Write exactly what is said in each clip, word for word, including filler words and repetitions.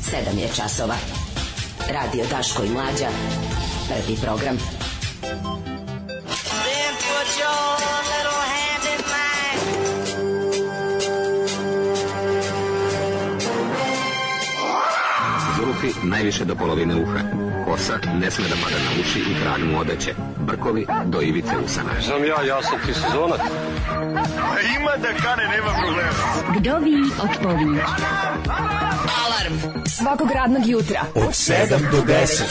sedam je časova. Radio Daško i Mlađa. Prvi program. Then put your little hand in mine. Zulufi najviše do polovine uha. Kosa ne sme da pada na uši i krag mu odeće. Brkovi do ivice usana. Znam ja, ja sam ti sezonac. Ima da kane, nema problema. Kdovi odpovi. Alarm svakog radnog jutra od sedam do deset.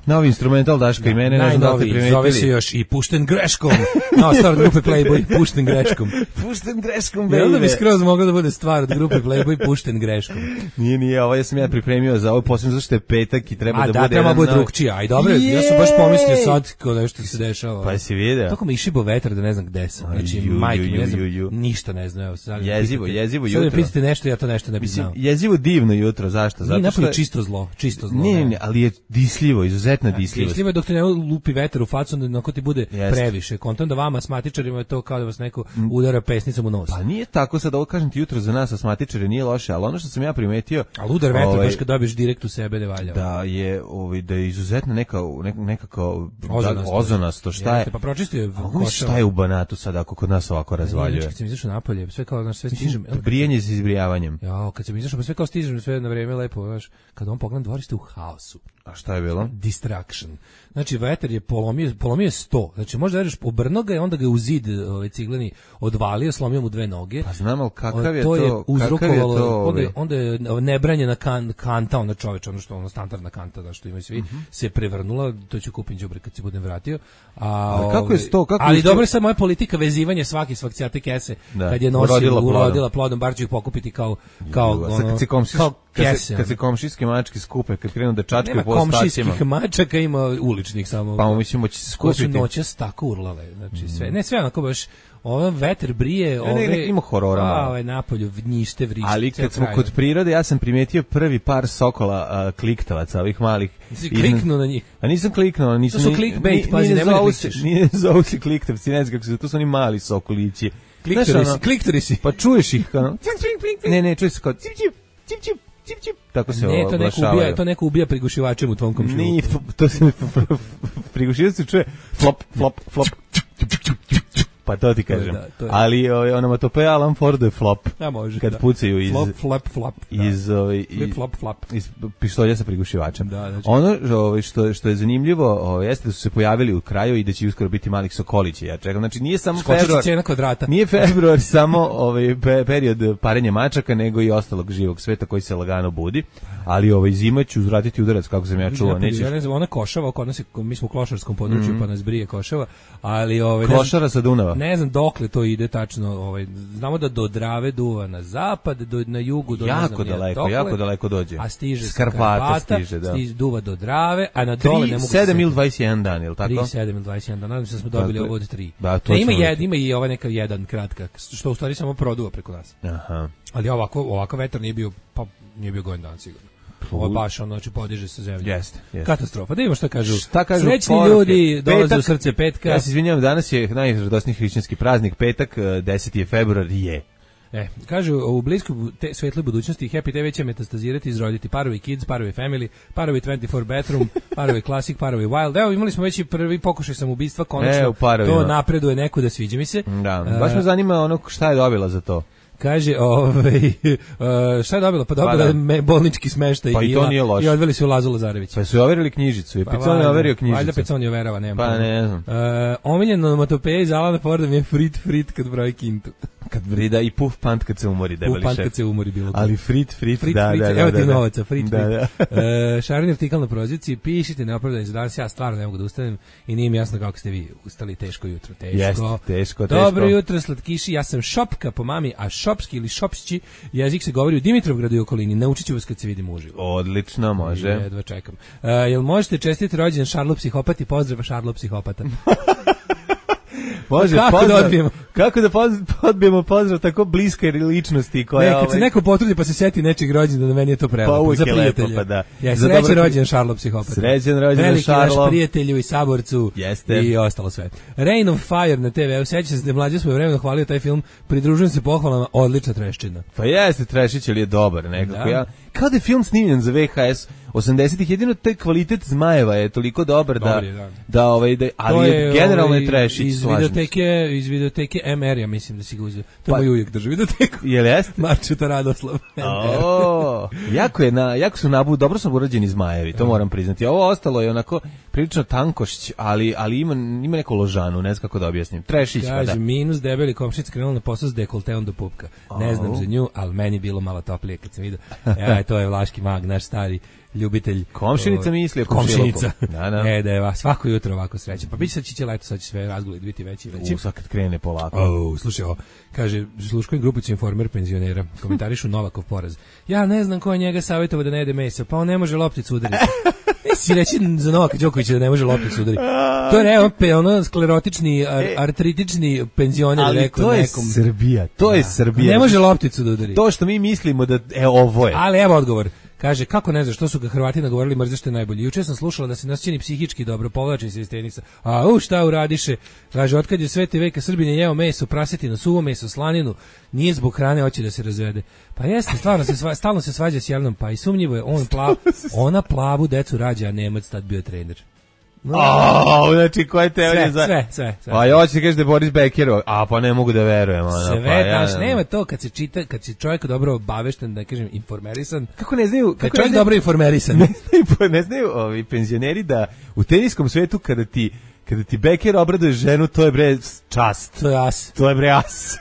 Novi instrumental Daška i mene, ne znam da li ste primetili. Zove se još i Pušten greškom. No, stvar od grupe Playboy, Pušten greškom. Pušten greškom, baby. Onda bi skroz mogla da bude stvar od grupe Playboy, Pušten greškom. Nije, nije, ovo ja sam ja pripremio za ovo, posebno zašto je petak i treba A, da, da bude... A da, treba bude novi... drugčija. Aj, dobro, Jej! Ja sam baš pomislio sad kao nešto se dešava. Pa si vidio. Tako mi išibo vetar da ne znam gde sam. Znači, majke mi ne znam, ništa ne znam. Evo, sad jezivo, pitate, jezivo jutro. Sad mi pitate nešto, ja to nešto ne bih znao. Jezivo divno jutro, zašto? Zato nije napolje čisto zlo, čisto zlo. Ne, ne, ali je disljivo, izuzetno disljivo. Disljivo dok te ne lupi vetar u facu, onda ti bude Jest. previše. Kontam da vama asmatičarima je to kao da vas neko udara pesnicom u nos. Pa nije tako, sad ovo kažem ti jutro za nas asmatičare nije loše, ali ono što sam ja primetio... Ali udar vetra ovaj, baš kad dobiješ direkt u sebe ne valja. Da je, ovaj, da je izuzetno neka, neka, nekako ozonasto. ozonasto. Šta je? Jeste, pa pročistio je košava. Šta je u Banatu sad ako kod nas ovako razvaljuje? Kad sam izašao napolje, sve kao, znaš, sve stižem. Brijanje s izbrijavanjem. Ja, kad sam izašao, pa sve kao stižem, sve na vreme lepo, znaš, kad on pogledam dvorište u haosu. A šta je bilo? Distraction. Znači, vetar je polomio, polomio sto. Znači, možda radiš obrno ga i onda ga u zid ovaj, cigleni odvalio, slomio mu dve noge. Pa znam, ali kakav je to? To je uzrokovalo, je to onda, onda je nebranjena kan, kanta, ona čoveč, ono što ono standardna kanta, da što imaju svi, uh-huh. se prevrnula, to ću kupiti đubre kad se budem vratio. A, ali kako je sto? Kako ali je dobro je sad moja politika vezivanje svaki svakcijate kese, da. Kad je nosila, urodila plodom, bar ću ih pokupiti kao, kao, ono, kad se komšis, kao kese. Kad se, kad se komšijski mački skupe, kad krenu da čačkaju po ostacima. Nema komšijskih mačaka, ima uličnih samo. Pa mislimo će se skupiti. Ko su noćas tako urlale, znači sve, ne sve onako baš, ovo vetar brije, ove... Ne, ne, ima horora malo. A, ovaj napolju, njište, vrište. Ali kad smo kod prirode, ja sam primetio prvi par sokola a, kliktavaca, ovih malih. Nisi kliknuo na njih? A nisam kliknuo, nisam... To su clickbait, pazi, nemoj da klikćeš. Nije zovu se kliktavci, ne znam kako se, to su oni mali sokolići. Kliktori si, kliktori si. Pa čuješ ih, kao... Ne, ne, čuješ se kao... Cip, cip, cip, cip. Cip, cip, tako se ne, to neko ubija, to neko ubija prigušivačem u tvom komšiluku. Nije, to se prigušivač se čuje flop, flop, flop. Pa to ti kažem. Da, to ali ovaj onomatopeja Alan Ford je flop. A može. Kad da. pucaju iz flop, flop, flop. Iz ovaj flip, flop, flop. Iz pištolja sa prigušivačem. Da, znači. Ono ovaj što što je zanimljivo, ovaj jeste da su se pojavili u kraju i da će uskoro biti malih sokolića. Ja čekam. Znači nije samo februar. Cena kvadrata. Nije februar samo ovaj period parenja mačaka, nego i ostalog živog sveta koji se lagano budi. Ali ovaj zima će uzvratiti udarac kako sam ja čuo, neće. Ja ne znam, ona košava, kod nas mi smo u klošarskom području, mm-hmm. pa nas brije košava, ali ovaj Klošara sa Dunava. Ne znam dokle to ide tačno, ovaj znamo da do Drave duva na zapad, do na jugu do jako ne znam daleko, dokle, jako daleko dođe. A stiže s Karpata, stiže, da. Stiže duva do Drave, a na dole ne mogu sedam ili dvadeset jedan dan, je l' tako? tri sedam ili dvadeset jedan dan, nadam se da smo dobili ovo od tri. Da, to ne, ima jedan, ima i ovaj neka jedan kratka, što u stvari samo produva preko nas. Aha. Ali ovako, ovako vetar nije bio, pa nije bio gojen dan sigurno. Ovo baš ono, znači podiže se zemlja. Jeste, jeste. Katastrofa. Da imamo šta kažu. Šta kažu Srećni poruke. ljudi dolaze u srce petka. Ja se izvinjavam, danas je najradosniji hrišćanski praznik, petak, deseti februar je. E, kažu, u bliskoj te, svetloj budućnosti Happy te V će metastazirati, izroditi parovi Kids, parovi Family, parovi dvadeset četiri bedroom, parovi Classic, parovi Wild. Evo, imali smo već i prvi pokušaj samoubistva, konačno e, to napreduje neko da sviđa mi se. Da, baš me zanima ono šta je dobila za to. Kaže, ovaj, šta je dobila? Pa dobila je me, bolnički smeštaj pa i, to nije loše. I odveli su u Lazu Lazarevića. Pa su overili knjižicu i pa Picon je overio knjižicu. Valjda Picon je overava, nema. Pa ne znam. Uh, omiljen onomatopeja iz Alana Forda mi je frit frit kad broji kintu. Kad brida i puf pant kad se umori, debeli šef. Puf pant kad se umori bilo. Ali frit frit, frit, da, frit, da, da. Evo da, ti da. novaca, frit da, frit. Da. Uh, Šarin artikal na proziciji, pišite neopravdani za danas, ja stvarno ne mogu da ustanem i nije mi jasno kako ste vi ustali teško jutro. Teško. Jest, teško, teško. Dobro jutro, slatkiši, ja sam Šopka po mami, a šopski ili šopšći jezik se govori u Dimitrovgradu i okolini. Naučit ću vas kad se vidimo uživo. Odlično, može. Jedva čekam. Uh, jel možete čestiti rođendan Šarlo psihopati? Pozdrav Šarlo psihopata. Može, kako pozdrav, da odbijemo? Kako da poz, odbijemo pozdrav tako bliske ličnosti koja... Ne, kad ovaj... se neko potrudi pa se seti nečeg rođendana, meni je to prelepo. Pa uvijek za je lepo, prijatelja. pa da. Ja, za srećan dobro... rođendan Šarlo psihopata. Srećan rođendan Šarlo. Veliki naš prijatelju i saborcu. Jeste. I ostalo sve. Rain of Fire na te ve. Sećam se da je mlađe svoje vremeno hvalio taj film. Pridružujem se pohvalama, odlična treščina. Pa jeste, Trešić, ali je dobar nekako. Da. Ja, kao da je film snimljen za ve ha es osamdesetih, jedino taj kvalitet Zmajeva je toliko dobar da, je, da. da, ovaj, da ali je, generalno ovaj, je Trešić, iz videoteke, iz videoteke M R, ja mislim da si ga uzeo. To pa, moj ujek drži videoteku. Jel jeste? Marčeta Radoslav. O, jako je na, jako su nabu, dobro su urađeni Zmajevi, to moram priznati. Ovo ostalo je onako prilično tankošć, ali ali ima ima neku ložanu, ne znam kako da objasnim. Trešić, pa da. Kaže, minus debeli komšinica krenula na posao s dekolteom do pupka. Ne znam za nju, ali meni bilo malo toplije kad sam vidio. E, to je Vlaški mag, naš stari ljubitelj. Komšinica misli, komšinica. Da, da. E, da je vas svako jutro ovako srećan. Pa biće sad će leto, sad će sve razguliti biti veći i veći. U, sad kad krene polako. O, slušaj, o, kaže, sluškujem grupicu Informer penzionera, komentarišu Novakov poraz. Ja ne znam ko je njega savjetovao da ne jede meso, pa on ne može lopticu udariti. E, si reći za Novaka Đokovića da ne može lopticu udariti. To je ono, pe, ono sklerotični, ar, artritični penzioner ali rekao to je nekom. Srbija, to je Srbija. Ne može lopticu da udari. To što mi mislimo da, e, ovo je. Ali evo odgovor. Kaže, kako ne znaš, što su ga Hrvati nagovorili, mrze što je najbolje. Juče sam slušala da se nas čini psihički dobro, povlači se iz tenisa. A u, šta uradiše? Kaže, otkad je sveti veka Srbin je jeo meso, prasetinu, suvo meso, slaninu, nije zbog hrane, hoće da se razvede. Pa jeste, stvarno se sva, stalno se svađa s Jelnom, pa i sumnjivo je, on plav, ona plavu decu rađa, a Nemac tad bio trener. No. Oh, znači koje teorije sve, za... sve, sve, sve. Pa ja hoćeš da kažeš da je Boris Bekerov, a pa ne mogu da verujem. Ono, sve, pa, ja, znaš, nema to kad se čita, kad si čovjek dobro obavešten, da kažem, informerisan. Kako ne znaju... Kad kako čovjek ne znaju, dobro informerisan. Ne znaju, ne znaju ovi penzioneri da u teniskom svetu kada ti, kada ti Beker obraduje ženu, to je bre čast. To je as. To je bre as.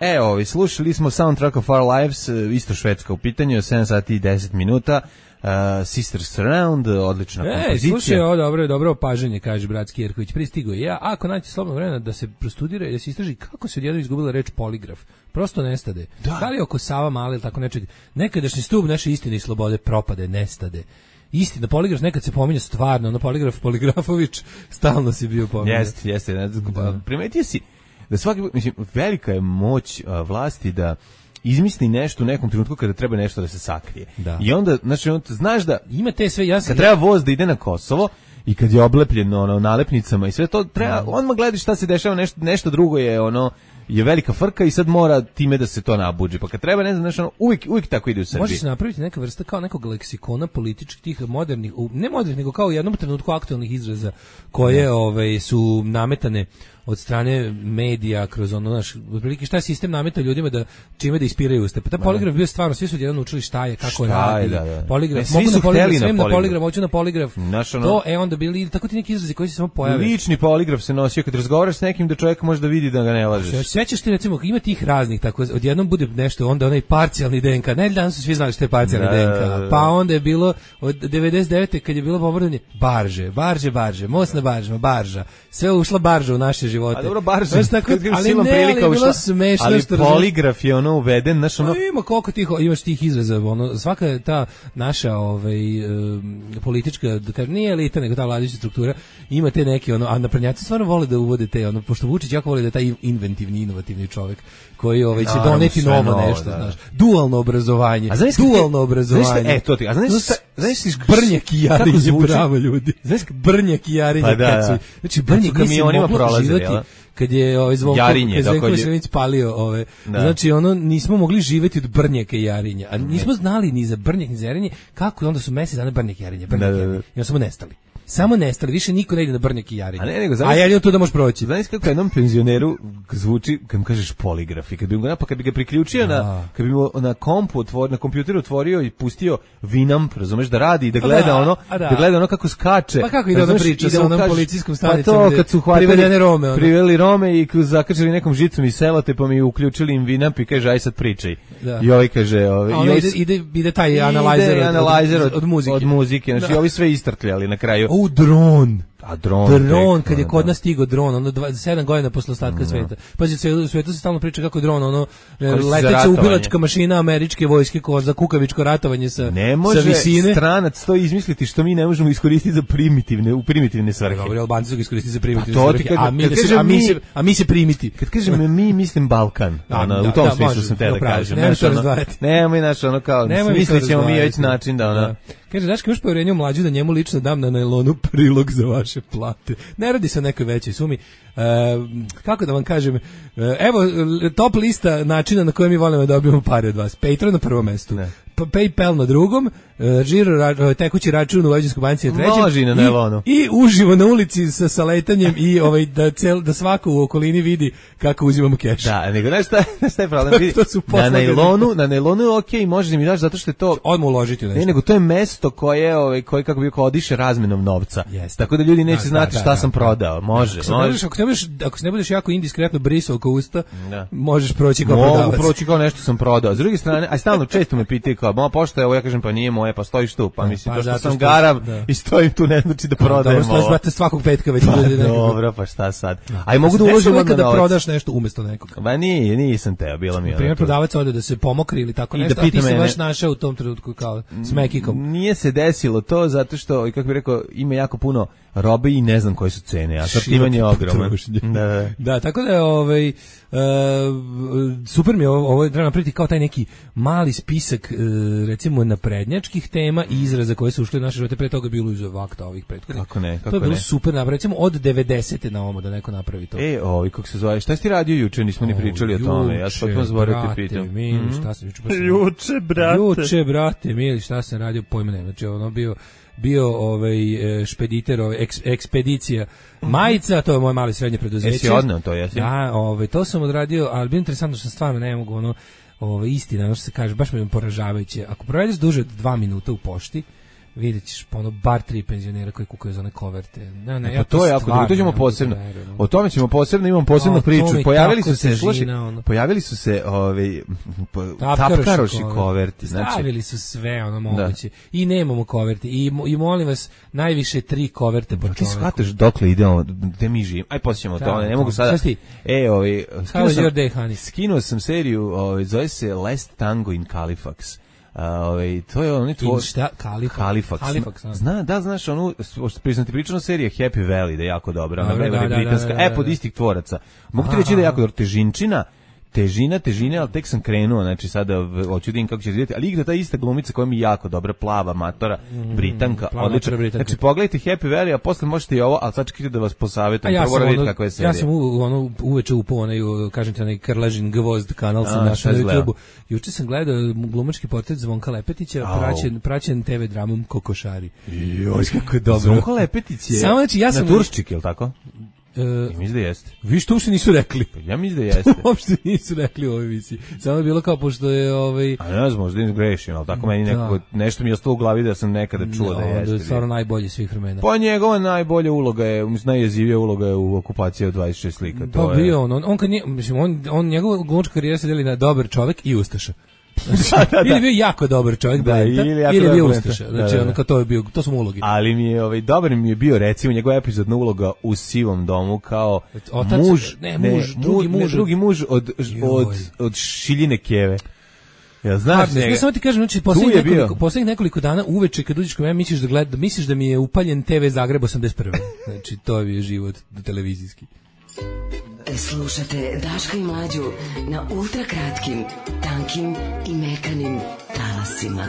E, ovi, slušali smo Soundtrack of Our Lives, isto švedska u pitanju, sedam sati i deset minuta. Uh, Sisters Surround, odlična e, kompozicija. Slušaj, ovo dobro, dobro opažanje, kaže Bratski Jerković. Pristigo je ja, ako naći slobodno vremena da se prostudira i da se istraži kako se odjednom izgubila reč poligraf. Prosto nestade. Da, da li oko Sava Male ili tako nečeg. Nekadašnji stub naše istine i slobode propade, nestade. Istina, poligraf nekad se pominje stvarno, ono poligraf, Poligrafović, stalno si bio pominje. Jeste, jeste. Da. Primetio si da svaki, mislim, velika je moć uh, vlasti da izmisli nešto u nekom trenutku kada treba nešto da se sakrije. Da. I onda, znači, on, znaš da ima te sve, ja sam... kad treba voz da ide na Kosovo i kad je oblepljen ono, nalepnicama i sve to, treba, odmah gledaš šta se dešava, nešto, nešto drugo je ono, je velika frka i sad mora time da se to nabuđi. Pa kad treba, ne znam, znači, ono, uvijek, uvijek tako ide u Srbiji. Može se napraviti neka vrsta kao nekog leksikona političkih tih modernih, ne modernih, nego kao u jednom trenutku aktualnih izraza koje ne. Ove, su nametane od strane medija kroz ono naš otprilike šta je sistem nametao ljudima da čime da ispiraju usta. Pa ta poligraf bio stvarno, svi su jedan učili šta je, kako šta radi. Da, da. Poligraf, mogu na poligraf, sve na poligraf, hoću na poligraf. Naš, ono, to je onda bili tako ti neki izrazi koji se samo pojave. Lični poligraf se nosio kad razgovaraš s nekim da čovjek može da vidi da ga ne lažeš. Sve ćeš ti recimo ima tih raznih tako odjednom bude nešto onda onaj parcijalni D N K. Ne, danas su svi znali šta je parcijalni da, D N K. Pa onda je bilo od devedeset devete kad je bilo bombardovanje barže, barže, barže, most na baržama, barža. Sve ušla barža u naše živote. A dobro, barža, tako, ali ne, prilika ali bilo smešno. Ali poligraf je ono uveden, znaš ono... No, ima koliko tih, imaš tih izraza, ono, svaka ta naša ovaj, um, politička, da kažem, nije elita, nego ta vladajuća struktura, ima te neke, ono, a naprednjaci stvarno vole da uvode te, ono, pošto Vučić jako voli da je taj inventivni, inovativni čovjek, koji ovaj, će naravno, doneti novo, novo nešto, da, znaš. Dualno obrazovanje, dualno obrazovanje. Znaš, e, to ti, a znaš, znaš, znaš, brnjak i jarinje, bravo ljudi. Znaš, brnjak i jarinje, pa da, kad su, znači, brnjak nisi moglo živati, kad je ovaj Zvonko Veselinović palio ove da. Znači ono nismo mogli živeti od brnjaka i jarinja, a nismo znali ni za brnjak ni za jarinje, kako onda su mesec dana brnjak i jarinje, brnjak i jarinje. I onda smo nestali. Samo nestali, više niko ne ide na brnjak i jarinje. A, ne, nego, a ja idem tu da možeš proći. Znaš kako jednom penzioneru zvuči, kad mu kažeš poligraf i kad bi ga, pa kad bi ga priključio na, kad bi mu na kompu otvorio, na kompjuteru otvorio i pustio Winamp, razumeš, da radi i da gleda da, ono, da. da gleda ono kako skače. Pa kako ide ona priča sa onom policijskom stanicom, pa to, kad su privedene Rome. Ono. Priveli Rome i zakačili nekom žicom iz selotepom i uključili im Winamp i kaže, aj sad pričaj. Da. I ovaj kaže... Ovaj, a ide, ide, ide taj analizer od, od, od, od muzike. Od muzike, znači ovi sve istrkljali na kraju. U dron. A dron, dron tek, kad je da. kod nas stigao dron, ono dva, sedam godina posle ostatka sveta. Pazi, sve u svetu se stalno priča kako dron, ono leteća ubilačka mašina američke vojske ko za kukavičko ratovanje sa ne može sa visine. Stranac to izmisliti što mi ne možemo iskoristiti za primitivne, u primitivne svrhe. Dobro, Albanci su ga iskoristili za primitivne to svrhe, kad, a mi, kad da se, kažem a mi, mi, se, a mi se primiti. Kad kažem mi, mislim Balkan. Da, ono, da, u tom da, smislu može, sam te da upravo, kažem. nemoj to razdvajati. Nemoj, znaš, ono kao, mislit ćemo mi već način da ona... Da. Kaže, daš imaš povjerenje u mlađu da njemu lično dam na nailonu prilog za vaše plate. Ne radi se o nekoj većoj sumi. E, kako da vam kažem, e, evo top lista načina na koje mi volimo da dobijemo pare od vas. Patreon na prvom mestu. Ne. PayPal na drugom, uh, žiro ra, tekući račun u Vojvođanskoj banci na trećem. Može i na nailonu. I, i uživo na ulici sa saletanjem i ovaj da cel, da svako u okolini vidi kako uzimamo keš. Da, nego znaš šta, šta je problem? Vidi, na nailonu, na nailonu je okej, okay, možeš da mi daš zato što je to odmah uložiti nešto. Ne, nego to je mesto koje ovaj koje kako bi odiše razmenom novca. Yes. Tako da ljudi neće da, znati da, šta da, sam da, prodao. Može, ako može. Se ako, se budeš, ako se ne budeš jako indiskretno brisao oko usta, da. Možeš proći kao Mogu prodavac. Mogu proći kao nešto sam prodao. S druge strane, aj stalno često me pitaju kao, "Ma pošto je ovo?" Ja kažem, "Pa nije moje, pa stojiš tu." Pa mislim pa, to što sam što, garav da. I stojim tu ne znači da prodajem. Dobro, stojiš brate svakog petka već pa, ljudi nekako. Dobro, pa šta sad? Aj mogu da uložim na da prodaš nešto umesto nekog. Pa nije, nisam teo, bilo mi je. Primjer prodavac ode da se pomokri ili tako nešto, a ti se baš našao u tom trenutku kao s mekikom. Nije se desilo to zato što, kako bih rekao, ima jako puno robe i ne znam koje su cene, a sortiman je ogroman. Da, da. Da, tako da je ovaj Uh, super mi je ovo, ovo treba napraviti kao taj neki mali spisak uh, recimo naprednjačkih tema i izraza koje su ušli u naše živote, pre toga bilo iz vakta ovih prethodnih. Kako ne, kako to je bilo ne. Super napraviti, recimo od devedesete na ovom da neko napravi to. E, ovi kako se zove, šta si ti radio juče, nismo ni pričali o tome, ja sam potpuno zaboravio te pitam. Mili, mm-hmm. šta sam juče pa sam, juče, brate. Juče, brate, mili, šta sam radio, pojma nema, znači ono bio bio ovaj špediter, ovaj eks, ekspedicija majica, to je moje mali srednje preduzeće. Jesi odneo to, jesi? Da, ovaj to sam odradio, ali bilo interesantno što stvarno ne mogu ono, ovaj istina, ono što se kaže, baš me poražavajuće. Ako provedeš duže od dva minuta u pošti, vidjet ćeš ono bar tri penzionera koji kukaju za one koverte. Ne, ne, pa ja to je jako, to ćemo posebno. O tome ćemo posebno, imamo posebnu priču. Pojavili su se, slušaj, pojavili su se ovaj tapkaroši koverti, znači stavili su sve ono moguće. Da. I nemamo koverti i i molim vas najviše tri koverte po čoveku. Ti shvataš dokle idemo, gde mi živimo. Aj posjećamo to, ne mogu sada. E, ovaj skinuo sam seriju, ovaj zove se Last Tango in Halifax. Ovaj to je onaj tvoj šta Halifax. Halifax. Halifax Zna, da znaš onu priznati pričanu seriju Happy Valley da je jako dobra, ona je britanska, e pod istih tvoraca. Mogu ti reći da je jako dobra težinčina. Težina, težine, ali tek sam krenuo, znači sada hoću da vidim kako će izgledati, ali igra ta ista glumica koja mi je jako dobra, plava, matora, Britanka, mm, odlična. Znači pogledajte Happy Valley, a posle možete i ovo, ali sad čekajte da vas posavetujem, ja prvo vidite kakva je serija. Ja sam u, ono, uveče upao onaj, kažem ti, onaj Krležin Gvozd kanal sam našao na YouTubeu. Juče sam gledao glumački portret Zvonka Lepetića, praćen, praćen te ve dramom Kokošari. Joj, kako je dobro. Zvonko Lepetić je Samo, znači, ja sam na Turščik, je li tako? Uh, ja mislim da jeste. Vi što uopšte nisu rekli? Ja mislim da jeste. Uopšte nisu rekli u ovoj emisiji. Samo je bilo kao pošto je ovaj. A ne znam, možda ne grešim, ali tako meni neko nešto mi je ostalo u glavi da sam nekada čuo no, da jeste. Da je stvarno najbolji svih vremena. Pa njegova najbolja uloga je, najjezivija uloga je u Okupaciji od dvadeset šest slika. To pa je bio on, on, on kad nije, mislim, on, on njegova glumačka karijera se deli na dobar čovjek i ustaša. da, da, da. Ili je bio jako dobar čovjek, da, Blenta, ili, ili je bio ustaša. Znači, da, da. Ono, to je bio, to su mu ulogi. Ali mi je, ovaj, dobar mi je bio, recimo, njegova epizodna uloga u Sivom domu kao Otac, muž, ne, muž, ne, drugi muž, ne, drugi muž od, od, od Šiljine Keve. Ja znaš njega. Ja samo ti kažem, znači poslednjih nekoliko, poslednjih nekoliko dana uveče kad uđeš kod mene misliš da gleda, misliš da mi je upaljen te ve Zagreb osamdeset prve. Znači to je život televizijski. Slušate Daška i Mlađu na ultra kratkim, tankim i mekanim talasima.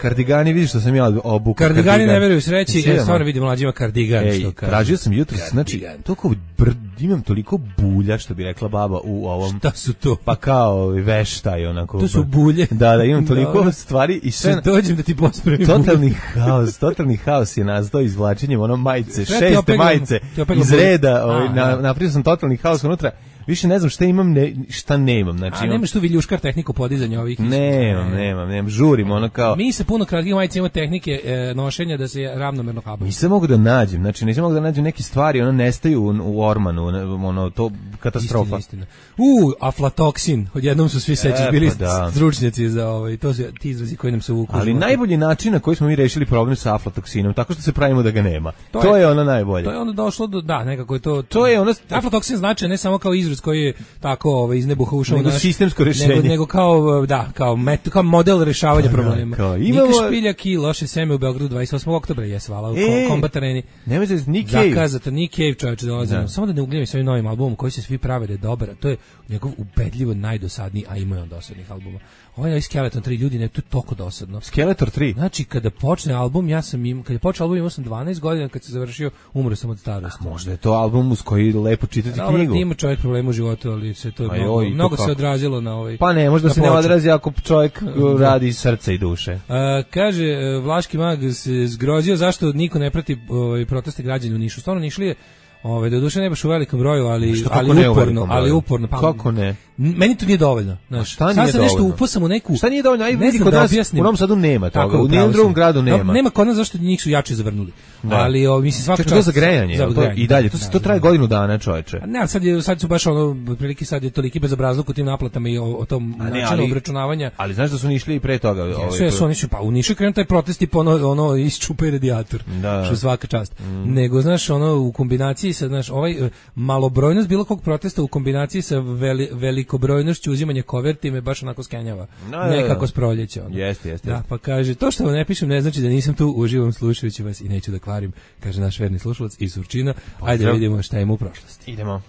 Kardigani, vidiš što sam ja obuku. Kardigani kardigan. Ne veruju sreći, ja stvarno vidim mlađima kardigan. Ej, što kaže. Tražio sam jutro, znači, toliko brd, imam toliko bulja, što bi rekla baba u ovom. Šta su to? Pa kao veštaj, onako. To su bulje. Da, da, imam toliko Dobre. stvari i sve. Sve dođem da ti pospremim. Totalni haos, totalni haos je nastao izvlačenjem ono majice, šeste majice iz reda, ovaj, na, napravio sam totalni haos unutra. više ne znam šta imam, ne, šta nemam. Znači, A nemaš tu viljuškar tehniku podizanja ovih? Nemam, nemam, nemam, žurim, ono kao... Mi se puno kratkih majica imamo tehnike e, nošenja da se ravnomerno habu. Nisam mogu da nađem, znači nisam mogu da nađem neke stvari, ono nestaju u, u ormanu, ono, to katastrofa. Istina, istina. U, aflatoksin, odjednom su svi sećaš e, bili pa da. stručnjaci za ovaj, to su ti izrazi koji nam se uvuku. Ali najbolji način na koji smo mi rešili problem sa aflatoksinom, tako što se pravimo da ga nema. To, to je, je ono najbolje. To je onda došlo do, da, nekako je to... To je ono... Aflatoksin znači ne samo kao izraz koji je tako ovaj, iz nebuha ušao nego naš, sistemsko rešenje. Nego, nego kao, da, kao, met, kao model rešavanja da, problema. Kao, imamo... Nika Špiljak i loše seme u Beogradu dvadeset osmog oktobra, jes, hvala, u e, Combat Areni. Nemoj se, Nick Cave. Zakazata, Nick Cave čovječe dolazi. Da. Samo da ne ugljivim s ovim novim albumom koji se svi prave da je dobar, to je njegov ubedljivo najdosadniji, a ima je on dosadnih albuma. Ovaj novi Skeleton tri, ljudi, ne, to je toliko dosadno. Skeletor tri? Znači, kada počne album, ja sam im, kada je počeo album, imao sam dvanaest godina, kad se završio, umro sam od starosti. A možda je to album uz koji lepo čitati Dobre, knjigu. Ima čovjek problema u životu, ali se to je pa mnogo, joj, mnogo to se odrazilo na ovaj... Pa ne, možda se ne odrazi ako čovjek radi iz srca i duše. A, kaže, Vlaški mag se zgrozio zašto niko ne prati ovaj, proteste građana u Nišu. Stvarno Nišlije, ovaj, do duše ne baš u velikom broju, ali, što, ali uporno, ali uporno. Pa, kako ne? Meni to nije dovoljno. Znaš, sad sam dovoljno? Nešto upasam u neku... Šta nije dovoljno? Aj, ne vidi, kod da nas objasnim. U Novom Sadu nema toga, tako, u nijednom drugom gradu nema. No, nema kod nas zašto njih su jače zavrnuli. Da. Ali o, mislim svaka čast za grejanje, za to, grejanje i dalje to da, to traje da, godinu dana, čoveče. Ne, ali sad je sad su baš ono otprilike sad je toliki bezobrazluk u tim naplatama i o, o tom načinu obračunavanja. Ali znaš da su išli i pre toga, ovaj. Sve su oni su pa u Nišu krenuo taj protest i ono ono isčupaj radijator. Da. Što svaka čast. Mm. Nego znaš ono u kombinaciji sa znaš ovaj malobrojnost bilo kog protesta u kombinaciji sa veli, velikobrojnošću uzimanja koverti me baš onako skenjava. No, nekako s proljeća ono. Jeste, jeste. Da, pa kaže to što vam ne pišem ne znači da nisam tu uživam slušajući vas i neću da kvarim, kaže naš verni slušalac iz Surčina. Ajde da vidimo šta ima u prošlosti. Idemo.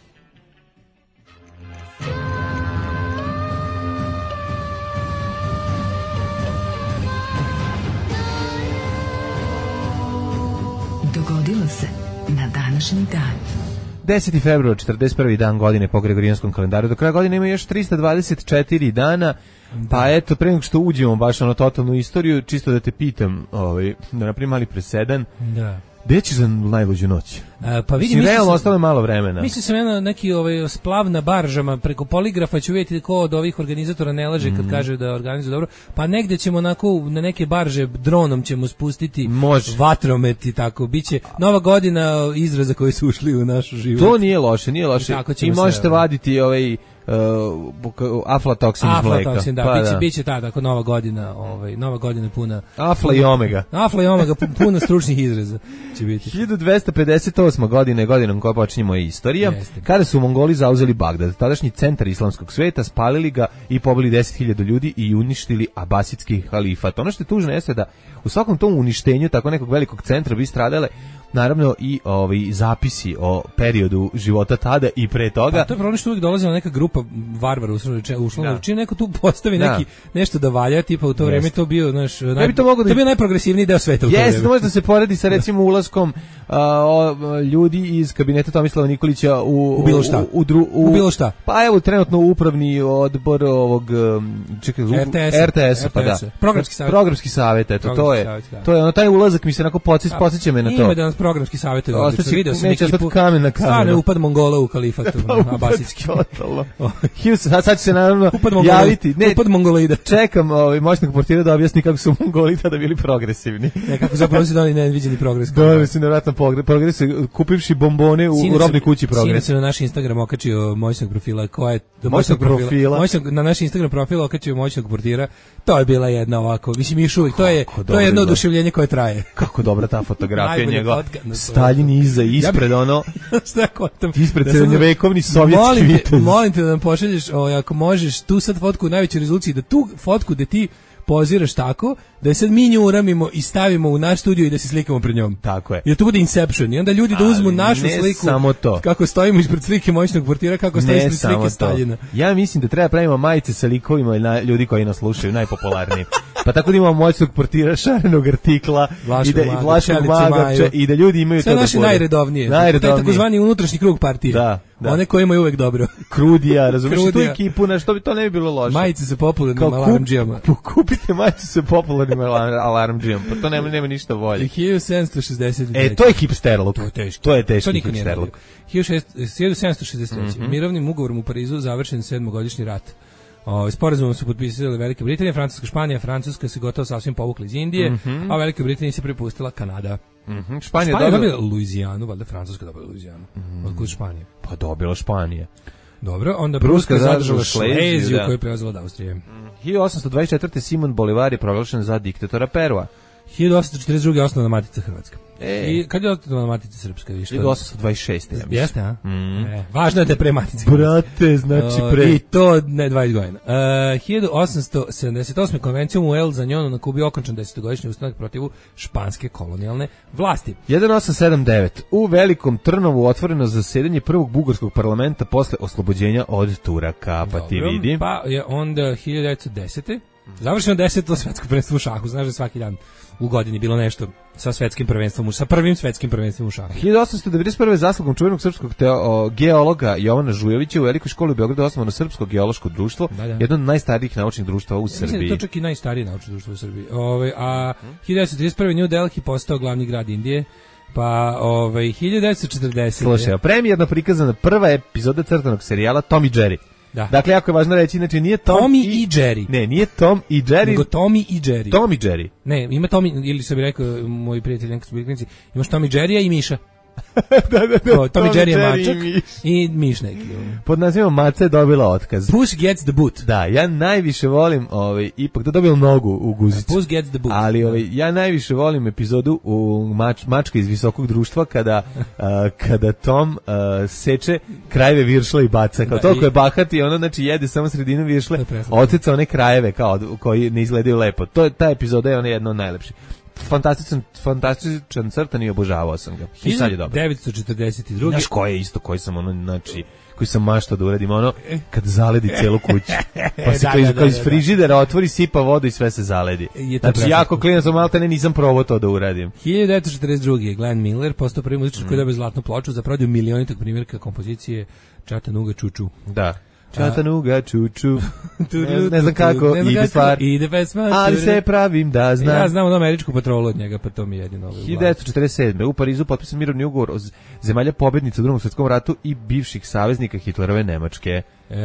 Dogodilo se na današnji dan. deseti februar, četrdeset prvi dan godine po Gregorijanskom kalendaru. Do kraja godine ima još trista dvadeset četiri dana. Pa eto, pre nego što uđemo baš na totalnu istoriju, čisto da te pitam, ovaj, da napravim mali presedan. Da. Gde ćeš za najluđu noć? A, pa vidim, mislim, realno ostalo je malo vremena. Mislim sam ja neki ovaj splav na baržama preko poligrafa ću vidjeti ko od ovih organizatora ne laže kad mm. kaže da organizuje dobro. Pa negde ćemo onako na neke barže dronom ćemo spustiti Može. vatromet i tako. Biće nova godina izraza koji su ušli u naš život. To nije loše, nije loše. I, I možete se, vaditi ovaj Uh, aflatoksin iz mleka. Aflatoksin, da, pa, biće, da. biće ta, tako nova godina, ovaj, nova godina puna... Afla i omega. Afla i omega, puna stručnih izraza će biti. hiljadu dvesta pedeset osma godine, godinom koja počinjemo je istorija, Jeste. Kada su Mongoli zauzeli Bagdad, tadašnji centar islamskog sveta, spalili ga i pobili deset hiljada ljudi i uništili abasitski halifat. Ono što je tužno jeste da u svakom tom uništenju tako nekog velikog centra bi stradale naravno i ovi zapisi o periodu života tada i pre toga. Pa to je problem što uvijek dolazila neka grupa varvara uslovno, čim neko tu postavi da. neki nešto da valja, tipa u to vreme to bio, znaš, ja naj, bi to, mogo da... to bio najprogresivniji deo sveta u to vreme. Jeste, može da se poredi sa recimo ulaskom a, o, ljudi iz kabineta Tomislava Nikolića u, u bilo šta. U, u, dru, u, u bilo šta. Pa evo trenutno upravni odbor ovog čekaj, R T S-a, R T S-a, pa da. Programski savjet. Programski savjet, eto, programski to je. Savjet, da. To je ono taj ulazak mi se onako podsjeća, podsjeća me na to. Ima da nas programski savjet odlično. Video sam neće ekipu. Kamen na kamenu. Stvarno upad Mongola u kalifatu pa, abasitski. Totalno. sad, sad će se naravno upad javiti. Ne, upad Mongolida. Čekam ovaj moćnog portira da objasni kako su Mongoli tada bili progresivni. Ne, kako zapravo su doneli neviđeni progres. Doneli su nevratno progres, kupivši bombone u, u robnoj kući progres. Sinoć se na naš Instagram okačio moćnog profila, ko je do moćnog profila. profila. Moćnog, na naš Instagram profil okačio moćnog portira. To je bila jedna ovako, mislim još uvijek, to je to je jedno oduševljenje koje traje. Kako dobra ta fotografija njega. Staljin iza ispred ono. Šta kontam? Ispred srednjovekovni sovjetski vitez. Molim te da nam pošalješ, o, ako možeš, tu sad fotku u najvećoj rezoluciji, da tu fotku da ti poziraš tako, da je sad mi nju uramimo i stavimo u naš studio i da se slikamo pred njom. Tako je. Jer to bude Inception. I onda ljudi da uzmu našu ne sliku. Samo to. Kako stojimo ispred slike moćnog portira, kako stoji ispred slike Staljina. Ja mislim da treba pravimo majice sa likovima na ljudi koji nas slušaju, najpopularniji. Pa tako da imamo moćnog portira, šarenog artikla Vlaškog i da, maga, i Vlaškog Pčelicu maga, Maju. pče- i da ljudi imaju Sve to da naše bude. najredovnije. Najredovnije. Taj takozvani unutrašnji krug partije. Da, da. One koje imaju uvek dobro. Krudija, razumiješ, tu Krudija. ekipu, na što bi to ne bi bilo loše. Majice sa popularnim Kao alarmdžijama. kup, kupite majicu sa popularnim alarm, alarmdžijom, pa to nema, nema ništa bolje. hiljadu sedamsto šezdeset E, to je hipsterluk. To je teški. To je To teški niko nije hipsterluk. radio. hiljadu sedamsto šezdeset treće. Mhm. Mirovnim ugovorom u Parizu završen sedmogodišnji rat. O, sporazumom su potpisali Velika Britanija, Francuska, Španija, Francuska se gotovo sasvim povukla iz Indije, Mhm. a Velika Britanija se prepustila Kanada. Mhm, Španija Španija je dobila... dobila Luizijanu, valjda Francuska dobila Luizijanu. Mhm. Otkud Španije? Pa dobila Španija. Dobro, onda Pruska Pruska zadržala zadržala Šleziju, Šleziju da. koju je preuzela od Austrije. hiljadu osamsto dvadeset četvrte. Simon Bolivar je proglašen za diktatora Perua. hiljadu osamsto četrdeset druge. osnovna Matica Hrvatska. E. I kad je osnovna Matica Srpska? I što? hiljadu osamsto dvadeset šeste. ja mislim. Jeste, a? Mhm. E, važno je da je pre Matice. Brate, znači O, pre. I to ne dvadeset godina. Uh, hiljadu osamsto sedamdeset osme. konvencijom u El Zanjonu na Kubi okončan desetogodišnji ustanak protiv španske kolonijalne vlasti. hiljadu osamsto sedamdeset devet. U Velikom Trnovu otvoreno zasedanje prvog bugarskog parlamenta posle oslobođenja od Turaka, pa ti Dobro, vidi. Pa je onda hiljadu devetsto desete. Završeno deseto svetsko prvenstvo u šahu. Znaš da svaki dan u godini bilo nešto sa svetskim prvenstvom, u- sa prvim svetskim prvenstvom u šahu. hiljadu osamsto devedeset prve. zaslugom čuvenog srpskog teo, geologa Jovana Žujovića u Velikoj školi u Beogradu osnovano Srpsko geološko društvo, Da, da. jedno od najstarijih naučnih društava u Mislim da je Srbiji. to čak i najstarije naučno društvo u Srbiji. Ove, a hiljadu devetsto trideset prve. New Delhi postao glavni grad Indije. Pa ovaj hiljadu devetsto četrdesete. Slušaj, a premijerno prikazana prva epizoda crtanog serijala Tom i Jerry. Da. Dakle, jako je važno reći, znači nije Tom Tommy i Jerry. Ne, nije Tom i Jerry, Nego Tommy i Jerry. Tom i Jerry. Ne, ima Tommy, ili što bi rekao moji prijatelji nekad su bili klinici, imaš Tommy Jerrya i Miša. da, da, da. O, Tommy Jerry je Jerry mačak i Miš. i Miš neki. Pod nazivom Maca je dobila otkaz. Puss gets the boot. Da, ja najviše volim, ovaj, ipak da dobila nogu u guzicu. Puss gets the boot. Ali ovaj, ja najviše volim epizodu u mač, Mačka iz visokog društva kada, a, kada Tom a, seče krajeve viršla i baca. Kao Da, toliko i- je bahat i ono znači jede samo sredinu viršle, To je preslatno. oteca one krajeve kao koji ne izgledaju lepo. To je ta epizoda je ona jedna od najlepših. Fantastičan, fantastičan crtan i obožavao sam ga. I sad je dobro. hiljadu devetsto četrdeset druge. Znaš ko je isto koji sam ono, znači, koji sam maštao da uradim ono, kad zaledi celu kuću. Pa se Da, kao iz, da, kao iz da, da. frižidera otvori, sipa vodu i sve se zaledi. Je to Znači, preslatno. jako klinac, sam malte ne nisam probao to da uradim. hiljadu devetsto četrdeset druge. Glenn Miller postao prvi muzičar koji je dobio zlatnu ploču za prodaju milionitog primjerka kompozicije Čatanuga Čuču. Da. Čatanuga, čuču. Ne, ne znam kako Ne znam ide kako stvar, ide pesma. ali se pravim da znam. Ja znam onu američku patrolu od njega, pa to mi je jedino. ovaj hiljadu devetsto četrdeset sedme. u Parizu potpisan mirovni ugovor o z- zemalja pobednica u Drugom svjetskom ratu i bivših saveznika Hitlerove Nemačke. E,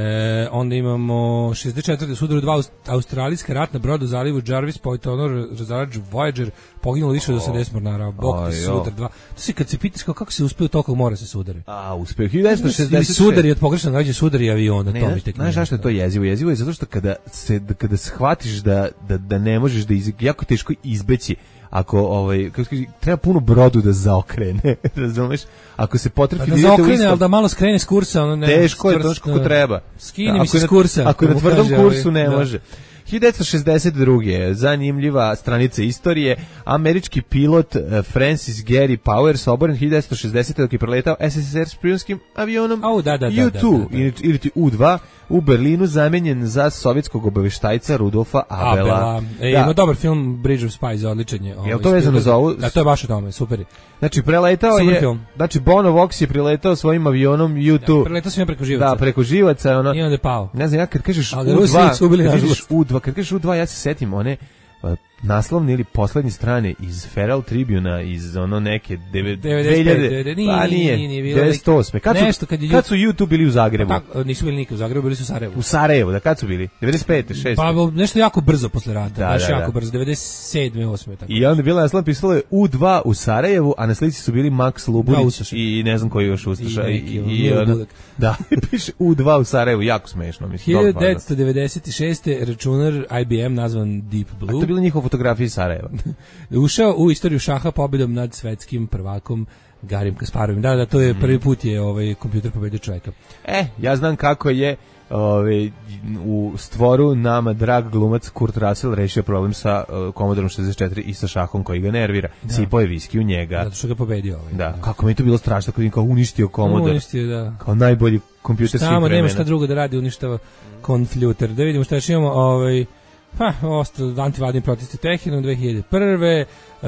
onda imamo šezdeset četvrte sudaru dva aust- australijska ratna broda u zalivu Jarvis, potonor razarač Voyager, poginulo više od osamdeset mornara, bok Aj, te jo. sudar dva. To se kad se pitaš kao kako se uspeo toliko mora se sudare. A, uspeo. hiljadu devetsto Ili šezdeset šeste. sudari od pogrešno nađe sudari aviona, Ne, to mi znaš, tek znaš nije zašto je to jasno. jezivo? Jezivo je zato što kada se da, kada shvatiš da, da, da ne možeš da iz, jako teško izbeći ako ovaj kako se kaže, treba puno brodu da zaokrene, razumeš? Ako se potrefi Pa da da idete u zaokrene, istom- ali da malo skrene s kursa, ono ne. teško je to čvrsto- kako treba. Skini Da, mi ako se je s na- kursa. Ako je na mu tvrdom kaže kursu ovaj, ne da. može. hiljadu devetsto šezdeset druge. zanimljiva stranica istorije, američki pilot eh, Francis Gary Powers oboren hiljadu devetsto šezdesete dok je preletao S S S R špijunskim avionom Au, da, da, da, U dva, da, da, da. ili, ili ti U dva u Berlinu zamenjen za sovjetskog obaveštajca Rudolfa Abela. Abela. E, Da. ima dobar film Bridge of Spies, odličan je. ovaj, Jel to vezano za ovu? Da, to je baš o tome, super je. Znači preletao Super je, film. znači Bono Vox je preletao svojim avionom U dva. Preletao sam ja preko živaca. Da, preko živaca je ono. I onda je pao. Ne znam, ja kad kažeš Ali U Rusi dva, su ubili, kad kažeš nažalost. U dva, kad kažeš U dva, ja se setim one uh, naslovne ili poslednje strane iz Feral Tribuna iz ono neke devet- devedeset pet, dve hiljade, nije, pa nije, nije, nije bilo devedeset osme. Kad su, nešto kad je kad su YouTube bili u Zagrebu? Tako, nisu bili nikad u Zagrebu, bili su u Sarajevu. U Sarajevu, da kad su bili? devedeset pete, šeste. Pa nešto jako brzo posle rata, Da, baš da, jako da. brzo, devedeset sedme, osme tako. I onda je bila naslovna pisalo je U dva u Sarajevu, a na slici su bili Max Da, Luburić Ustaša. i ne znam koji još Ustaša. I I, neki, i, ono, i Milo ono- Budak. da, piše U dva u Sarajevu, jako smešno. Mislim, dobro hiljadu fazno. devetsto devedeset šeste. računar I B M nazvan Deep A to Blue je bila njihova fotografija iz Sarajeva. ušao u istoriju šaha pobedom nad svetskim prvakom Garim Kasparovim. Da, da, to je prvi put je ovaj kompjuter pobedio čovjeka. E, ja znam kako je ove, u stvoru nama drag glumac Kurt Russell rešio problem sa uh, Commodorom šezdeset četiri i sa šahom koji ga nervira. Sipao je viski u njega. Zato što ga pobedio ovaj. Da, kako mi je to bilo strašno kad im kao uništio Commodore. Uništio, da. Kao najbolji kompjuter svih Tamo vremena. nema šta drugo da radi, uništava konfljuter. Da vidimo šta još imamo, ovaj Pa, ostalo antivladini protesti Teheranu dve hiljade prve. Uh,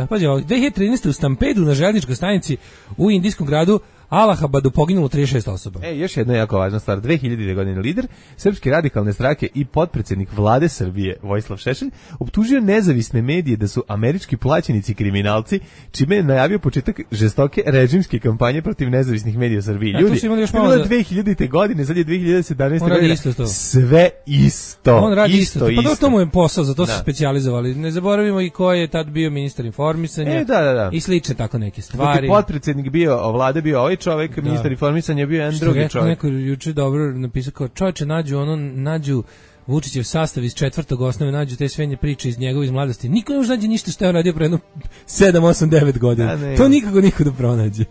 pađe, dve hiljade trinaeste. u stampedu na željezničkoj stanici u indijskom gradu Allahabadu poginulo trideset šest osoba. E, još jedna jako važna stvar. dve hiljadite. godine lider Srpske radikalne stranke i potpredsjednik vlade Srbije Vojislav Šešelj optužio nezavisne medije da su američki plaćenici kriminalci, čime je najavio početak žestoke režimske kampanje protiv nezavisnih medija u Srbiji. Ja, Ljudi, to je bilo dve hiljadite. godine, sad je dve hiljade sedamnaeste. On radi godine. isto to. Sve isto. On radi isto. isto, Pa to, isto. to mu je posao, za to su Da. specijalizovali. Ne zaboravimo i ko je tad bio ministar informisanja. E, da, da, da. I slične tako neke Dok stvari. je potpredsjednik bio, vlade bio ovaj čovjek, ministar informisanja je bio jedan Što drugi rekao čovjek. neko juče dobro napisao kao čovječe nađu ono nađu Vučićev sastav iz četvrtog osnove, nađu te sve priče iz njegove iz mladosti. Niko ne može nađe ništa što je on radio pre jedno sedam, osam, devet godina. Da, To nikako niko da pronađe.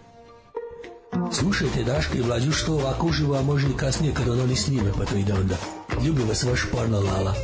Slušajte Daška i Mlađu što ovako uživo, a može i kasnije kad ono ni snime, pa to ide onda. Ljubi vas vaš porno Lala.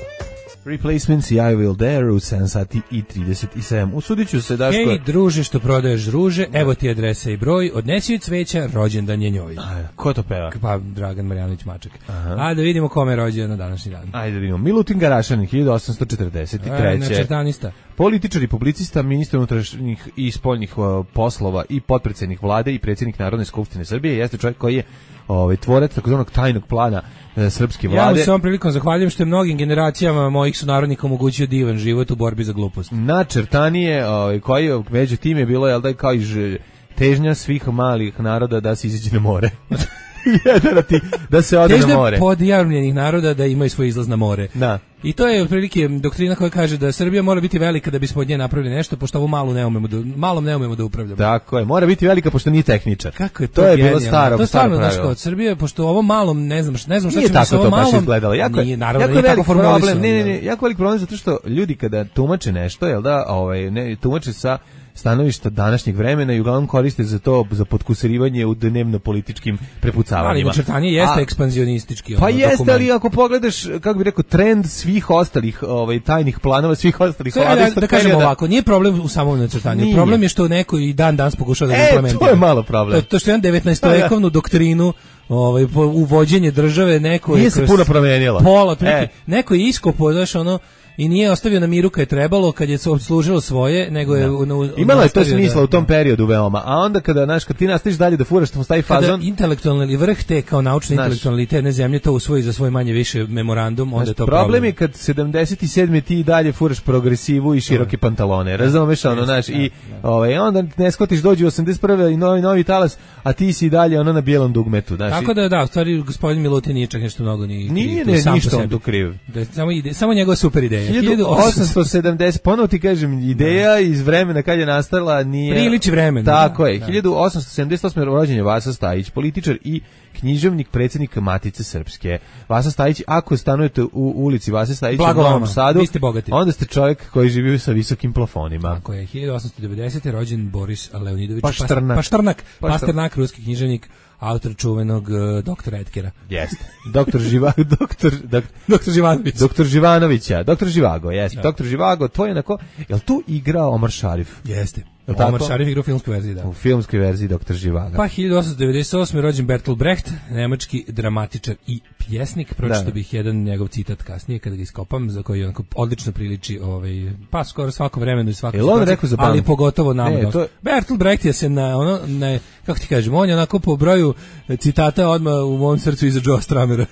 Replacements i I Will Dare u sedam sati i trideset sedam. Usudit ću se, Daško... Ej, druže što prodaješ ruže, evo ti adresa i broj, odnesi joj cveća, rođendan je njoj. A, ko to peva? Pa Dragan Marjanović Maček. A da vidimo kome je rođen na današnji dan. Ajde da vidimo. Milutin Garašanin, hiljadu osamsto četrdeset treće. E, načrtanista. Političar i publicista, ministar unutrašnjih i spoljnih uh, poslova i potpredsjednik vlade i predsjednik Narodne skupštine Srbije, jeste čovjek koji je ovaj tvorac takozvanog tajnog plana e, srpske vlade. Ja mu se ovom prilikom zahvaljujem što je mnogim generacijama mojih sunarodnika omogućio divan život u borbi za glupost. Načrtanije, ovaj, koji među tim je bilo, jel da, kao i ž- težnja svih malih naroda da se izađe na more. Jedan ti, da se ode na more. Težnja podjarmljenih naroda da imaju svoj izlaz na more. Da. I to je otprilike doktrina koja kaže da Srbija mora biti velika da bismo od nje napravili nešto, pošto ovo malo ne umemo da, malom ne umemo da upravljamo. Tako je, mora biti velika pošto nije tehničar. Kako je to, to je bilo genijalno. staro, to je staro stvarno, znaš, pravilo. od Srbije, pošto ovo malom ne znam, ne znam šta Nije ćemo sa tako ovom to baš malom. izgledalo. Jako je, nije, naravno, jako nije velik tako formulisano. problem. Ne, ne, ne, jako velik problem zato što ljudi kada tumače nešto, jel da, ovaj, ne, tumače sa stanovišta današnjeg vremena i uglavnom koriste za to, za potkusurivanje u dnevno-političkim prepucavanjima. Ali načrtanje jeste A, ekspanzionistički. Pa ono, jeste, dokument. ali ako pogledaš, kako bih rekao, trend svih ostalih ovaj, tajnih planova, svih ostalih Sve, vlada da, istog da kažemo perioda- ovako, nije problem u samom načrtanju. Nije. Problem je što neko i dan danas pokušava da ga E, implementira. to je malo problem. To, to što je devetnaestovekovnu doktrinu ovaj po uvođenje države neko Nije je se kroz puno promenilo. Pola, otprilike, E. neko je iskopao, znaš, ono i nije ostavio na miru kad je trebalo, kad je služilo svoje, nego je u, u, Imalo je to nastavio smisla da- u tom periodu veoma, a onda kada, znaš, kad ti nastaviš dalje da furaš tamo stavi Kada fazon, intelektualni vrh te kao naučni Znaš. intelektualni te jedne zemlje to usvoji za svoj manje više memorandum, onda je to problem, problem. je kad sedamdeset sedme ti i dalje furaš progresivu i široke pantalone, razumeš, ono, znaš, i ovaj, onda ne skotiš, dođu osamdeset prve i novi, novi talas, a ti si i dalje ono na bijelom dugmetu, znaš. Tako i- da, da, u stvari gospodin Milutin nije čak nešto mnogo ni kriv, Nije, to ne, sam po ništa on sebi. tu kriv. Da je samo ide, samo njegova super ideja. hiljadu osamsto sedamdeset, ponovo ti kažem, ideja iz vremena kad je nastala nije... Priliči vremen. Tako da, je, da. hiljadu osamsto sedamdeset osme rođen je Vasa Stajić, političar i književnik, predsjednik Matice Srpske. Vasa Stajić, ako stanujete u ulici Vase Stajića u Blago Novom vama, Sadu, vi ste bogati. onda ste čovjek koji živi sa visokim plafonima. Tako je, hiljadu osamsto devedesete rođen Boris Leonidović Paštrnak. Paštrnak, Paštrnak. Pasternak, ruski književnik, autor čuvenog uh, doktora Edkera. Jeste. Doktor Živa, doktor, dok, Doktor Živanović. doktor Živanovića, doktor Živago, jeste. Doktor Živago, to je onako, jel tu igra Omar Šarif? Jeste. Jel tako? Omar Šarif igra u filmskoj verziji, da. U filmskoj verziji doktor Živaga. Pa hiljadu osamsto devedeset osme rođen Bertolt Brecht, nemački dramatičar i pjesnik. Pročitao Da. bih jedan njegov citat kasnije kada ga iskopam, za koji onako odlično priliči ovaj, pa skoro svako vremenu i svakoj Jel on situaciji, rekao za ali banku? pogotovo nama. Ne, dosta. to je- Bertolt Brecht je se na, ono, na, kako ti kažem, on je onako po broju citata odmah u mom srcu iza Joe Stramera.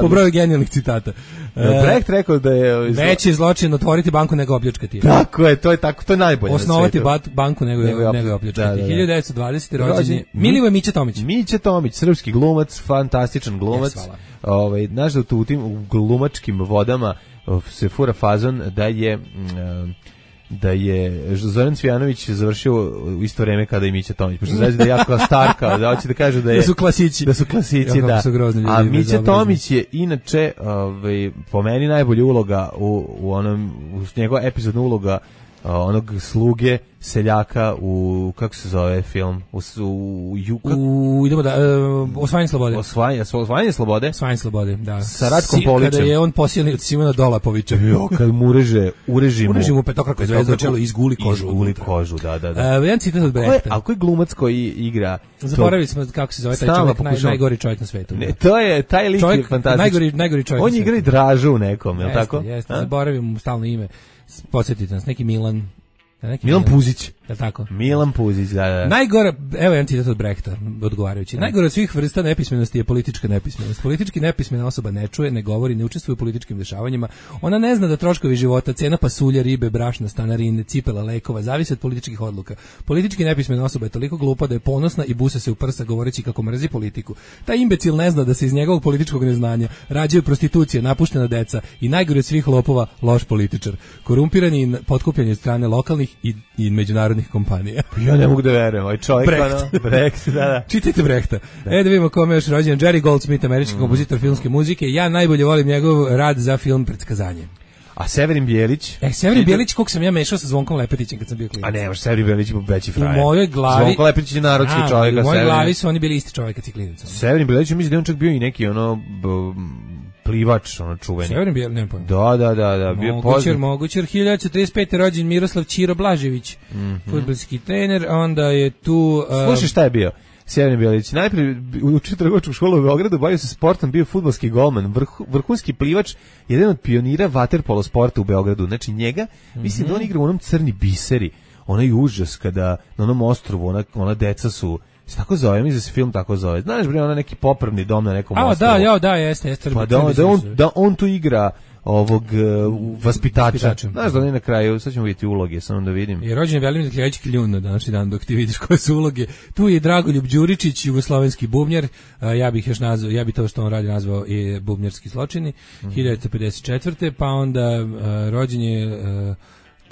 Po broju genijalnih citata. E, Brecht rekao da je... veći zločin otvoriti banku nego opljačkati je. Tako je, to je tako, to je najbolje na Osnovati svetu. bat, banku nego, Nego je nego, opl- je opljačkati. da, da, da. hiljadu devetsto dvadesete rođen Rođen je je Milivoje Mića Tomić. Mića Tomić, srpski glumac, fantastičan glumac. Jes, hvala. Ovaj, znaš da tu u tim u glumačkim vodama of, se fura fazon da je... mm, da je Zoran Cvijanović završio u isto vreme kada i Mića Tomić, pošto znači da je jako starka, da hoće da kaže da je... Da su klasići. Da su klasici, Jako da. su grozni ljudi, A Mića bezobrazni. Tomić je inače, ovaj, po meni najbolja uloga u, u onom, u njegova epizodna uloga onog sluge seljaka u, kako se zove film, u, u, u, u idemo da, uh, osvajanje slobode. Osvajanje, osvajanje slobode? Osvajanje slobode, da. Sa Ratkom si, Polićem. Kada je on posilni od Simona Dolapovića. Jo, kad mu ureže, ureži mu. Ureži mu petokraku zvezdu na čelo, izguli kožu. Izguli kožu, da, da, da. Uh, jedan citat od Brehta. Ali koji glumac koji igra? Zaboravili smo kako se zove taj čovjek, naj, najgori čovjek na svetu. Ne, to je, taj lik čovjek, je fantastičan. Najgori, najgori čovjek on je igra i Dražu u nekom, je li tako? Jeste, zaboravim mu stalno ime. Podsjetite nas, neki Milan. Neki Milan Puzić. Je tako? Milan Puzić, da, da. Najgora, evo jedan citat od Brehta, odgovarajući. Najgora od svih vrsta nepismenosti je politička nepismenost. Politički nepismena osoba ne čuje, ne govori, ne učestvuje u političkim dešavanjima. Ona ne zna da troškovi života, cena pasulja, ribe, brašna, stanarine, cipela, lekova zavise od političkih odluka. Politički nepismena osoba je toliko glupa da je ponosna i busa se u prsa govoreći kako mrzi politiku. Taj imbecil ne zna da se iz njegovog političkog neznanja rađaju prostitucije, napuštena deca i najgore od svih lopova, loš političar. Korumpirani i potkupljeni od strane lokalnih i, i međunarodnih kompanija. Ja ne mogu da verujem, ovaj čovjek, Brecht. Ono, Brecht, da, da. Čitajte Brehta. Da. E da vidimo kome je još rođen. Jerry Goldsmith, američki mm. kompozitor filmske muzike. Ja najbolje volim njegov rad za film Predskazanje. A Severin Bjelić? E, Severin Bjelić, kog sam ja mešao sa Zvonkom Lepetićem kad sam bio klinac. A ne, Severin Bjelić je veći frajer. U mojoj glavi... Zvonko Lepetić je narodski a, čovjek. U mojoj Severin... glavi su oni bili isti čovjek kad si klinac. Severin Bjelić, mislim da on čak bio i neki ono... B, plivač, ono čuveni. Severin Bjelić, nema pojma. Da, da, da, da, bio mogućer, poznat. mogućer, hiljadu devetsto trideset pete rođen Miroslav Ćiro Blažević, mm -hmm. fudbalski trener, onda je tu... Um, Slušaj šta je bio? Severin Bjelić, najprije učio trgovačku školu u Beogradu, bavio se sportom, bio fudbalski golman, vrh, vrhunski plivač, jedan od pionira vaterpolo sporta u Beogradu. Znači njega, mm -hmm. mislim da on igra u onom Crni biseri, onaj užas kada na onom ostrvu ona, ona deca su... Se tako zove, mislim da se film tako zove. Znaš bre, ona neki popravni dom na nekom a, ostrovu. A da, ja, da, jeste, jeste. Pa da, da, on, da on tu igra ovog uh, vaspitača. Znaš da on je na kraju, sad ćemo vidjeti uloge, samo da vidim. Je rođen Velimir Kljajić Kljun na današnji dan, dok ti vidiš koje su uloge. Tu je Dragoljub Đuričić, jugoslovenski bubnjar, uh, ja bih još nazvao, ja bih to što on radi nazvao i bubnjarski zločini, mm. hiljadu devetsto pedeset četvrte pa onda uh, rođen je... Uh,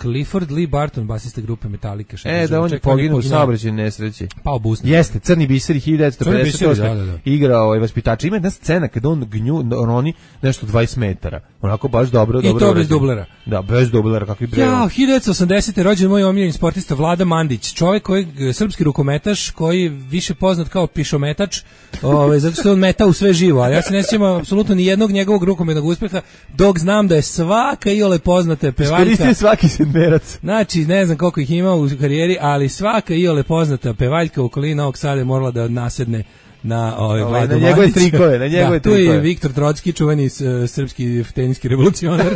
Clifford Lee Barton, basista grupe Metallica. E, da on je poginuo u saobraćajnoj nesreći. Pao busno. Jeste, Crni biseri hiljadu devetsto pedeset osme Da, da, da. Igrao ovaj vaspitač. Ima jedna scena kada on gnju, roni nešto dvadeset metara. Onako baš dobro, I dobro. I to bez dublera. Da, bez dublera, kakvi bre. Ja, hiljadu devetsto osamdesete rođen moj omiljeni sportista Vlada Mandić, čovjek koji srpski rukometaš, koji više poznat kao pišometač, ovaj zato što on meta u sve živo, ali ja se ne sjećam apsolutno ni jednog njegovog rukometnog uspeha, dok znam da je svaka iole poznata pevaljka. Iskoristio svaki sedmerac. Znači, ne znam koliko ih ima u karijeri, ali svaka iole poznata pevaljka u okolini Novog Sada je morala da nasedne na ovaj Vladu na njegove trikove, na njegove da, tu trikove. je Viktor Trocki, čuveni uh, srpski teniski revolucionar.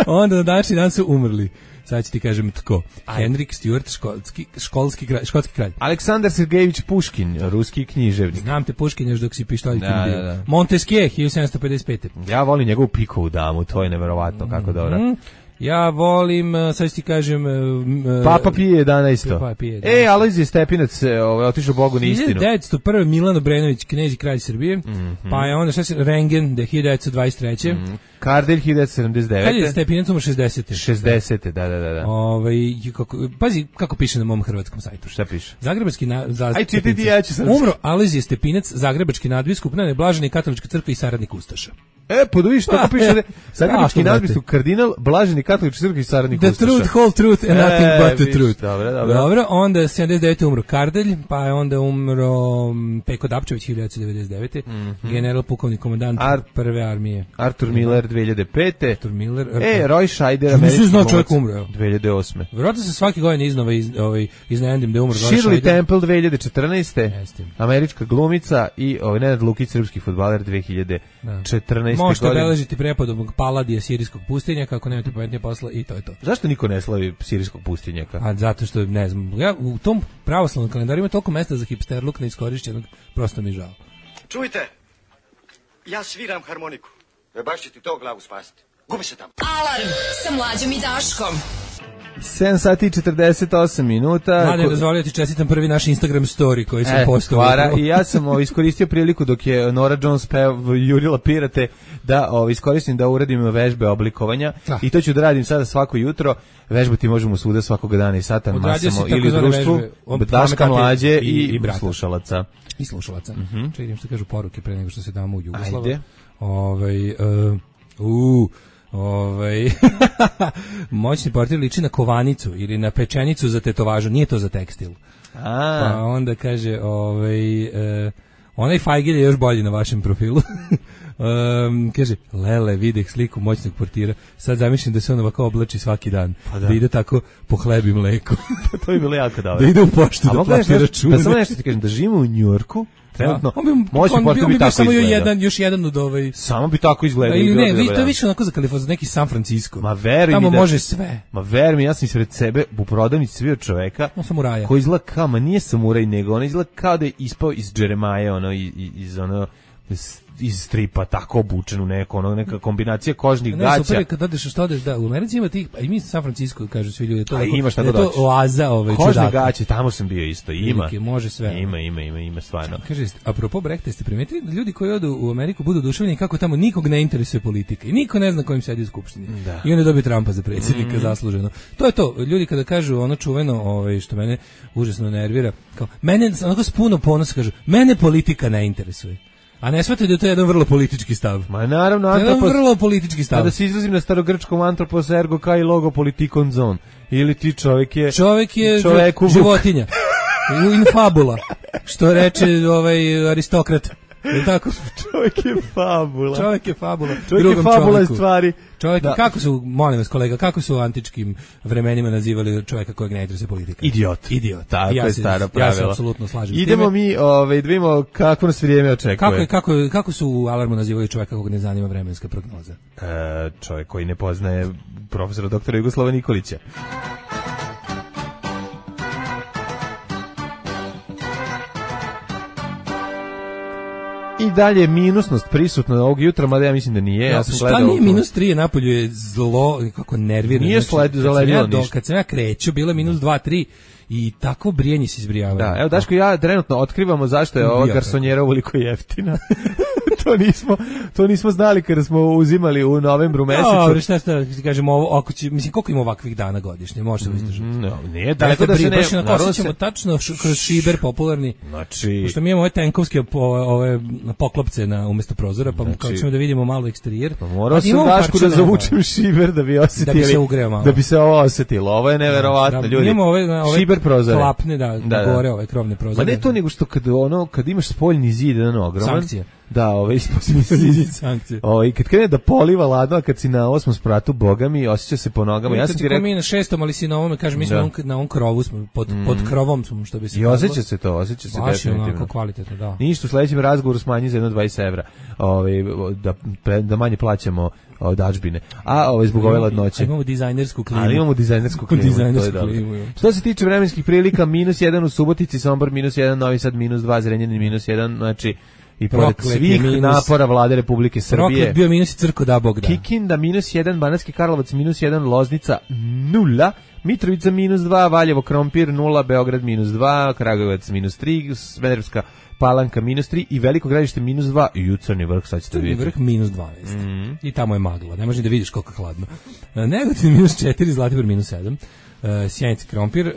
Onda na današnji dan su umrli. Sad ću ti kažem tko. Henrik Stewart, školski, školski kralj, škotski kralj. Aleksandar Sergejević Puškin, ruski književnik. Znam te Puškin još dok si pištoljkim da, bio. Da, da. Montesquieu, hiljadu sedamsto pedeset pete Ja volim njegovu pikovu damu, to je neverovatno, kako dobro. Mm-hmm. Ja volim, sad ti kažem... Uh, Papa Pije jedanaesto Papa Pije jedanaesto E, Alojzije Stepinac, ovaj, otišao Bogu na istinu. hiljadu devetsto prve Milan Obrenović, knez i kralj Srbije, mm-hmm. pa je onda šta se... Rengen, de hiljadu devetsto dvadeset treće Mm-hmm. Kardelj, hiljadu devetsto sedamdeset devete Kad je Stepinac umro šezdesete šezdesete da, da, da. da. Ove, kako, pazi kako piše na mom hrvatskom sajtu. Šta piše? Zagrebački na, za, Aj, čitaj ti, ja ću sam... Umro Alojzije Stepinac, zagrebački nadbiskup, neblaženi katolička crkva i saradnik Ustaša. E, poduviš, tako piše da Zagrebački Tako, nadbiskup kardinal, blaženi katolički crkvi i saradnik The Ustaša. truth, whole truth and nothing e, but the viš, truth. Dobro, dobro. Dobro, onda sedamdeset devete umro Kardelj, pa je onda umro Peko Dapčević hiljadu devetsto devedeset devete Mm-hmm. general pukovni komandant Ar prve armije. Arthur Miller dve hiljade pete Arthur Miller. E, Roy Scheider, američki američki znao čovjek umro. dve hiljade osme Vjerojatno se svake godine iznova iz, ovaj, iznenadim da je umro Roy Shirley Scheider. Temple dve hiljade četrnaeste Jeste. Američka glumica i ovaj Nenad Lukić, srpski fudbaler dve hiljade četrnaeste Možete godine. obeležiti prepodobnog Paladija sirijskog pustinja, kako nemate pametnije posla i to je to. Zašto niko ne slavi sirijskog pustinjaka? A zato što, ne znam, ja u tom pravoslavnom kalendaru ima toliko mesta za hipsterluk neiskorišćenog, prosto mi žao. Čujte, ja sviram harmoniku. E baš će ti to glavu spasiti. Gubi se tamo. Alarm sa Mlađom i Daškom. sedam sati i četrdeset osam minuta. Mladen, Ko... dozvolio ti čestitam prvi naš Instagram story koji sam e, postavio. I ja sam o, iskoristio priliku dok je Nora Jones pev, jurila pirate da o, iskoristim da uradim vežbe oblikovanja ah. i to ću da radim sada svako jutro. Vežbati možemo svuda svakog dana i satan masamo ili u društvu Daška Mlađe i, i, i slušalaca. I slušalaca. Mm -hmm. Čekaj, što kažu poruke pre nego što se damo u Jugoslavu. Ajde. Ovaj uh, uh, Ovaj moćni portir liči na kovanicu ili na pečenicu za tetovažu, nije to za tekstil. A. Pa onda kaže, ovaj e, onaj Fajgil je još bolji na vašem profilu. Um, kaže, Lele, videh sliku moćnog portira. Sad zamišljam da se on ovako oblači svaki dan. Pa da. da ide tako po hlebi mleku. To bi bilo jako dobro. Da ide u poštu da plati račune. Pa samo nešto ti kažem, da živimo u Njujorku, trenutno, on bi, moćni portir bi, bi tako samo izgledao. Jedan, još jedan od ovaj... Samo bi tako izgledao. Ne, ne, vi to je više onako za Kaliforniju, neki San Francisco. Ma veruj Tamo mi da, može sve. Ma veruj mi, ja sam ispred sebe u prodavnici svio čoveka no, samuraja. Koji izgleda kao, ma nije samuraj, nego on izgleda kao da je ispao iz Jeremaja, ono, iz, iz ono... iz stripa, tako obučen u neko, ono, neka kombinacija kožnih ne, gaća. Super, kad odeš, što odeš, da, u Americi ima tih, a i mi San Francisco, kažu svi ljudi, to, a ima šta da da to oaza, ovaj, kožne čudaka. gaće, tamo sam bio isto, ima. Velike, može sve. Ima, ima, ima, ima, stvarno. Kaže, apropo Brehta, ste primetili da ljudi koji odu u Ameriku budu oduševljeni kako tamo nikog ne interesuje politika i niko ne zna kojim sedi u skupštini. Da. I onda dobije Trumpa za predsjednika, mm. zasluženo. To je to, ljudi kada kažu ono čuveno, ovaj, što mene užasno nervira, kao, mene, onako s puno ponosa kažu, mene politika ne interesuje. A ne shvatite da je to jedan vrlo politički stav. Ma naravno, antropos... jedan vrlo politički stav. Kada se izrazim na starogrčkom antropos ergo kai logo politikon zon. Ili ti čovjek je... Čovjek je čovjeku životinja. In fabula. Što reče ovaj aristokrat. Je tako? Čovjek je fabula. Čovjek je fabula. Čovjek je fabula stvari. Čovjek, kako su, molim vas kolega, kako su u antičkim vremenima nazivali čovjeka kojeg ne interesuje politika? Idiot. Idiot. Tako ja je staro pravilo. Ja se apsolutno slažem s time. Idemo mi, ovaj, da vidimo kako nas vrijeme očekuje. Kako, kako, kako su u Alarmu nazivali čovjeka kog ne zanima vremenska prognoza? E, čovjek koji ne poznaje profesora doktora Jugoslava Nikolića. I dalje minusnost prisutna ovog jutra, mada ja mislim da nije. Ja, ja sam šta nije minus tri, napolju je zlo, kako nervira. Nije sled, znači, zaledilo ja ništa. Kad sam ja kreću, bilo je minus dva, tri i tako brijanje se izbrijavaju. Da, evo Daško, ja trenutno otkrivamo zašto je ova garsonjera ovoliko jeftina. to nismo to nismo znali kada smo uzimali u novembru mesecu. Dobro, šta šta kažemo ovo, ako će, mislim koliko ima ovakvih dana godišnje, može se izdržati. Mm, no, nije daleko da, da se ne, baš na se... tačno š, kroz šiber popularni. Znači, pošto mi imamo ove tenkovske po, ove poklopce na umesto prozora, pa znači, kao ćemo da vidimo malo eksterijer. Pa morao sam Dašku da zavučem šiber da bi osetili. Da bi se ugreo malo. Da bi se ovo osetilo. Ovo je neverovatno, da, ljudi. Imamo ove, ove šiber prozore. Klapne, da, da, da. Gore ove krovne prozore. Ma ne to nego što kad ono kad imaš spoljni zid jedan ogroman. Sankcije. Da, ove isposljednje sankcije. Ove, kad krene da poliva ladno, a kad si na osmom spratu, boga mi, osjeća se po nogama. Ja, ja sam ti rekao... mi na šestom, ali si na ovome, kažem, mi smo on, na on krovu, smo, pod, mm. pod krovom smo, što bi se... I osjeća se to, osjeća se baš definitivno. Baš je onako kvalitetno, da. Ništa, u sledećem razgovoru smanji za jedno dvadeset evra, ove, da, pre, da manje plaćamo dažbine. A ove, zbog ove ladnoće. Imamo dizajnersku klimu. Ali imamo dizajnersku klimu, dizajnersku to je klimu, dobro. Što se tiče vremenskih prilika, minus jedan u Subotici, Sombor minus jedan, Novi Sad minus dva, Zrenjanin minus jedan, znači i pored svih minus, napora vlade Republike Srbije. Proklet bio minus i crko da Bog da. Kikinda minus jedan, Banatski Karlovac minus jedan, Loznica nula, Mitrovica minus dva, Valjevo Krompir nula, Beograd minus dva, Kragujevac minus tri, Smederevska Palanka minus tri i Veliko Gradište minus dva i Jutarnji vrh, sad ćete vidjeti. Vrh minus dvanaest. Mm-hmm. I tamo je magla, ne možeš da vidiš koliko je hladno. Negotin minus četiri, Zlatibor minus sedam. Uh, Sjenica Krompir, uh,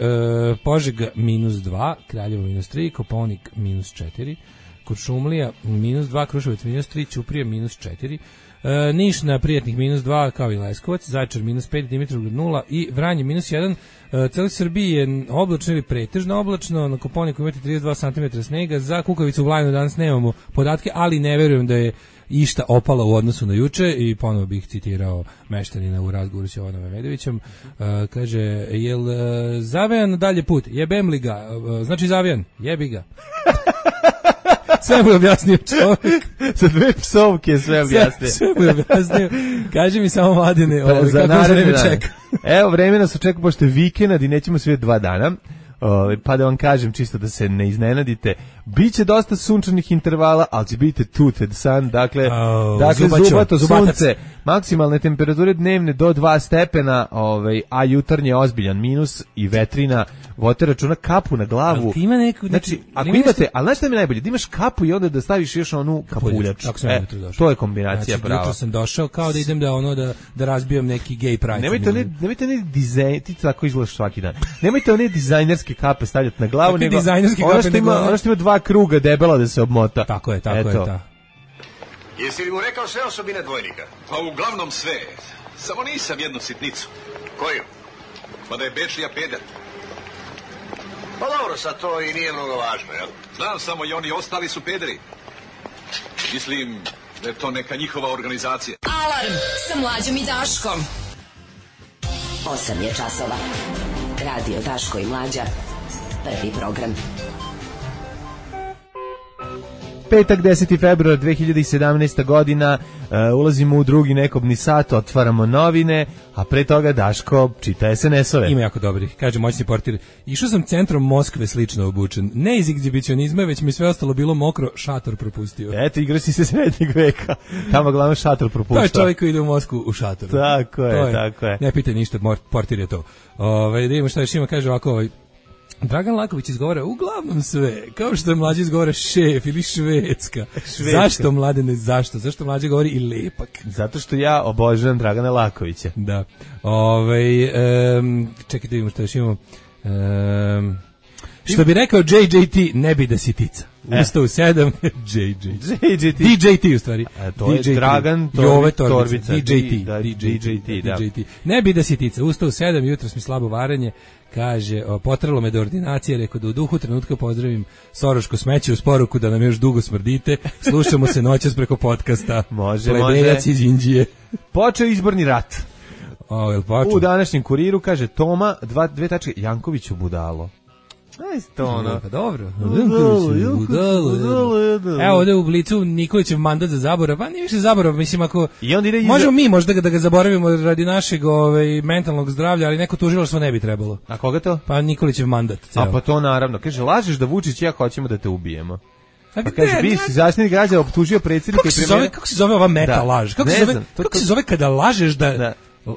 Požega minus dva, Kraljevo minus tri, Kopaonik minus četiri, Kuršumlija minus dva, Kruševac minus tri, Ćuprija minus četiri, uh, Niš na Prijatnih minus dva, kao i Leskovac, Zaječar minus pet, Dimitrovgrad nula i Vranje minus jedan. Uh, Celi Srbiji je oblačno ili pretežno oblačno, na Kopaoniku imate trideset dva centimetra snega, za Kukavicu u Vlajnu danas nemamo podatke, ali ne verujem da je išta opala u odnosu na juče i ponovo bih citirao meštanina u razgovoru s Jovanom Memedovićem. Uh, kaže, jel uh, zavejan dalje put? Jebem li ga? Uh, znači zavejan? Jebi ga. Sve mu je objasnio čovjek. Sa dve psovke sve objasnio. Sve, sve mu je objasnio. Kaži mi samo, Mladine, pa, ovaj, kako za vreme čeka. Evo, vreme nas očeka, pošto je vikend i nećemo sve dva dana. Uh, pa da vam kažem, čisto da se ne iznenadite, biće dosta sunčanih intervala, ali će biti tooted sun, dakle, oh, dakle zubačo, zubato zubatac. Sunce, maksimalne temperature dnevne do dva stepena, ovaj, a jutarnje ozbiljan minus i vetrina, vodite računa kapu na glavu. Ali ima neku, znači, ako imate, nešto... ali znaš šta mi je najbolje, da imaš kapu i onda da staviš još onu kapuljač. E, to je kombinacija znači, prava. Jutro sam došao kao da idem da ono da, da razbijam neki gay pride. Nemojte ne, nemojte ne dizajn, ti tako izgledaš svaki dan. Nemojte one dizajnerske kape stavljati na glavu, nego ono što, ima, ono što ima dva kruga debela da se obmota. Tako je, tako Eto. je. Ta. Jesi li mu rekao sve osobine dvojnika? Pa uglavnom sve. Samo nisam jednu sitnicu. Koju? Pa da je Bečija peder. Pa dobro, sad to i nije mnogo važno, jel? Znam samo i oni ostali su pederi. Mislim da je to neka njihova organizacija. Alarm sa Mlađom i Daškom. osam je časova. Radio Daško i Mlađa. Prvi program. Petak, deseti februar dve hiljade sedamnaesta godina, uh, ulazimo u drugi nekobni sat, otvaramo novine, a pre toga Daško čita es en es-ove. Ima jako dobri, kaže moćni portir. Išao sam centrom Moskve slično obučen. Ne iz egzibicionizma, već mi sve ostalo bilo mokro, šator propustio. Eto, igra si se srednjeg veka. Tamo glavno šator propuštao. To je čovjek koji ide u Moskvu u šatoru. Tako je, je, tako je. Ne pitaj ništa, portir je to. Ove, da imamo šta još ima, kaže ovako, ovaj, Dragan Laković izgovara uglavnom sve, kao što je Mlađe izgovara šef ili švedska. švedska. Zašto, Mladene, zašto? Zašto Mlađe govori i lepak? Zato što ja obožavam Dragana Lakovića. Da. Ove, um, čekajte da vidimo što još imamo. Um, što bi rekao J J T, ne bi da si tica. Ustao u sedam, J J T. J J T. D J T u stvari. A to je Dragan Jove Torbica. D J T. Da, D J T, da. Ne bi da si tica. Ustao u sedam, jutros mi slabo varanje. Kaže, o, potralo me do ordinacije, rekao da u duhu trenutka pozdravim Soroško smeće uz poruku da nam još dugo smrdite. Slušamo se noćas preko podcasta. Može, Plebejac može. iz Indije. Počeo izborni rat. O, jel počeo? U današnjem Kuriru kaže Toma, dva, dve tačke, Jankoviću budalo. Aj, to ono. Pa dobro. Evo ovde u Blicu Nikolićev mandat za zaborav, pa nije više zaborav, mislim ako I on ide iza... možemo mi možda da ga zaboravimo radi našeg ovaj, mentalnog zdravlja, ali neko tužilaštvo ne bi trebalo. A koga to? Pa Nikolićev mandat. Ceo. A pa to naravno. Kaže, lažeš da Vučić i ja hoćemo da te ubijemo. A pa kaže, bi si zaštitnik građana optužio predsjednika i premijera. Kako se zove ova meta da. laž? Kako, se zove, znam, kako se zove kada lažeš da... da. Uh,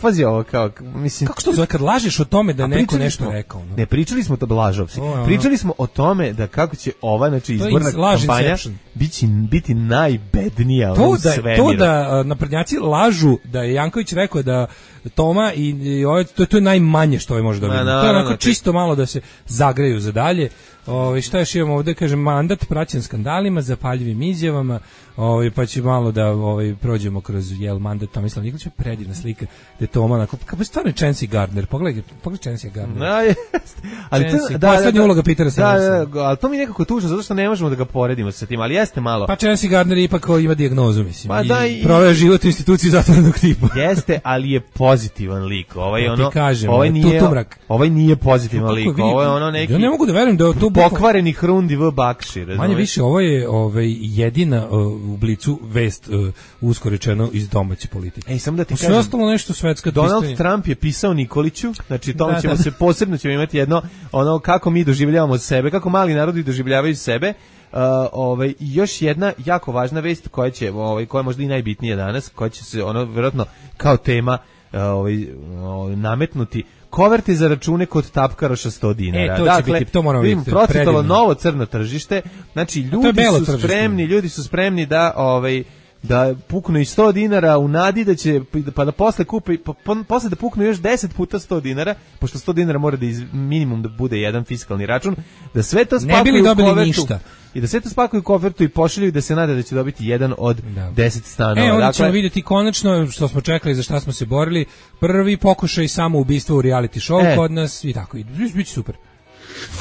pazi ovo kao mislim kako što zove kad lažeš o tome da neko nešto smo, rekao no? Ne pričali smo to blažovci. Pričali smo o tome da kako će ova znači izborna kampanja biti biti najbednija to u da svemiru. To da naprednjaci lažu da je Janković rekao da Toma i, i ovaj, to, to je najmanje što ovaj može dobiti. To je onako čisto malo da se zagreju za dalje. Ovaj šta još imamo ovde, kaže mandat praćen skandalima, zapaljivim izjavama, ovaj pa će malo da ovaj prođemo kroz jel mandat Tomislav Nikolić, predivna slika gde Toma onako kako stvarno Chancy Gardner. Pogledaj, pogledaj Chancy Gardner. Da, jest. Ali to da, poslednja uloga Petera Sellersa. Da, da, ali to mi nekako tužno zato što ne možemo da ga poredimo sa tim, ali jeste malo. Pa Chancy Gardner ipak ima dijagnozu, mislim. Pa da, i proveo život u instituciji zatvorenog tipa. Jeste, ali je pozitivan lik. Ovaj ja ono, kažem, ovaj nije, tutumrak. ovaj nije pozitivan lik. Ovo je ono neki. Ja ne mogu da verujem da to pokvareni Hrundi v Bakši, razumeš? Manje više ovo je ovaj jedina uh, u Blicu vest uh, usko rečeno iz domaće politike. Ej, samo da ti kažem. Sve ostalo nešto svetska Donald pisanje. Trump je pisao Nikoliću, znači tome da, ćemo da, se posebno ćemo imati jedno ono kako mi doživljavamo sebe, kako mali narodi doživljavaju sebe. Uh, ovaj još jedna jako važna vest koja će ovaj koja je možda i najbitnija danas, koja će se ono vjerojatno kao tema uh, ovaj, ovaj nametnuti. Koverte za račune kod tapkaroša sto dinara. E, to dakle, biti, to moramo vidjeti. Procvetalo novo crno tržište. Znači, ljudi su tržište. spremni, ljudi su spremni da ovaj da puknu i sto dinara u nadi da će pa da posle kupe pa, pa, posle da puknu još deset puta sto dinara, pošto sto dinara mora da iz, minimum da bude jedan fiskalni račun, da sve to spakuju u kovertu ništa. I da sve to spakuju u kovertu i pošalju i da se nada da će dobiti jedan od da. deset stanova. E, onda dakle, ćemo vidjeti konačno što smo čekali, za šta smo se borili, prvi pokušaj samoubistva u reality show e. kod nas i tako, i biće super.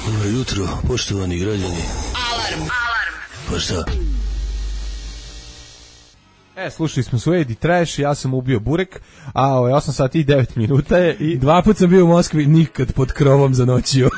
Dobro jutro, poštovani građani. Alarm, alarm. Pa šta? E, slušali smo Suede i Trash, ja sam ubio Burek, a ovaj osam sati i devet minuta je i... Dva put sam bio u Moskvi, nikad pod krovom zanoćio.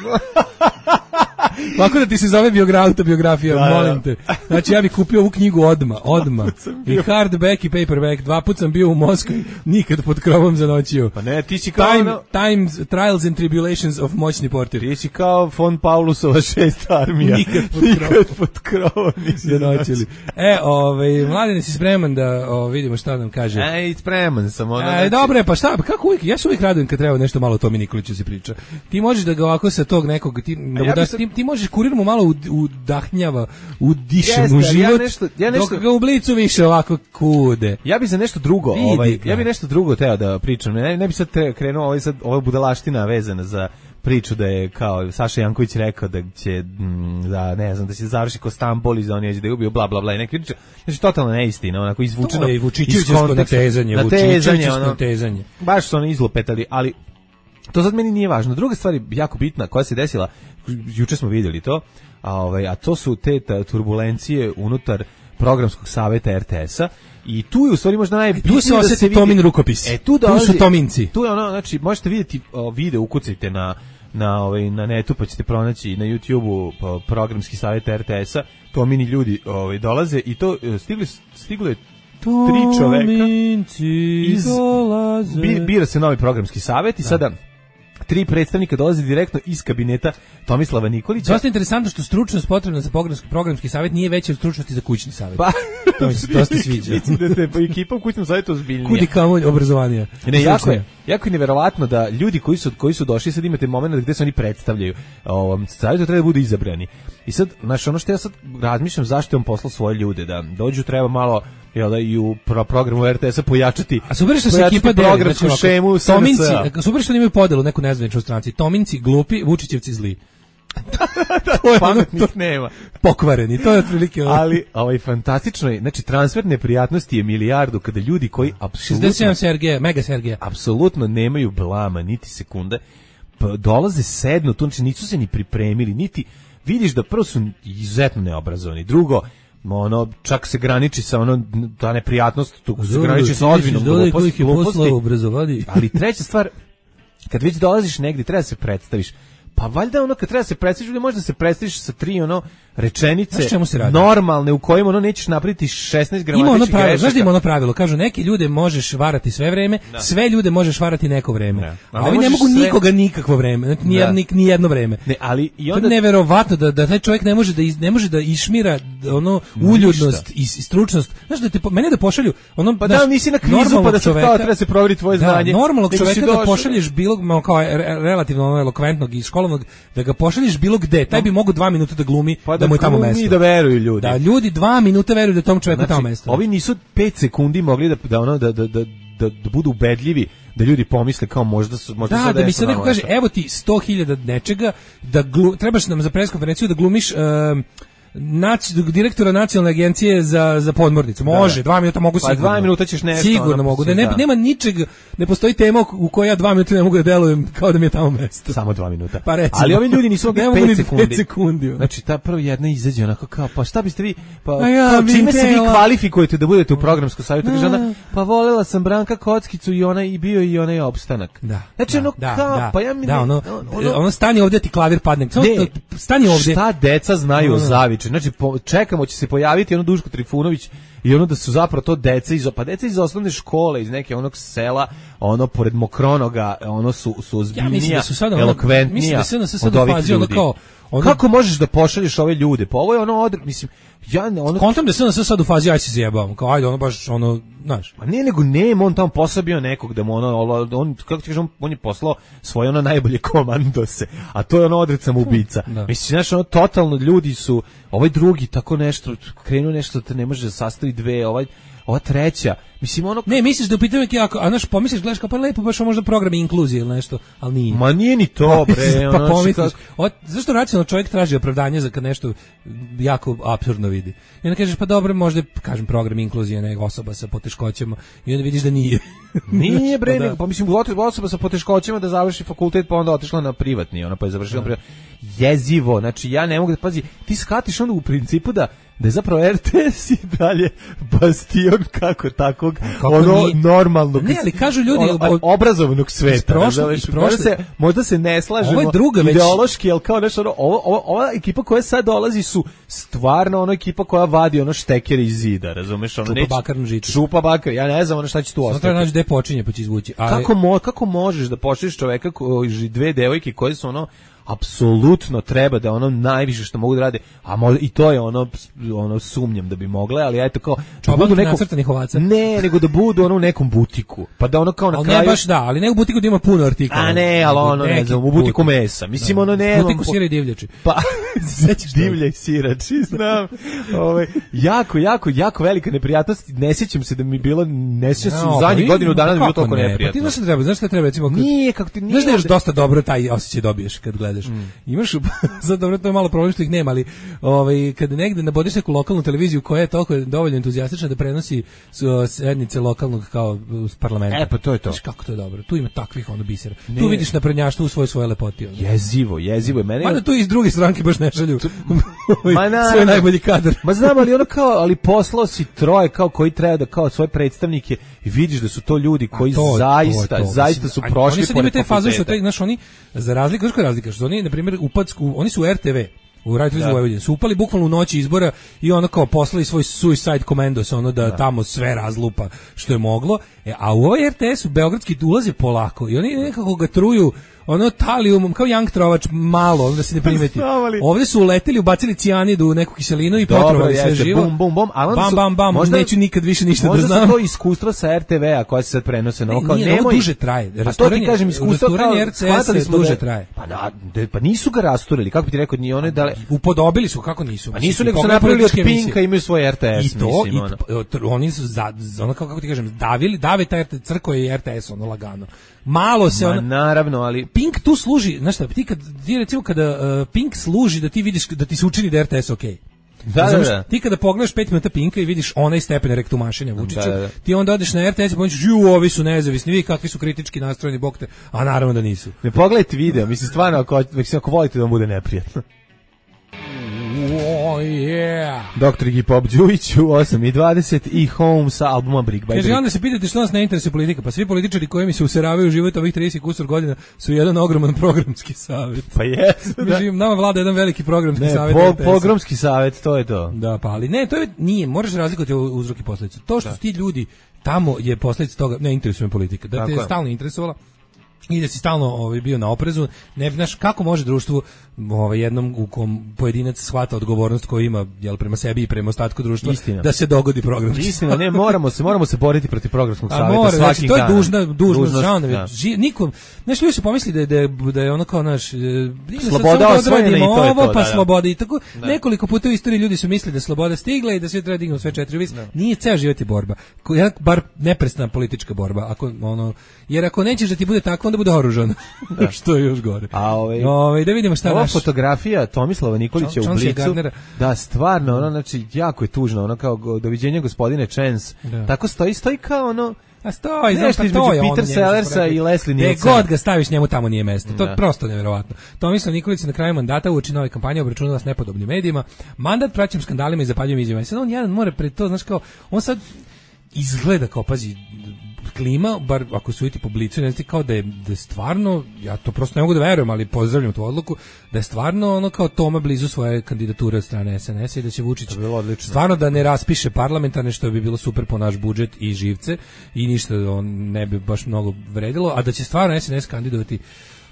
Lako da ti se zove biogra, autobiografija, da, molim te. Znači ja bih kupio ovu knjigu odma, odma. I hardback i paperback. Dva put sam bio u Moskvi, nikad pod krovom zanoćio. Pa ne, ti si kao... Time, no... Times, Trials and Tribulations of moćni portir. Ti si kao von Paulusova šest armija. Nikad pod krovom. Nikad pod krovom nisi zanoćili. E, ovaj, Mladen, si spreman da o, vidimo šta nam kaže? Ej, spreman sam. Ono, e, dobro je, pa šta, kako uvijek, ja se uvijek radujem kad treba nešto malo o Tomi Nikoliću se priča. Ti možeš da ga ovako sa tog nekog, ti, da ja daš, sad... ti, ti možeš kurir mu malo udahnjava, udiše mu život, ja nešto, ja nešto... dok ga u Blicu više ovako kude. Ja bi za nešto drugo, ovaj, ja bi nešto drugo teo da pričam, ne, ne bi sad krenuo ovaj sad ova budalaština vezana za priču da je kao Saša Janković rekao da će m, da ne znam da će završi ko Stambol i da on je da je ubio bla bla bla i neke priče. Znači totalno neistina, onako izvučeno. To je Vučićevsko natezanje, Vučićevsko natezanje. Baš su ono izlupetali, ali to sad meni nije važno. Druga stvar je jako bitna koja se desila, juče smo vidjeli to, a ovaj a to su te ta, turbulencije unutar programskog saveta R T S-a. I tu je u stvari možda najbitnije tu se osjeti da se Tomin vidi, rukopis. E, tu, dolazi, tu su Tominci. Tu je ono, znači, možete vidjeti o, video, ukucajte na, na, ovaj, na netu, pa ćete pronaći na YouTube-u programski savjet R T S-a, Tomini ljudi ovaj, dolaze i to stigli, stiglo je tri čoveka. Iz, dolaze. Bi, bira se novi programski savjet i da. sada tri predstavnika dolaze direktno iz kabineta Tomislava Nikolića. Dosta interesantno što stručnost potrebna za programski, programski savjet nije veća od stručnosti za kućni savjet. Pa, to mi se dosta sviđa. Mislim da te ekipa u kućnom savjetu ozbiljnija. Kudi kamo obrazovanija. Ne, jako je, jako je neverovatno da ljudi koji su, koji su došli, sad imate moment gde se oni predstavljaju ovom savjetu, treba da budu izabrani. I sad, znaš, ono što ja sad razmišljam, zašto je on poslao svoje ljude, da dođu treba malo jel da i u pro programu R T S-a pojačati. A super što se ekipa deli, programsku znači, šemu Tominci, super što imaju podelu neku nezvaničnu stranci. Tominci glupi, Vučićevci zli. to je pametnih ono, to, nema. Pokvareni, to je otprilike. Ali ovaj fantastično je, znači transfer neprijatnosti je milijardu kada ljudi koji apsolutno šezdeset sedam Sergeja, mega Sergeja. Apsolutno nemaju blama niti sekunde. Pa dolaze sedno, tu znači nisu se ni pripremili, niti vidiš da prvo su izuzetno neobrazovani. Drugo, ono čak se graniči sa ono ta neprijatnost, tu se graniči sa ozbiljnom gluposti. Ali treća stvar, kad već dolaziš negdje, treba da se predstaviš. Pa valjda ono kad treba se predstaviš, možda se predstaviš sa tri ono rečenice normalne u kojima ono nećeš napraviti šesnaest gramatičkih grešaka. Znaš da ima ono pravilo, kažu neki ljude možeš varati sve vreme, da. sve ljude možeš varati neko vreme. Da. A ovi ne, ne mogu sve... nikoga nikakvo vreme, ni, da. ni, ni jedno vreme. Ne, ali i onda... To je neverovatno da, da taj čovjek ne može da, iz, ne može da išmira ono uljudnost i, i stručnost. Znaš da te, mene da pošalju... Ono, pa da, nisi na kvizu pa da se kao treba se provjeriti tvoje da, znanje. Normalnog čovjeka da pošalješ bilo, kao relativno ono elokventnog i školovnog, da ga pošalješ bilo gde, taj bi mogao dva minuta da glumi pa da mu je tamo mesto. Da veruju ljudi. Da ljudi dva minuta veruju da tom čovjeku znači, tamo mesto. Ovi nisu pet sekundi mogli da da ono da da da da, da budu ubedljivi, da ljudi pomisle kao možda su možda da, sad da mi se neko kaže evo ti sto hiljada nečega da glu, trebaš nam za preskonferenciju da glumiš uh, Nac, direktora nacionalne agencije za za podmornicu. Može, da. dva minuta mogu pa sigurno. dva minuta ćeš nešto. Sigurno ono, mogu. Da ne, nema ničeg, ne postoji tema u kojoj ja dva minuta ne mogu da delujem kao da mi je tamo mesto. Samo dva minuta. Pa recimo, ali ovi ljudi nisu mogli pet sekundi. pet sekundi. Znači ta prvo jedna izađe onako kao pa šta biste vi pa ja, kao, čime se vi kvalifikujete da budete u programskom savjetu? Kaže ona, pa volela sam Branka Kockicu i ona i bio i onaj opstanak. Da. Znači ono da, kao da, pa ja mi da, ne, ono, ono, ono stani ovdje ti klavir padne. Ne, stani ovdje. Šta deca znaju o Zaviču? Znači po, čekamo će se pojaviti ono Duško Trifunović i ono da su zapravo to deca iz pa deca iz osnovne škole iz neke onog sela ono pored Mokronoga ono su su ozbiljnija ja, da elokventnija mislim da se sad od ovih ljudi kao ono... Kako možeš da pošalješ ove ljude? Pa ovo je ono odr... mislim ja ne ono kontam da se on sad u fazi aj se zjebam kao ajde ono baš ono znaš ma nije nego nema on tamo posabio nekog da mu ono on kako ti kažem on, on je poslao svoje ono najbolje komandose a to je ono odrecam ubica da. Mislim znaš ono totalno ljudi su ovaj drugi tako nešto krenuo nešto da ne može da sastavi dve ovaj ova treća, mislim ono... Ne, misliš da upitaju neki ako, a znaš, pomisliš, gledaš kao pa lepo, baš možda program inkluzije ili nešto, ali nije. Ma nije ni to, bre. Pa pomisliš, od, zašto racionalno čovjek traži opravdanje za kad nešto jako apsurdno vidi? I onda kažeš, pa dobro, možda, kažem, program inkluzije, neka osoba sa poteškoćama, i onda vidiš da nije. Nije, bre, pa, da. Pa mislim, osoba sa poteškoćama da završi fakultet, pa onda otišla na privatni, ona pa je završila privatni. Jezivo, znači ja ne mogu da, pazi, ti shvatiš onda u principu da da je zapravo R T S i dalje bastion kako takvog kako ono nije, normalnog ne, ali kažu ljudi ono, obrazovanog sveta prošle, možda, se, možda se ne slažemo ideološki već... ali kao nešto ono, ovo, ovo, ova ekipa koja sad dolazi su stvarno ono ekipa koja vadi ono štekere iz zida razumeš ono čupa bakar na žicu čupa bakar ja ne znam ono šta će tu ostati treba naći gde počinje pa će izvući ali... kako, mo, kako možeš da pošliš čoveka koji dve devojke koje su ono apsolutno treba da ono najviše što mogu da rade, a možda i to je ono ono sumnjam da bi mogle, ali eto kao da budu nekom nacrtanih ovaca. Ne, nego da budu ono u nekom butiku. Pa da ono kao na ali kraju. Ne baš da, ali ne u butiku da ima puno artikala. A ne, ali ono ne znam, u butiku mesa. Mislim da. Ono ne. U butiku sira i divljači. Pa sećaš divlja i sirači, znam. Ovaj jako jako jako velika neprijatnost. Ne sjećam se da mi bilo ne sjećam se no, u zadnjih godinu dana da bilo toliko neprijatno. Pa ti znaš šta treba, znaš šta treba recimo kad, nije kako ti nije. Znaš da još dosta dobro taj osjećaj dobiješ kad gledaš. Mm. Imaš za dobro to je malo problem što ih nema, ali ovaj kad negde nabodiš neku lokalnu televiziju koja je toliko dovoljno entuzijastična da prenosi sednice lokalnog kao parlamenta. E pa to je to. Znaš kako to je dobro. Tu ima takvih ono bisera. Ne. Tu vidiš naprednjaštvo u svoj svoje lepoti. Ono. Jezivo, jezivo. Mene mada tu iz druge stranke baš ne šalju. Ma na, svoj najbolji kadar. Ma znam, ali ono kao, ali poslao si troje kao koji treba da kao svoje predstavnike i vidiš da su to ljudi koji to, zaista, to, to, zaista su prošli oni sad imaju te faze što taj, znaš, oni za razliku, znaš koja je razlika, što oni na primjer upadsku, oni su u R T V u Radio televiziji Vojvodine su upali bukvalno u noći izbora i ono kao poslali svoj suicide commandos ono da, da tamo sve razlupa što je moglo, e, a u ovaj R T S u beogradski ulaze polako i oni nekako ga truju ono talijumom kao Young Trovač malo, onda se ne primeti. Ovdje su uleteli, ubacili cijanidu u neku kiselinu i potrovali sve živo. Bum, bum, bum, ali bam, bam, bam, možda, neću nikad više ništa da znam. Možda su to iskustva sa R T V-a koja se sad prenose. No, kao, nije, nemoj, ovo duže traje. A to ti kažem, iskustva kao, R C S duže da, traje. Pa, da, pa nisu ga rasturili, kako bi ti rekao, nije one dale... Upodobili su, kako nisu? Pa nisu, nego su napravili od Pinka, imaju svoj R T S, I to, mislim. I oni su, za, ono, kako ti kažem, davili, dave taj crko i R T S, ono, lagano. Malo se Ma, ono, naravno, ali Pink tu služi, znaš šta, ti kad ti recimo kada uh, Pink služi da ti vidiš da ti se učini da R T S okej. Okay. Da, da, da. Ti kada pogledaš pet minuta Pinka i vidiš onaj stepen rektumašenja Vučića, da, da. ti onda odeš na R T S i pomisliš, ju, ovi su nezavisni, vi kakvi su kritički nastrojeni, bog te, a naravno da nisu. Ne pogledajte video, mislim stvarno ako, ako volite da vam bude neprijatno. Oh, yeah. Doktor Gipop Đujić u osam i dvadeset i Home sa albuma Brick by Brick. Kaže, onda se pitate što nas ne interesuje politika, pa svi političari koji mi se useravaju u život ovih trideset kusur godina su jedan ogroman programski savjet. Pa jesu, da. Mislim, nama vlada jedan veliki programski ne, savjet. Po, programski savjet, to je to. Da, pa ali ne, to je, nije, moraš razlikovati uzrok i posledicu. To što da. Su ti ljudi, tamo je posledica toga, ne interesuje me politika, da te je stalno interesovala i da si stalno ovaj, bio na oprezu, ne znaš kako može društvu ovaj, jednom u kom pojedinac shvata odgovornost koju ima jel, prema sebi i prema ostatku društva Istina. Da se dogodi programski. Istina, ne, moramo se, moramo se boriti protiv programskog savjeta mora, svakim znači, to je dužna, dužnost, dužnost da. Ži, nikom, znaš, ljudi su pomisli da je, da je, da je ono kao naš sloboda osvojena i to je to. Ovo, pa da, sloboda i tako, da. Nekoliko puta u istoriji ljudi su mislili da je sloboda stigla i da sve treba dignu sve četiri vis. Da. Nije ceo život je borba. Bar neprestana politička borba. Ako, ono, jer ako nećeš da ti bude tako, onda bude oružan. Da. Što je još gore. A ovaj, ovaj da vidimo šta ova naš... fotografija Tomislava Nikolića u Blicu. Da, stvarno, ono, znači, jako je tužno, ono, kao, doviđenje gospodine Chance. Da. Tako stoji, stoji kao, ono, a stoji, znaš pa to je Peter Sellersa i Leslie Nielsen. Gde god ga staviš, njemu tamo nije mesto. To je prosto nevjerovatno. Tomislav Nikolić na kraju mandata uoči nove kampanje obračunala s nepodobnim medijima. Mandat praćim skandalima i zapaljivim izjavama. Sad on jedan mora pred to, znaš kao, on sad izgleda kao, pazi, klima, bar ako su vidite publiciju, ne znam kao da je, da je stvarno, ja to prosto ne mogu da verujem, ali pozdravljam tu odluku, da je stvarno ono kao Toma blizu svoje kandidature od strane S N S-a i da će Vučić stvarno da ne raspiše parlamentarne, što bi bilo super po naš budžet i živce i ništa on ne bi baš mnogo vredilo, a da će stvarno S N S kandidovati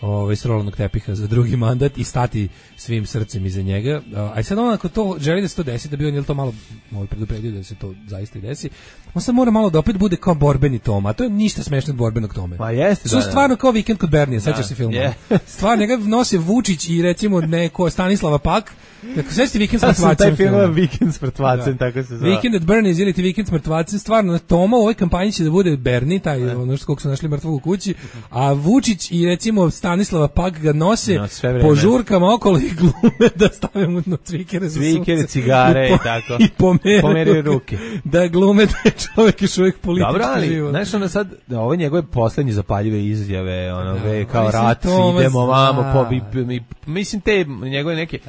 ovaj s rolnog tepiha za drugi mandat i stati svim srcem iza njega. A sad on ako to želi da se to desi, da bi on je to malo ovaj predupredio da se to zaista i desi. On sad mora malo da opet bude kao borbeni Toma, a to je ništa smešno od borbenog Tome. Pa jeste, su da, stvarno kao Vikend kod Bernija, sećaš se filma. Yeah. Stvarno njega nose Vučić i recimo neko Stanislava Pak. Dakle, sve ste Vikend s mrtvacem. Taj film je Vikend s mrtvacem, tako se zove. Weekend at Bernie's ili ti Vikend s mrtvacem, stvarno Toma u ovoj kampanji će da bude Bernie, taj ne. Ono što koliko su našli mrtvog u kući, a Vučić i recimo Stanislava Pak ga nose no, po žurkama okolo i glume da stave mu na cvikere za sunce. Cvikere, cigare i, po, i tako. I pomere, pomere ruke. Da glume da je čovjek još uvijek politički dobro, ali, život. Znaš, ono sad, ovo njegove poslednje zapaljive izjave, ono, da, ve, kao rat, idemo vamo, po, mi, mislim, te njegove neke,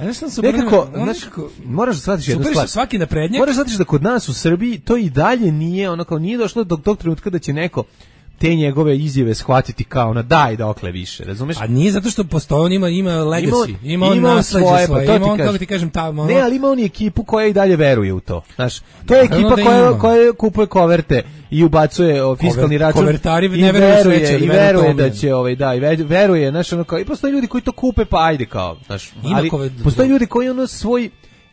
nekako, znaš, moraš da shvatiš jednu stvar. Svaki naprednjak. Moraš da shvatiš da kod nas u Srbiji to i dalje nije, ono kao nije došlo do tog trenutka da će neko te njegove izjave shvatiti kao na daj dokle više, razumeš? A nije zato što postoji, on ima, ima legacy, ima, ima on nasleđe svoje, svoje, pa to ima ti on, kažem. kako ti kažem, tamo... Ne, ali ima on i ekipu koja i dalje veruje u to. Znaš, to je Naravno ekipa da koja, ima. koja kupuje koverte i ubacuje o, fiskalni Kover- račun. kovertari i ne veruju u sreće, ali i veruju veruje tome. da će ovaj da i ve- veruje, znaš, ono kao i postoje ljudi koji to kupe pa ajde kao, znaš, Ima ali kover- postoje ljudi koji ono svoj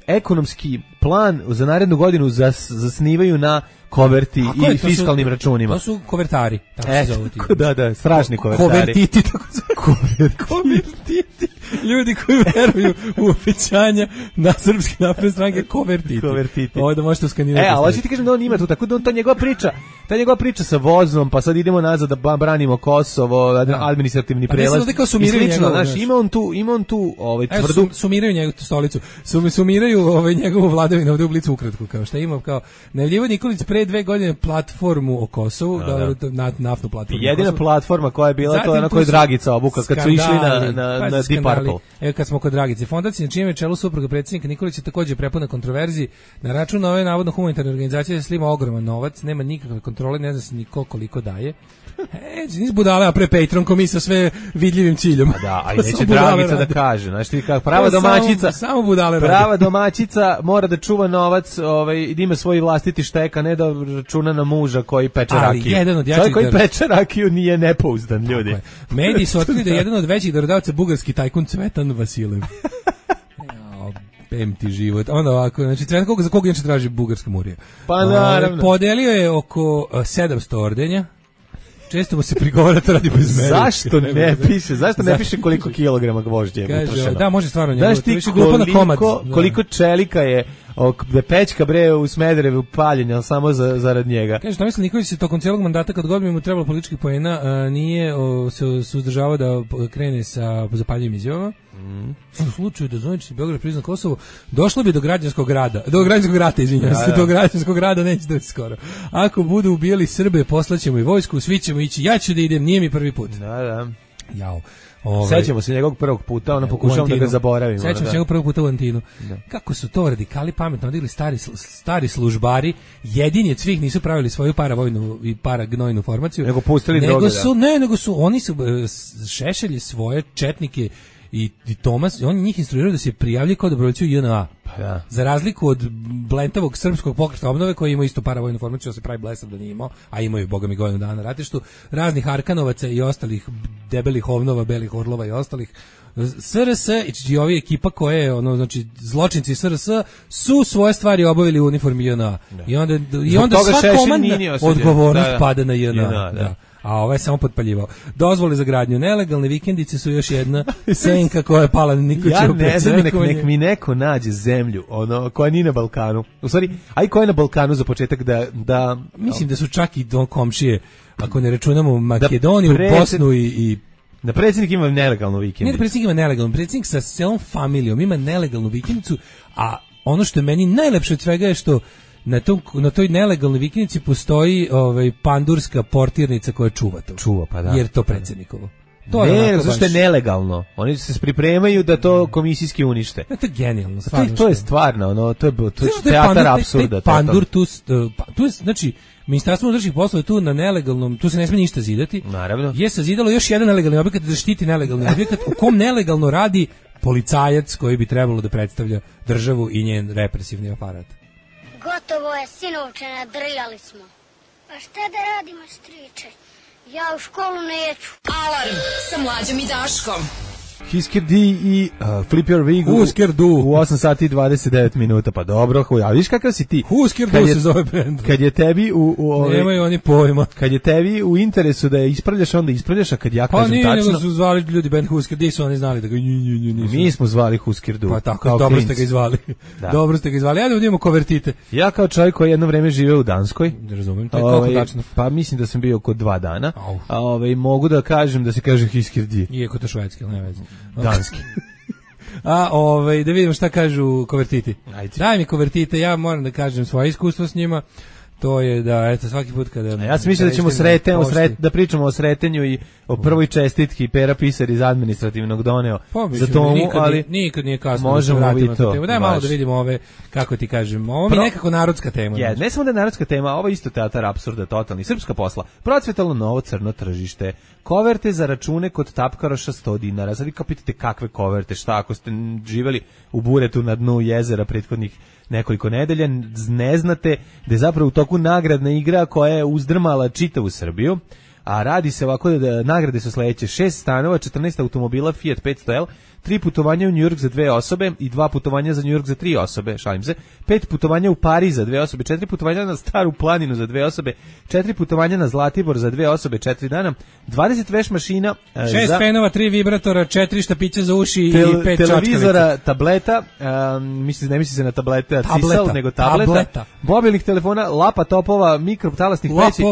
ekonomski plan za narednu godinu zas, zasnivaju na koverti A ko je i to? fiskalnim Su- računima. To su kovertari, tako E, se zovu ti. da, da, strašni kovertari. Kovertiti, tako se Kovertiti. Ljudi koji veruju u obećanja na srpske napredne stranke, kovertiti. Kovertiti. Ovo da možete uskanirati. E, ali hoću ti kažem da on ima tu, tako da on, ta njegova priča, ta njegova priča sa vozom, pa sad idemo nazad da ba- branimo Kosovo, administrativni Pa ne prelaz. samo da kao sumiraju i slično, njegovo, znaš, znaš. ima on tu, ima on tu ovaj, Evo, tvrdu... sum, sumiraju njegovu stolicu. Sum, sumiraju ovaj, njegovu vladavinu ovdje u Blicu ukratko. Kao šta ima, kao najavljivo Nikolić pre dve godine platformu o Kosovu, Da, da. da, na, naftnu platformu. Jedina o Kosovu. platforma koja je bila, Zatim to je ona tu koju je su Dragica obuka kad su išli na, skandali, na, pazi, na Deep skandali. Purple. Evo kad smo kod Dragice, fondacija na čijem je čelu supruga predsjednika Nikolića također prepuna kontroverzi. Na račun ove navodno humanitarne organizacije se slima ogroman novac, nema nikakve kontrole, ne zna se niko koliko daje. E, nis budale, a pre Patreon mi sa sve vidljivim ciljom. A da, a i To neće samo budale Dragica da rade. kaže, znaš ti kako, prava To samo- domaćica, samo budale rade. prava domaćica mora da čuva novac, ovaj, i da ima svoj vlastiti štek, a ne da računa na muža koji peče Ali rakiju. jedan od jačih Čovjek koji dar- peče rakiju nije nepouzdan, ljudi. Tako je. Mediji su otkrili da je jedan od većih darodavaca bugarski tajkun Cvetan Vasilev. Jao, pem ti život. Onda ovako, znači Cvetan koga za koga inače traži bugarska murija. Pa Ovaj, naravno. Podelio je oko uh, sedamsto ordenja. Često mu se prigovara to radi bez mene. Zašto ne piše? Zašto ne Zašto piše koliko kilograma gvožđa je Kaže, utrošeno? da, može stvarno njegov, Znaš to ti više glupo na komad. koliko, Da. koliko čelika je ok, da pečka bre u Smederevu paljenja samo za, zarad njega? Kaže, Tomislav Nikolić se tokom cijelog mandata kad god bi mu trebalo političkih poena a, nije o, se suzdržavao da p- krene sa zapaljivim izjavama. Mm. U slučaju da zvanični Beograd prizna Kosovo, došlo bi do građanskog rada. Do građanskog rata, izvinjavam Da, se, da. do građanskog rada neće doći skoro. Ako budu ubijali Srbe, poslaćemo i vojsku, svi ćemo ići. Ja ću da idem, nije mi prvi put. Da, da. Jao. Ovaj, Sećamo se njegovog prvog puta, ono u pokušavam da ga Antinu. zaboravimo. Sećam da. se njegovog prvog puta u Antinu. Da. Kako su to radikali pametno odigli stari, sl- stari službari, jedini od svih nisu pravili svoju paravojnu i paragnojnu formaciju. Nego pustili nego droge, su, da. Ne, nego su, oni su e, s- šešelji svoje četnike i, i Tomas, oni njih instruiraju da se prijavljaju kao dobrovoljci u J N A. Pa da. Za razliku od blentavog srpskog pokreta obnove koji ima isto paravojnu formaciju, da se pravi blesav da nije imao, a imaju boga mi godinu dana na ratištu, raznih Arkanovaca i ostalih debelih ovnova, belih orlova i ostalih. S R S i ovi ekipa koje je, ono, znači, zločinci S R S su svoje stvari obavili u uniformi J N A. I onda, i Zbog onda toga sva Šešelj komandna nije osuđen. odgovornost Da, da. pada na J N A. J N A, da. da. A ovaj je samo potpaljivao. Dozvole za gradnju nelegalne vikendice su još jedna senka koja je pala na Ja Nikolićevu ne znam, nek, nek predsjednikovanje. mi neko nađe zemlju, ono, koja nije na Balkanu. U stvari, aj koja je na Balkanu za početak da... da Mislim da su čak i do komšije, ako ne računamo Makedoniju, predsjed- Bosnu i, i da predsjednik ima nelegalnu nije da vikendicu. predsjednik ima nelegalnu, predsjednik sa celom familijom ima nelegalnu vikendicu, a ono što je meni najlepše od svega je što na, tom, na toj nelegalnoj vikendici postoji ovaj, pandurska portirnica koja čuva to. Čuva, pa da. Jer to predsjednikovo. To je Ne, onako zato što je baš- nelegalno. Oni se pripremaju da to komisijski unište. Ne, to je genijalno. To je, stvarno to je što- stvarno, ono, to je, to je Znaš, taj teatar pandur- taj- apsurda. taj to je to. Pandur tu, s- uh, pa- tu je, znači, Ministarstvo unutrašnjih poslova je tu na nelegalnom, tu se ne smije ništa zidati. Naravno. Je sazidalo još jedan nelegalni objekat da štiti nelegalni objekat u kom nelegalno radi policajac koji bi trebalo da predstavlja državu i njen represivni aparat. Gotovo je, sinovče, nadrijali smo. Pa šta da radimo, striče? Ja u školu neću. Alarm sa Mlađom i Daškom. Hisker D i uh, Flip Your Wig u, Husker Du. u osam sati i dvadeset devet minuta. Pa dobro, huj, a viš kakav si ti? Husker Kad Du je- se zove bend. Kad je tebi u, u ove, Nemaju oni pojma. kad je tebi u interesu da je ispravljaš, onda ispravljaš, a kad ja Pa kažem nije, tačno, nego su zvali ljudi band Husker, di su oni znali da ga nju, nju, nju, nisu. mi smo zvali Husker Du. Pa tako, kao dobro klinci. ste ga izvali. Da. Dobro ste ga izvali. Ajde da vidimo kovertite. Ja kao čovjek koji je jedno vreme živeo u Danskoj, Ne razumijem, to je koliko ovaj, tačno. pa mislim da sam bio oko dva dana, Au. a ovaj, mogu da kažem da se kaže Hisker D. Iako to švedski, ali ne veze. Danski. A ovaj da vidimo šta kažu kovertiti. Ajde. Daj mi kovertite, ja moram da kažem svoje iskustvo s njima. To je da, eto, svaki put kada... A ja sam mislio da ćemo sreten, sret, da pričamo o sretenju i o prvoj čestitki Pera Pisar iz administrativnog doneo pa, za tomu, nikad, ali nikad nije kasno možemo da se vidjeti to. Daj malo da vidimo ove, kako ti kažem, ovo mi je nekako narodska tema. Je, ne samo da je narodska tema, ovo je isto teatar apsurda, totalni, srpska posla. Procvetalo novo crno tržište. Koverte za račune kod tapkaroša sto dinara. Sad vi kao pitate kakve koverte, šta ako ste živeli u buretu na dnu jezera prethodnih nekoliko nedelja, ne znate da je zapravo u toku nagradna igra koja je uzdrmala čitavu Srbiju, a radi se ovako da nagrade su sledeće: šest stanova, četrnaest automobila Fiat petsto L, tri putovanja u New York za dve osobe i dva putovanja za New York za tri osobe, šalim se, pet putovanja u Pariz za dve osobe, četiri putovanja na Staru planinu za dve osobe, četiri putovanja na Zlatibor za dve osobe, četiri dana, dvadeset veš mašina, šest za fenova, tri vibratora, četiri štapića za uši tel, i pet televizora, čačkalica. tableta, um, misli, ne misli se na tablete, tableta, cisal, nego tableta, tableta. mobilnih telefona, lapa topova, mikrotalasnih peći,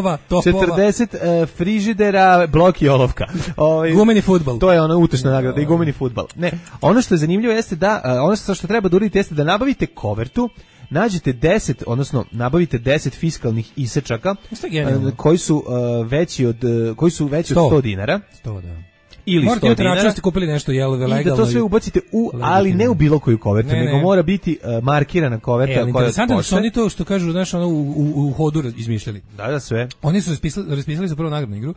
četrdeset uh, frižidera, blok i olovka. Ovaj, gumeni fudbal. To je ona utešna nagrada i gumeni fudbal. Ne, ono što je zanimljivo jeste da, uh, ono što treba da uradite jeste da nabavite kovertu, nađete deset, odnosno nabavite deset fiskalnih isečaka uh, koji su uh, veći od uh, koji su veći sto. Od sto dinara. sto, da. Ili morate sto dinara. Morate kupili nešto jel legalno. I da to sve ubacite u, ali ne u bilo koju kovertu, ne, nego ne. Mora biti uh, markirana koverta e, koja interesantno su oni to što kažu, znaš, ono u, u, u hodu izmišljali. Da, da, sve. Oni su raspisali, raspisali su prvo nagradnu igru.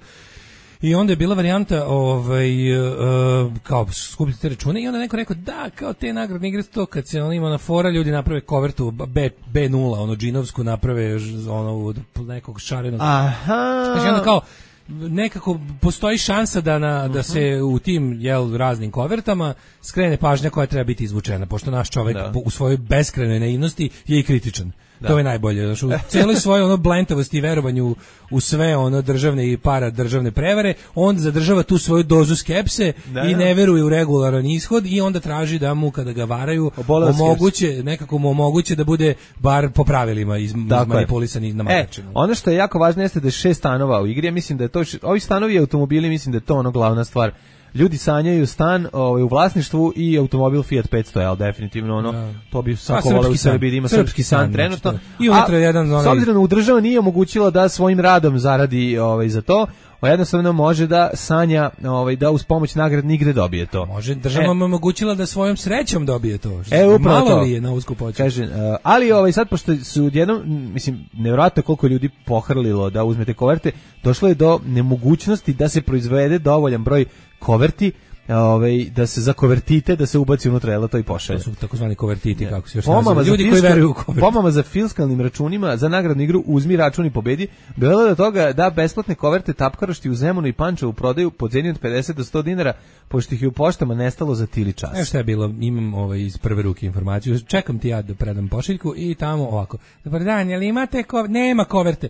I onda je bila varijanta ovaj, uh, kao skupiti te račune i onda neko rekao da, kao te nagradne igre to kad se on ima na fora, ljudi naprave kovertu B, B nula, ono džinovsku naprave ono od nekog šarenog. Aha. Znači onda kao nekako postoji šansa da, na, da se u tim jel, raznim kovertama skrene pažnja koja treba biti izvučena, pošto naš čovjek da. U svojoj beskrajnoj naivnosti je i kritičan. Da. To je najbolje. Znači, u cijeloj svojoj ono blentavosti i verovanju u sve ono državne i para državne prevare, on zadržava tu svoju dozu skepse da, i ne veruje u regularan ishod i onda traži da mu kada ga varaju omoguće, nekako mu omoguće da bude bar po pravilima iz, izmanipulisan i namaračen. E, ono što je jako važno jeste da je šest stanova u igri, ja mislim da je to, ovi stanovi i automobili, mislim da je to ono glavna stvar. Ljudi sanjaju stan ovaj, u vlasništvu i automobil Fiat petsto L, definitivno ono, da. To bi svako voleo u Srbiji da ima srpski, srpski san trenutno. I unutra jedan onaj... S obzirom da država nije omogućila da svojim radom zaradi ovaj, za to, jednostavno može da sanja, ovaj, da uz pomoć nagradne igre dobije to. Može, država e, omogućila da svojom srećom dobije to. E, upravo malo to. Li je na usku počet. Kaže, uh, ali ovaj, sad, pošto su odjednom, mislim, nevjerojatno koliko ljudi pohrlilo da uzmete koverte, došlo je do nemogućnosti da se proizvede dovoljan broj koverti, ovaj, da se zakovertite, da se ubaci unutra, jel, to i pošalje. To su takozvani kovertiti, yeah. Kako se još pomama ljudi fiskal, koji veruju u koverte. Pomama za fiskalnim računima za nagradnu igru Uzmi račun i pobedi, bilo do toga da besplatne koverte tapkarošti u Zemunu i Pančevu prodaju po ceni od pedeset do sto dinara, pošto ih je u poštama nestalo za tili čas. Evo šta je bilo, imam ovaj, iz prve ruke informaciju, čekam ti ja da predam pošiljku i tamo ovako, dobar dan, jel imate koverte? Nema koverte.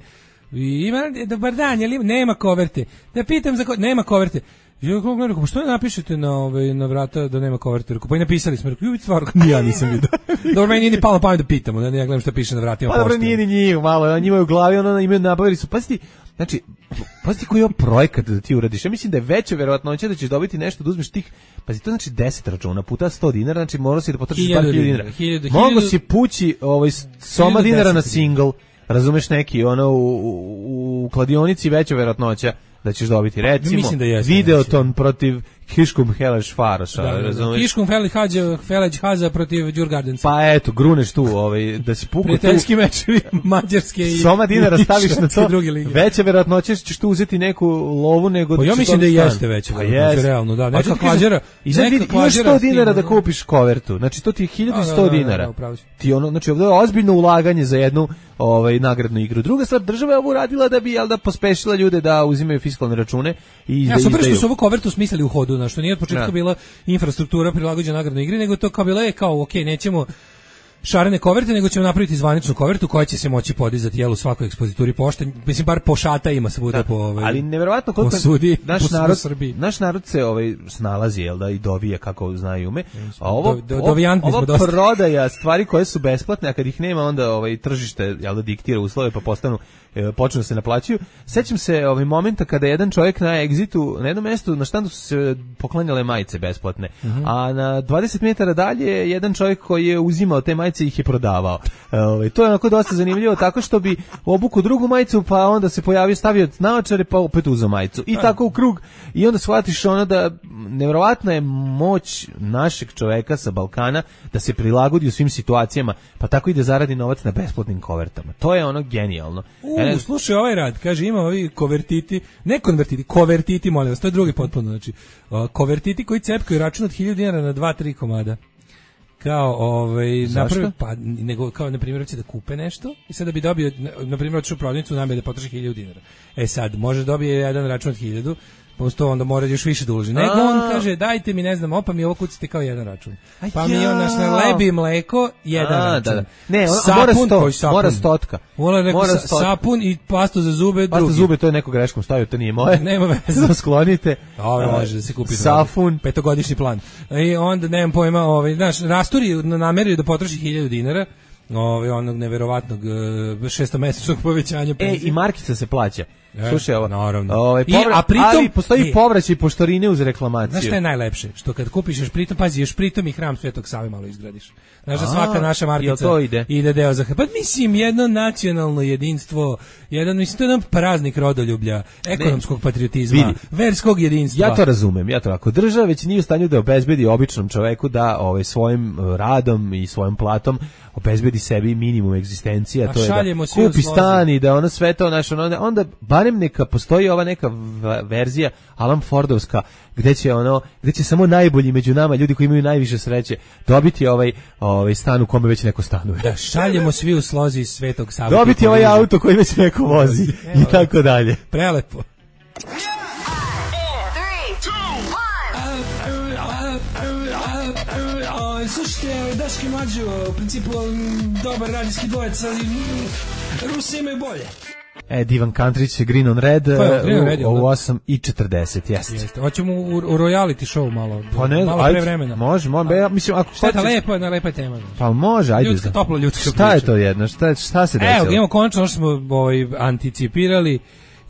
Ima, dobar dan, jel ima? Nema koverte. Da pitam za koverte, nema koverte. Ja kako gledam, što ne napišete na ovaj na vrata da nema koverte? Pa i napisali smo, rekao, ju stvarno ja nisam vidio. Dobro, meni nije ni palo pamet da pitamo, da ne ja gledam šta piše na vratima. Pa dobro, nije ni njih, malo, njima je u glavi, ono imaju nabavili su. Pazite, znači, pazite koji je projekat da ti uradiš. Ja mislim da je veća verovatnoća da ćeš dobiti nešto da uzmeš tih, pazi, to znači deset računa puta sto dinara, znači morao si da potrošiš par hiljada dinara. Mogu si pući ovaj soma dinara na single, razumeš, neki ono u, u, u kladionici veća verovatnoća da ćeš dobiti, recimo, da Videoton protiv Kiškum Heleš Faroša, da, razumiješ? Kiškum Heleš Haza protiv Đurgardenca. Pa eto, gruneš tu, ovaj, da si pukao tu. Prijateljski mečevi Mađarske i Soma dinara staviš na to, veća verovatnoća ćeš tu uzeti neku lovu nego da pa ćeš ja mislim da jeste veća verovatnoća, realno, da, neka klađera. I sad vidi, imaš sto dinara da kupiš kovertu, znači to ti je hiljadu sto dinara. Ti ono, znači ovdje je ozbiljno ulaganje za jednu ovaj nagradnu igru. Druga stvar, država je ovo radila da bi jel da pospešila ljude da uzimaju fiskalne račune i ja, da izdaju. Ja sam što su ovu kovertu smislili u hodu, na što nije od početka ja. Bila infrastruktura prilagođena nagradnoj igri, nego to kao bilo je kao, ok, nećemo šarene koverte, nego ćemo napraviti zvaničnu kovertu koja će se moći podizati jel u svakoj ekspozituri pošte, mislim bar po šata ima se bude po ovaj. Ali neverovatno koliko sudi, naš narod naš narod se ovaj snalazi jel da i dovije kako znaju ume. A ovo do, do, ovo prodaja stvari koje su besplatne, a kad ih nema onda ovaj tržište jel da diktira uslove pa postanu e, počnu se naplaćuju. Sećam se ovaj momenta kada jedan čovjek na Exitu na jednom mjestu na štandu su se poklanjale majice besplatne. Uh -huh. A na dvadeset metara dalje jedan čovjek koji je uzimao te majice majice ih je prodavao. Ovaj to je onako dosta zanimljivo, tako što bi obuku drugu majicu, pa onda se pojavio, stavio naočare, pa opet uzeo majicu. I tako u krug. I onda shvatiš ono da nevjerovatna je moć našeg čoveka sa Balkana da se prilagodi u svim situacijama, pa tako i da zaradi novac na besplatnim kovertama. To je ono genijalno. U, e, slušaj ovaj rad, kaže ima ovi kovertiti, ne konvertiti, kovertiti, molim vas, to je drugi potpuno, znači uh, kovertiti koji cepkaju račun od hiljadu dinara na dva tri komada. Kao ovaj napravi, pa nego kao na primjer hoće da kupe nešto i sad da bi dobio na primjer hoće u prodavnicu namere da potroši hiljadu dinara. E sad može dobije jedan račun od hiljadu, posto onda mora još više da uloži. Nego on kaže dajte mi ne znam, opa mi ovo kucite kao jedan račun. Pa mi on naš lebi mleko jedan A, račun. da, da. Ne, on, sapun, mora sto, sapun. mora stotka. Mora, rekao, mora sa, sapun i pastu za zube drugi. Pastu za zube to je neko greškom stavio, to nije moje. Nema veze. Da sklonite. Dobro, može da se kupi. Sapun, petogodišnji plan. I onda nemam pojma, ovaj, znaš, rasturi nameraju da potroši hiljadu dinara. Ovaj onog neverovatnog uh, šestomesečnog povećanja penzije. E, i markica se plaća. E, Slušaj, ovo, naravno. Ovaj povra- I, a pritom ali postoji e, povraćaj poštarine uz reklamaciju. Znaš šta je najlepše? Što kad kupiš još pritom, pazi, još pritom i hram Svetog Save malo izgradiš. Znaš da svaka naša markica to ide? ide deo za... Pa mislim, jedno nacionalno jedinstvo, jedan, mislim, to je jedan praznik rodoljublja, ekonomskog patriotizma, vidi, verskog jedinstva. Ja to razumem, ja to ako država već nije u stanju da obezbedi običnom čoveku da ovaj svojim radom i svojom platom obezbedi sebi minimum egzistencije, a to je da kupi stan i da ono sve to naš, onda, onda barem neka postoji ova neka verzija Alan Fordovska gde će ono gde će samo najbolji među nama, ljudi koji imaju najviše sreće, dobiti ovaj ovaj stan u kome već neko stanuje. Da šaljemo svi u slozi Svetog Save. Dobiti ovaj auto koji već neko vozi i tako dalje. Prelepo. Slušajte, Daški Mađo, u principu dobar radijski dvojec, ali Rusi imaju bolje. E, Divan Kantrić, Green on Red, Green on Red u osam i četrdeset, jeste. Jeste. Hoćemo u, u reality show malo, pa ne, malo ajde, pre vremena. Može, može, ja mislim, ako šteta, lepo je, na lepa tema. Pa može, ajde. Ljudska, toplo ljudska šta priča. je to jedno, šta, šta se desilo? Evo, imamo končno što smo ovaj, anticipirali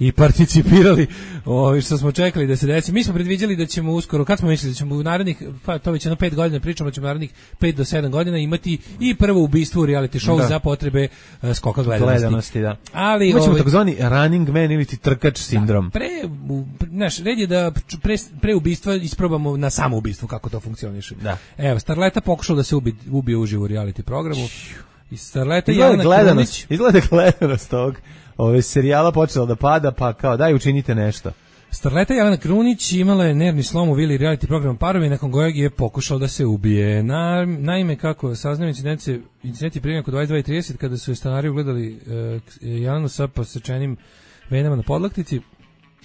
i participirali, ovaj što smo čekali da se desi. Mi smo predviđali da ćemo uskoro, kad smo mislili da ćemo u narednih, pa to već jedno pet godina pričamo, da ćemo u narednih pet do sedam godina imati i prvo ubistvo u reality show da. za potrebe uh, skoka gledanosti. gledanosti da. Ali imaćemo ovaj, takozvani running man ili ti trkač sindrom. Da, pre, naš red je da pre, pre ubistva isprobamo na samo ubistvo kako to funkcioniše. Da. Evo, Starleta pokušao da se ubi, ubije uživo u reality programu. I Starleta izgleda Jelena gledanost, Krunić. Izgleda gledanost tog ove serijala počela da pada, pa kao daj učinite nešto. Starleta Jelena Krunić imala je nervni slom u vili reality program Parovi, nakon kojeg je pokušao da se ubije. Na, naime, kako saznaju incidenti, incidenti primjer oko dvadeset dva i trideset kada su je stanari ugledali uh, Jelenu sa posečenim venama na podlaktici,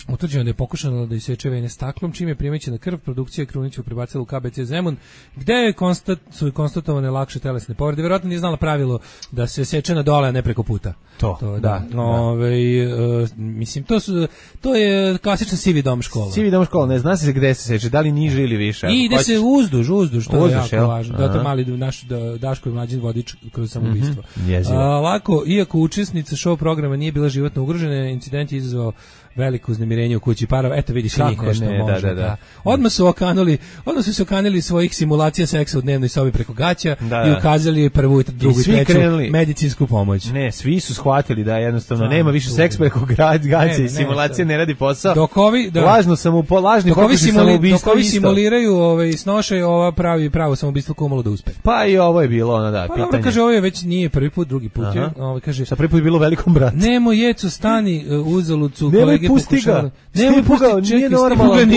utvrđeno da je pokušano da iseče vene staklom, čime je primećena krv, produkcija Kruniću prebacila u K B C Zemun, gde je konstat, su konstatovane lakše telesne povrede. Vjerojatno nije znala pravilo da se seče na dole, a ne preko puta. To, to da. da. Ove, uh, mislim, to, su, to je klasična sivi dom škola. Sivi dom škola, ne zna se gde se seče, da li niže ili više. I ide se uzduž, uzduž, to uzduž, je jako važno. Da to mali naš da, Daško i mlađin vodič kroz samoubistvo. Mm-hmm. A, lako, iako učesnica show programa nije bila životno ugrožena, incident je izazvao veliko uznemirenje u kući Parova. Eto vidiš i njih nešto ne, može. Da, da, da. Odmah su okanuli, odmah su se okanili svojih simulacija seksa u dnevnoj sobi preko gaća da, da. i ukazali prvu i drugu i treću krenuli, medicinsku pomoć. Ne, svi su shvatili da jednostavno da, nema više seks preko gaća i simulacija ne, ne radi posao. Dok ovi, da, lažno samo lažni pokušaj samoubistva. Dok ovi simuliraju ovaj, snošaj, ova pravi pravo samoubistvo kumalo da uspe. Pa i ovo je bilo ono da, pa, pitanje. Pa kaže, ovo je već nije prvi put, drugi put. Je, ovaj, kaže, sa prvi put je bilo Velikom bratu. Nemo jeco, stani uh, uzalucu, kolege pokušavali. Nemoj pusti, nije normalan.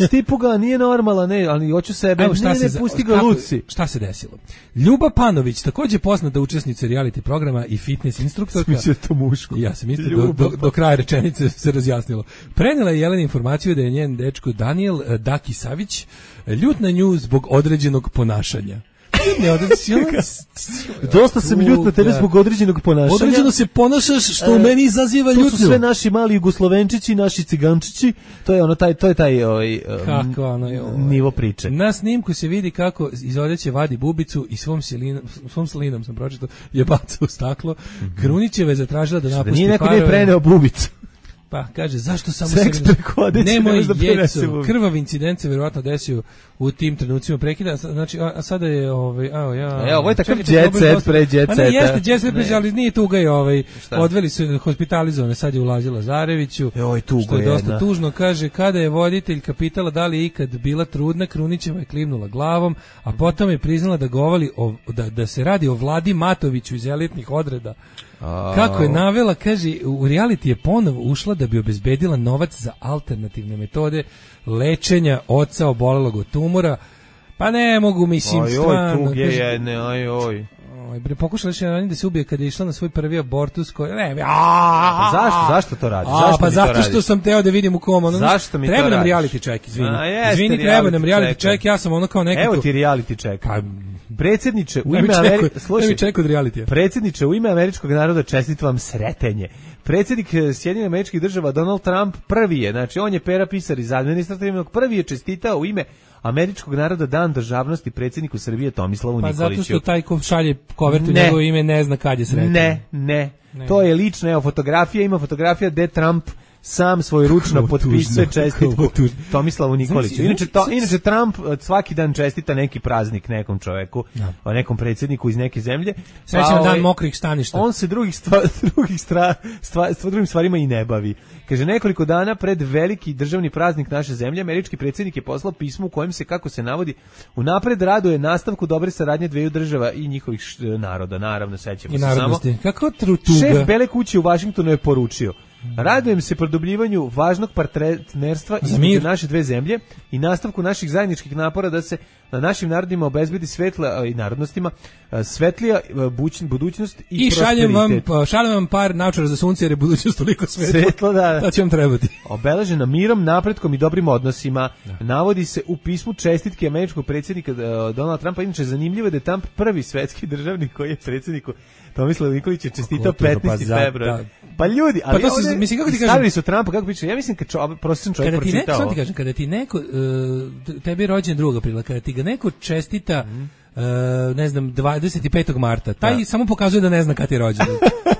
Stipuga nije normalan, ne, ali hoću sebe. Evo, ne, ne, pusti ga Luci. Šta se desilo? Ljuba Panović, takođe poznata učesnica reality programa i fitness instruktorka. Smislio to muško. Ja sam mislio do, do, do kraja rečenice se razjasnilo. Prenela je Jelena informaciju da je njen dečko Daniel Daki Savić ljut na nju zbog određenog ponašanja. Ne, dosta sam ljut na tebe zbog određenog ponašanja. Određeno se ponašaš što u meni izaziva ljutnju. To su sve naši mali Jugoslovenčići, naši cigančići. To je ono taj to je taj ovaj kako ono je nivo priče. Na snimku se vidi kako iz odeće vadi bubicu i svom silinom, svom slinom sam pročitao, je baca u staklo. Mm-hmm. Krunićeva je zatražila da napusti da nije neko Parove. Nije preneo bubicu. Pa kaže, zašto samo Seks se... preko odjeće ne Nemoj možda prenese jeco, u- krvav incident se verovatno desio u tim trenucima prekida, znači, a, a sada je, ovaj, a, ja... E, ovo je takav Čekajte, jet dobro je set dosta- pre jet A ne, seta. jeste jet set, Ne. ali nije tuga je, ovaj, Šta? odveli su hospitalizovane, sad je u Lazi Lazareviću, Joj, tugo što je dosta jedna. tužno, kaže, kada je voditeljka pitala da li je ikad bila trudna, Krunićeva je klimnula glavom, a potom je priznala da govali o, da, da se radi o Vladi Matoviću iz elitnih odreda. Kako je navela, kaže, u reality je ponovo ušla da bi obezbedila novac za alternativne metode lečenja oca obolelog od tumora. Pa ne mogu, mislim, Oj, oj, stvarno. tuge kaže, jedne, oj, oj. oj, bre, pokušala još jedan da se ubije kada je išla na svoj prvi abortus koji... Ne, a, Pa zašto, zašto to radi? A, Zašto pa mi to zato što radiš? sam teo da vidim u kom. Ono, Zašto mi to treba nam radiš? reality check, izvini. A, jeste Izvini, treba nam reality reality check. check, ja sam ono kao nekako... Evo ti reality check. Pa, Predsjedniče, u daj mi ime check Amerike... od- daj mi check od realitija. Predsjedniče, u ime američkog naroda čestitam vam sretenje. Predsjednik eh, Sjedinjenih Američkih Država Donald Trump prvi je, znači on je pera pisar iz administrativnog, prvi je čestitao u ime američkog naroda Dan državnosti predsjedniku Srbije Tomislavu Pa Nikoliću. zato što taj ko šalje kovertu Ne. njegovo ime ne zna kad je sretan. Ne, ne, Ne. To je lično, evo fotografija, ima fotografija gde Trump sam svoj ručno Kako potpisuje tužno, čestitku kako tužno. Tomislavu Nikoliću. Znači, Inače, to, znači, inače Trump eh, svaki dan čestita neki praznik nekom čoveku, o nekom predsjedniku iz neke zemlje. Srećan ovaj, dan mokrih staništa. On se drugih stva, drugih stra, stva, stva, drugim stvarima i ne bavi. Kaže, nekoliko dana pred veliki državni praznik naše zemlje, američki predsjednik je poslao pismo u kojem se, kako se navodi, unapred raduje nastavku dobre saradnje dveju država i njihovih š- naroda. Naravno, sećamo I se samo. narodnosti. Kako trutuga. Šef Bele kuće u Vašingtonu je poručio: radujem se produbljivanju važnog partnerstva Za između mir. naše dve zemlje i nastavku naših zajedničkih napora da se na našim narodima obezbedi svetla a, i narodnostima a, svetlija a, buć- budućnost i, I šaljem vam, prosperitet. pa, šaljem vam par naučara za sunce jer je budućnost toliko svetla. Svetlo, da, da. To će vam trebati. Obeležena mirom, napretkom i dobrim odnosima. Navodi se u pismu čestitke američkog predsjednika uh, Donalda Trumpa. Inače, zanimljivo je da je Trump prvi svetski državnik koji je predsjedniku Tomislavu Nikoliću čestitao Kako to, pa petnaesti za- februar. da. Pa ljudi, ali Pa to se- ovdje mislim, kako ti kažem- stavili su Trumpa, kako piše, ja mislim kad čo, prosječan čovjek Kada ti neko, pročitao. samo ti kažem, kada ti neko, uh, tebi je rođen drugog aprila, kada ti ga neko čestita, uh, ne znam, dvadeset petog marta, taj Da. samo pokazuje da ne zna kad je rođen.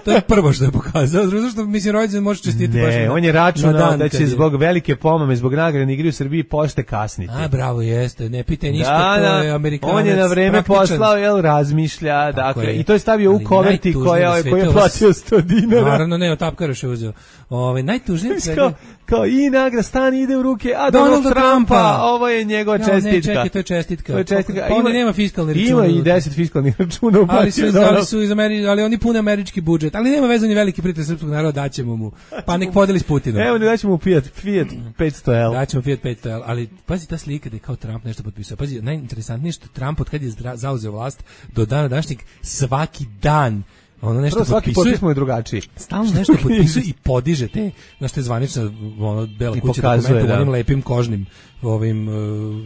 To je prvo što je pokazao, zato što, mislim, rođen može čestiti baš Ne, na- on je na računao dan da kad će je- zbog velike pomame, zbog nagradne igre u Srbiji pošte kasniti. A, bravo, jeste, ne pitaj ništa, Da, to da, je Amerikanac. on je na vreme praktičan. poslao, jel, razmišlja, dakle, je. i to je stavio u Ali koverti najtužnije koja, na svetu koja je ovo- platio sto dinara. Naravno, ne, od Tapkaroša je uzeo. Ove, najtužnije od svega- Kao, kao i nagra stan ide u ruke, a Donalda Donald Trumpa, Trumpa. ovo je njegova Ja, čestitka. ne, čekaj, to je čestitka. To je čestitka. Pa ovdje nema fiskalni račun. Ima i deset fiskalnih računa u Ali su, Donald. ali su iz Ameri, ali oni pune američki budžet. Ali nema veze, on je veliki prijatelj srpskog naroda, daćemo mu. Pa nek podeli s Putinom. Evo ne daćemo mu Fiat, Fiat petsto L. Daćemo Fiat petsto L, ali pazi ta slika da je kao Trump nešto potpisao. Pazi, najinteresantnije je što Trump od kad je zdra- zauzeo vlast do dana današnjeg svaki dan ono nešto Prvo, svaki potpisuje. potpis mu je drugačiji. Stalno nešto potpisuje i podiže te, znaš, te zvanična ono, bela I kuća pokazuje, dokumenta u da. onim lepim kožnim ovim, uh,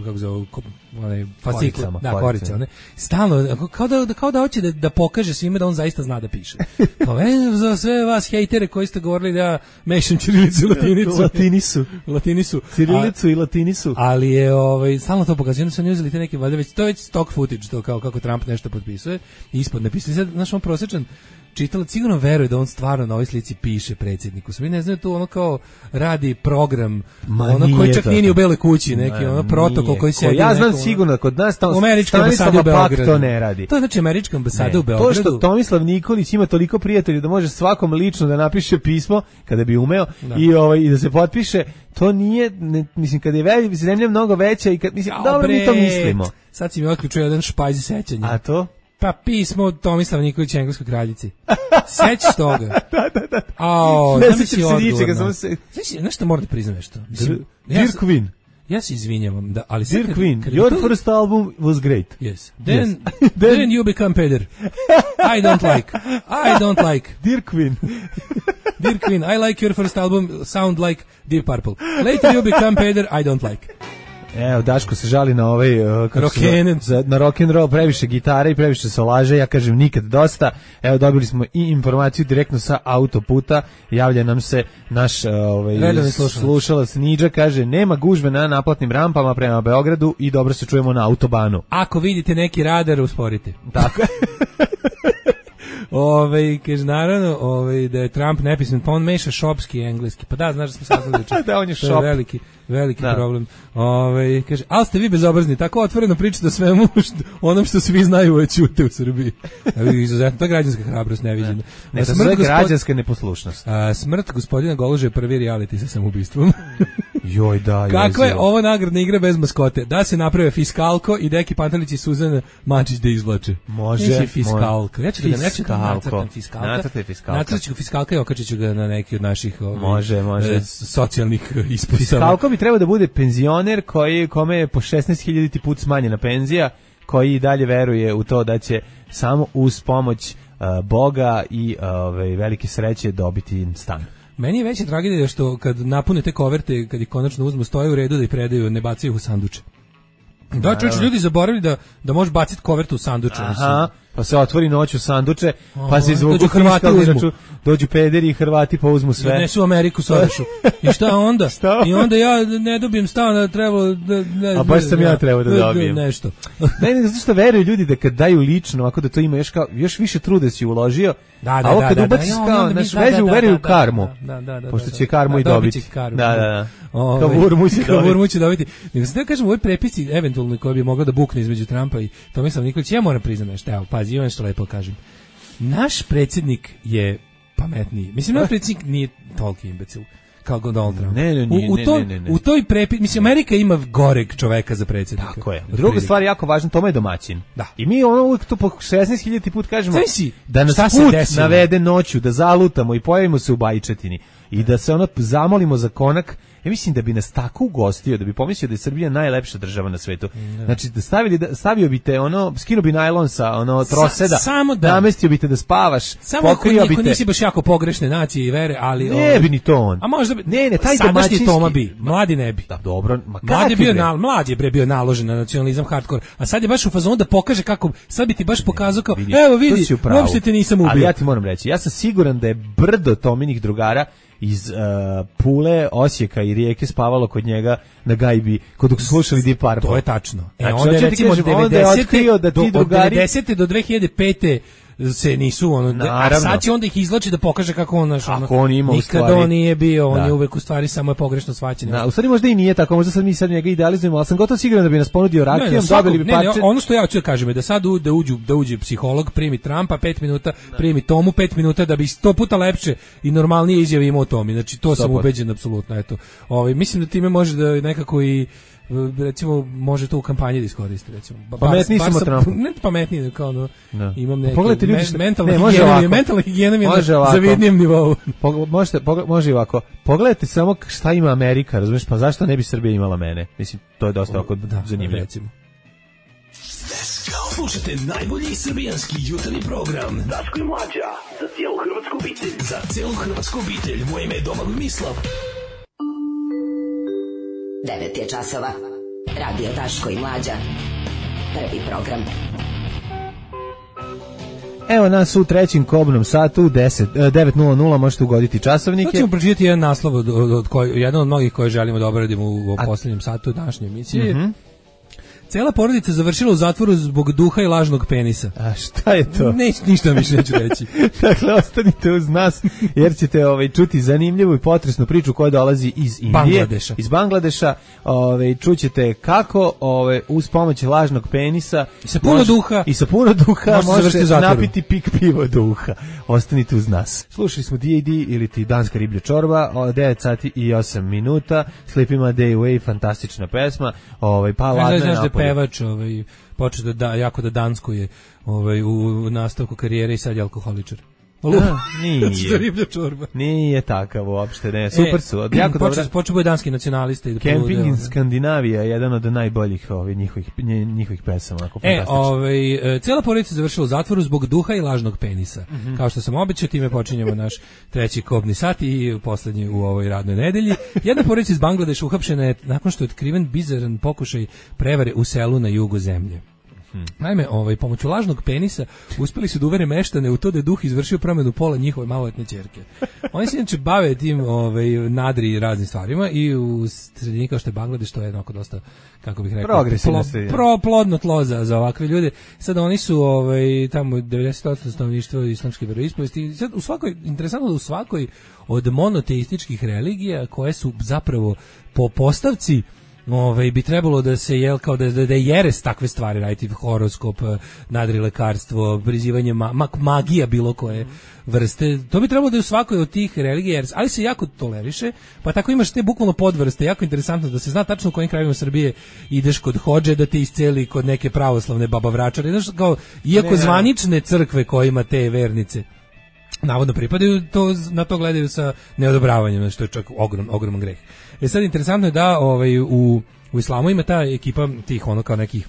kako zove, ko, onaj, fascikl, Koricama, da, korice. korice, one. Stalno, ako- kao da, kao da hoće da, da pokaže svima da on zaista zna da piše. Kao, e, za sve vas hejtere koji ste govorili da ja mešam ćirilicu i latinicu. Latinisu. Latinisu. Cirilicu i latinisu. Ali je ovaj stalno to pokazuje, da su oni uzeli te neke valjda već to je već stock footage, to kao kako Trump nešto potpisuje i ispod napisuje. Sad naš on prosječan čitalac sigurno veruje da on stvarno na ovoj slici piše predsjedniku. Svi ne znaju, to ono kao radi program, Ma ono koji nije čak to nije ni u tako. Beloj kući, neki Ma ono protokol nije. koji Ko- se ja znam sigurno da kod nas tamo u američkoj ambasadi u Stanislava Pak Beogradu. to ne radi. To je znači američka ambasada Ne, u Beogradu. To što Tomislav Nikolić ima toliko prijatelja da može svakom lično da napiše pismo kada bi umeo Da. i ovaj i da se potpiše, to nije ne, mislim kada je velika zemlja mnogo veća i kad mislim Jao, dobro mi to bre, mislimo. Sad si mi otključio jedan špajz sećanja. A to? Pa pismo Tomislava Nikolića engleskoj kraljici. Sećaš toga? da, da, da. Ao, Ne zamisli sećam se odgovor ničega, na- samo se- Znaš, nešto moram da priznam nešto. Da, Dear ja se- Queen. Ja se izvinjavam, da, ali sad Dear kad- Queen, kad your to- first album was great. Yes. Then, Yes. then, you become peder. I don't like. I don't like. Dear Queen. Dear Queen, I like your first album, sound like Deep Purple. Later you become peder, I don't like. Evo, Daško se žali na ovaj uh, kako se zove, Rock'n'roll. za- na rock and roll, previše gitare i previše solaže, ja kažem nikad dosta. Evo, dobili smo i informaciju direktno sa autoputa, javlja nam se naš uh, ovaj, Redovni slušalac. slušalac Niđa, kaže, nema gužve na naplatnim rampama prema Beogradu i dobro se čujemo na autobanu. Ako vidite neki radar, usporite. Tako je. Ove, kaže, naravno, ove, da je Trump nepismen, pa on meša šopski i engleski. Pa da, znaš da smo saznali juče. Da, on je To šop. veliki, veliki Da. problem. Ove, kaže, ali ste vi bezobrazni, tako otvoreno pričate o svemu što, onom što svi znaju o ćute u Srbiji. Evo, izuzetno, to je građanska hrabrost neviđena. Ne, A to smrt je gospod- građanska neposlušnost. A, smrt gospodina Goluže je prvi reality sa samoubistvom. Joj, da, joj. Kakva je zio. ovo nagradna igra bez maskote? Da se naprave Fiskalko i Deki Pantelić i Suzana Mačić da izvlače. Može, Neće Fiskalko. Ja ću da ga neću da Fiskalko. nacrtam Fiskalka. Nacrtaj Fiskalka. Nacrtat ću Fiskalka i okačit ću ga na neki od naših ovaj, Može, može. e, socijalnih e, ispostava. Fiskalko bi trebao da bude penzioner koji, kome je po šesnaest hiljaditi put smanjena penzija, koji i dalje veruje u to da će samo uz pomoć uh, Boga i uh, ove, velike sreće dobiti stan. Meni je veća tragedija što kad napune te koverte, kad ih konačno uzmu, stoje u redu da ih predaju, ne bacaju ih u sanduče. Da, čovječ, ljudi zaboravili da, da možeš baciti kovertu u sanduče. Aha, pa se otvori noć u sanduče, pa se Aha, izvuku dođu Hrvati fiskalni uzmu. račun, dođu pederi i Hrvati pa uzmu sve. Odnesu u Ameriku Sorošu. I šta onda? Šta? I onda ja ne dobijem stan, a trebalo da... Ne, A baš sam ja trebao da dobijem. Nešto. Ne, ne, zato što veruju ljudi da kad daju lično, ovako da to ima još, kao, još više truda si uložio, Da, da, a ovo da, kad da, ubaciš da, kao, onda mi- naš da, vežu, da, veruju da, u karmu, da, da, da, pošto da, će karmu da, i dobit dobiti. će karmu, Da, da, da. da. Ove, Kavurmu će dobiti. Kavurmu će dobiti. Nego sam da kažem, u ovoj prepisci, eventualno koja bi mogla da bukne između Trumpa i Tomislava Nikolića, ja moram priznati nešto, evo, pazi, imam što lepo kažem. Naš predsjednik je pametniji. Mislim, naš predsjednik nije toliki imbecil kao Donald Trump. Ne, ne, nije, u, u, ne, toj, ne, ne, ne. u toj prepi... Mislim, Amerika ima goreg čoveka za predsjednika. Tako je. Otprilike. Druga stvar jako važna, Toma je domaćin. Da. I mi ono uvijek to po šesnaest hiljaditi put kažemo Znaš si, da nas šta se put desilo? navede noću, da zalutamo i pojavimo se u Bajčetini i da se ono zamolimo za konak. Ja mislim da bi nas tako ugostio, da bi pomislio da je Srbija najlepša država na svetu. Znači, da stavili, da, stavio bi te, ono, skinuo bi najlon sa ono, troseda, Sa- samo da. namestio bi te da spavaš, Samo ako, pokrio bi ako te. nisi baš jako pogrešne nacije i vere, ali... Ne ovaj, bi ni to on. A možda bi... Ne, ne, taj sadašnji domaćinski- Toma bi, mladi ne bi. Da, dobro, ma Mlad je kakvi bio, bre? na, mlad je bre bio naložen na nacionalizam hardcore, a sad je baš u fazonu da pokaže kako, sad bi ti baš pokazao kao, Vidi, evo tu vidi, si u pravu. uopšte te nisam ubio. Ali ja ti moram reći, ja sam siguran da je brdo Tominih drugara iz uh, Pule, Osijeka i Rijeke spavalo kod njega na gajbi, kod dok su slušali Deep Purple. To je tačno. E, Znači, onda je hoću ti recimo kažem, onda je devedesete otkrio da ti do, od drugari- devedesete do dve hiljade pete se nisu ono, a Naravno. sad će onda ih izlači da pokaže kako on naš, ono, Kako on ima u nikada stvari. on nije bio, on Da. je uvek u stvari samo je pogrešno shvaćen. Da, u stvari možda i nije tako, možda sad mi sad njega idealizujemo, ali sam gotovo siguran da bi nas ponudio Ne, rakijom, ne, svakog- dobili bi ne, ne, parče. ono što ja hoću da kažem je da sad u, da uđu da uđe psiholog, primi Trumpa pet minuta, primi Tomu pet minuta da bi sto puta lepše i normalnije izjave imao Tomi. Znači to sam Sto puta. ubeđen apsolutno, eto. Ovaj mislim da time može da nekako i recimo može to u kampanji da iskoristi recimo. Ba- Pametniji bar sam od sam- Trumpa. Ne pametniji, nego kao ono, Da. imam neki Pogledajte ljudi men- što- mentalna ne, može higijena mi je- ovako. mentalna higijena mi je Može na ovako. zavidnijem nivou. Pog- možete, pogled- može i ovako. Pogledajte samo k- šta ima Amerika, razumiješ, pa zašto ne bi Srbija imala mene? Mislim, to je dosta ovako zanimljivo. Recimo. Slušajte najbolji srbijanski jutarnji program Daško i Mlađa, za cijelu hrvatsku obitelj. Za cijelu hrvatsku obitelj, moje ime je Domagoj Mislav. devet je časova. Radio Daško i Mlađa. Prvi program. Evo nas u trećem kobnom satu, deset, e, devet nula nula, možete ugoditi Sad časovnike. ćemo pročitati jedan naslov od, od, od koji, jedan od mnogih koje želimo da obradimo u, u poslednjem satu današnje emisije. Mhm. Cela porodica završila u zatvoru zbog duha i lažnog penisa. A šta je to? Neć, ništa više neću reći. Dakle, ostanite uz nas, jer ćete ovaj, čuti zanimljivu i potresnu priču koja dolazi iz Indije. Bangladeša. Iz Bangladeša. Ovaj, čućete kako ovaj, uz pomoć lažnog penisa I sa puno duha. i sa puno duha Možete završiti možete u zatvoru. napiti pik pivo duha. Ostanite uz nas. Slušali smo D A D ili ti Danska riblja čorba, o, devet sati i osam minuta. Sleeping My Day Away, fantastična pesma. Ovaj, pa ladno je Znaš da je napolju. pevač ovaj, počeo da, da jako da danskuje ovaj, u nastavku karijere i sad je alkoholičar. A, nije. Što riblja čorba. Nije takav uopšte, ne. Super su, od jako dobro. Počeo počeo bude danski nacionalista i da Camping polude, in ono. Skandinavija je jedan od najboljih ovih njihovih nje- njihovih pesama, onako E, fantastično. ovaj, e, cijela porodica završila u zatvoru zbog duha i lažnog penisa. Mhm. Kao što sam obećao, time počinjemo naš treći kobni sat i poslednji u ovoj radnoj nedelji. Jedna porodica iz Bangladeša uhapšena je nakon što je otkriven bizaran pokušaj prevare u selu na jugu zemlje. Hmm. Naime, ovaj, pomoću lažnog penisa uspeli su da uvere meštane u to da je duh izvršio promenu pola njihove maloletne ćerke. Oni se inače bave tim ovaj, nadri i raznim stvarima i u sredini kao što je Bangladeš, to je jednako dosta, kako bih rekao, progresivna plo, pro, plodno tlo za, za ovakve ljude. Sada oni su ovaj, tamo devedeset posto stanovništva islamske veroispovesti. Sad u svakoj, interesantno da u svakoj od monoteističkih religija koje su zapravo po postavci Ove, bi trebalo da se jel kao da, da, da je jeres takve stvari raditi, horoskop, nadri lekarstvo, prizivanje ma, ma, magija bilo koje vrste, to bi trebalo da je u svakoj od tih religija, ali se jako toleriše, pa tako imaš te bukvalno podvrste, jako interesantno da se zna tačno u kojim krajevima Srbije ideš kod hodže da te isceli kod neke pravoslavne baba vračare, znaš, kao, iako ne, zvanične crkve kojima te vernice navodno pripadaju, to, na to gledaju sa neodobravanjem, što je čak ogrom, ogroman greh. E sad, interesantno je da ovaj, u, u islamu ima ta ekipa tih ono kao nekih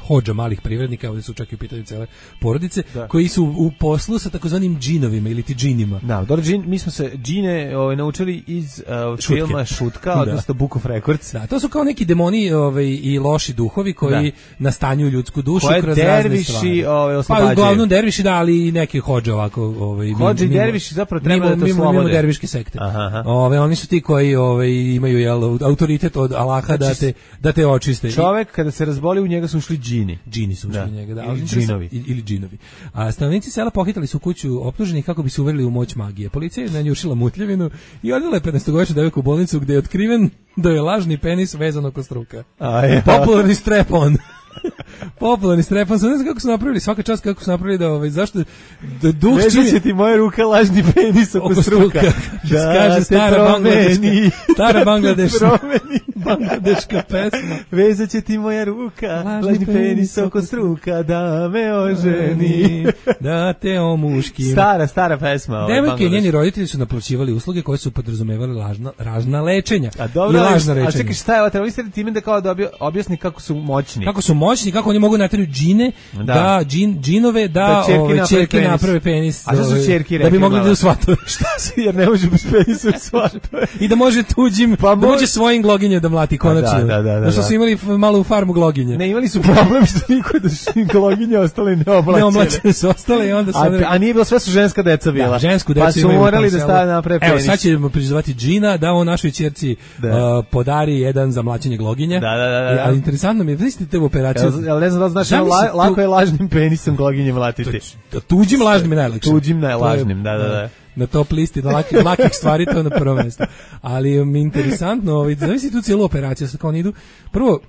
hodža malih privrednika, ovdje su čak i u pitanju cele porodice, da. Koji su u poslu sa takozvanim džinovima ili ti džinima. Da, dobro, džin, mi smo se džine ovaj, naučili iz uh, filma Šutka, odnosno Book of Records. Da, to su kao neki demoni ovaj, i loši duhovi koji da. nastanjuju ljudsku dušu koje kroz derviši, razne stvari. Ovaj, oslobađaju. Pa uglavnom derviši, da, ali i neke hodže ovako. Ovaj, hodže i derviši zapravo treba mimo, da to mimo, slobode. Mimo derviške sekte. Aha, aha. Ove, oni su ti koji ovaj, imaju jel, autoritet od Allaha znači, da, te, da te očiste. Čovek kada se razboli u njega su ušli džini. Džini su ušli da. u njega, da. Ili džinovi. Ili džinovi. A stanovnici sela pohitali su kuću optuženih kako bi se uverili u moć magije. Policija je nanjušila mutljevinu i odvela je petnaestogodišnju devojku u bolnicu gde je otkriven da je lažni penis vezan oko struka. Ja. Popularni strap-on. Popularni strep-on, ne znam kako su napravili, svaka čast kako su napravili da, ovaj, zašto, da duh čim je... će ti moja ruka lažni penis oko, oko struka. Da, kaže stara bangladeška, stara bangladeška, bangladeška pesma. Vezat će ti moja ruka, lažni, lažni penis oko struka, da me oženi. Da te omuškim. Stara, stara pesma. Ovaj, devojke i njeni roditelji su naplaćivali usluge koje su podrazumevali lažna, razna lečenja. A dobro, i lažna rečenja. A čekaj, šta je ovo? Treba misliti time da kao da objasni kako su moćni. Kako su moćni, kako oni mogu naterati džine, da, da džin, džinove, da, da čerke, ove, naprave, čerke penis. naprave penis. A što su čerki da bi mogli da u svatove. Šta se, jer ne može bez penisa u svatove. I da može tuđim, pa da može svojim gloginje da mlati konačno. Da, da, da. Da, što su imali malu farmu gloginje. Ne, imali su problem što niko da su gloginje ostale neoblačene. Neoblačene su ostale i onda su... A, a nije bilo, sve su ženska deca bila. Da, žensku decu pa su morali da stave naprave penis. Evo, sad ćemo prizvati džina da on našoj ćerci uh, podari jedan za mlaćenje gloginje. Da, da, da. da. Ali interesantno mi je, vidite te u operaciju. Jel ne znam da znaš, la, lako je lažnim penisom gloginje mlatiti. Tuđim lažnim je najlakše. Tuđim najlažnim, da, da, da. Na top listi na lakih, lakih stvari, to je na prvo mjesto. Ali mi je interesantno, ovaj, zavisi tu cijelu operaciju, sad kao oni idu. Prvo,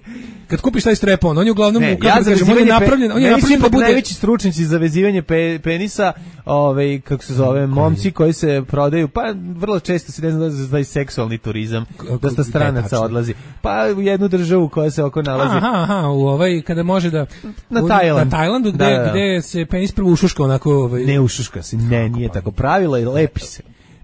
kad kupiš taj strep-on, on je uglavnom, ne, kako ja da kažem, on je napravljen, on je napravljen da bude... najveći stručnjaci za vezivanje pe, penisa, ovaj, kako se zove, momci koji se prodaju, pa vrlo često se ne znam da za seksualni turizam, dosta stranaca odlazi. Pa u jednu državu koja se oko nalazi. Aha, aha, u ovaj, kada može da... Na u, Tajland. Na Tajlandu, gde, da, da. gde se penis prvo ušuška onako... Ovaj, ne ušuška se, ne, nije tako pravilo i lepi se.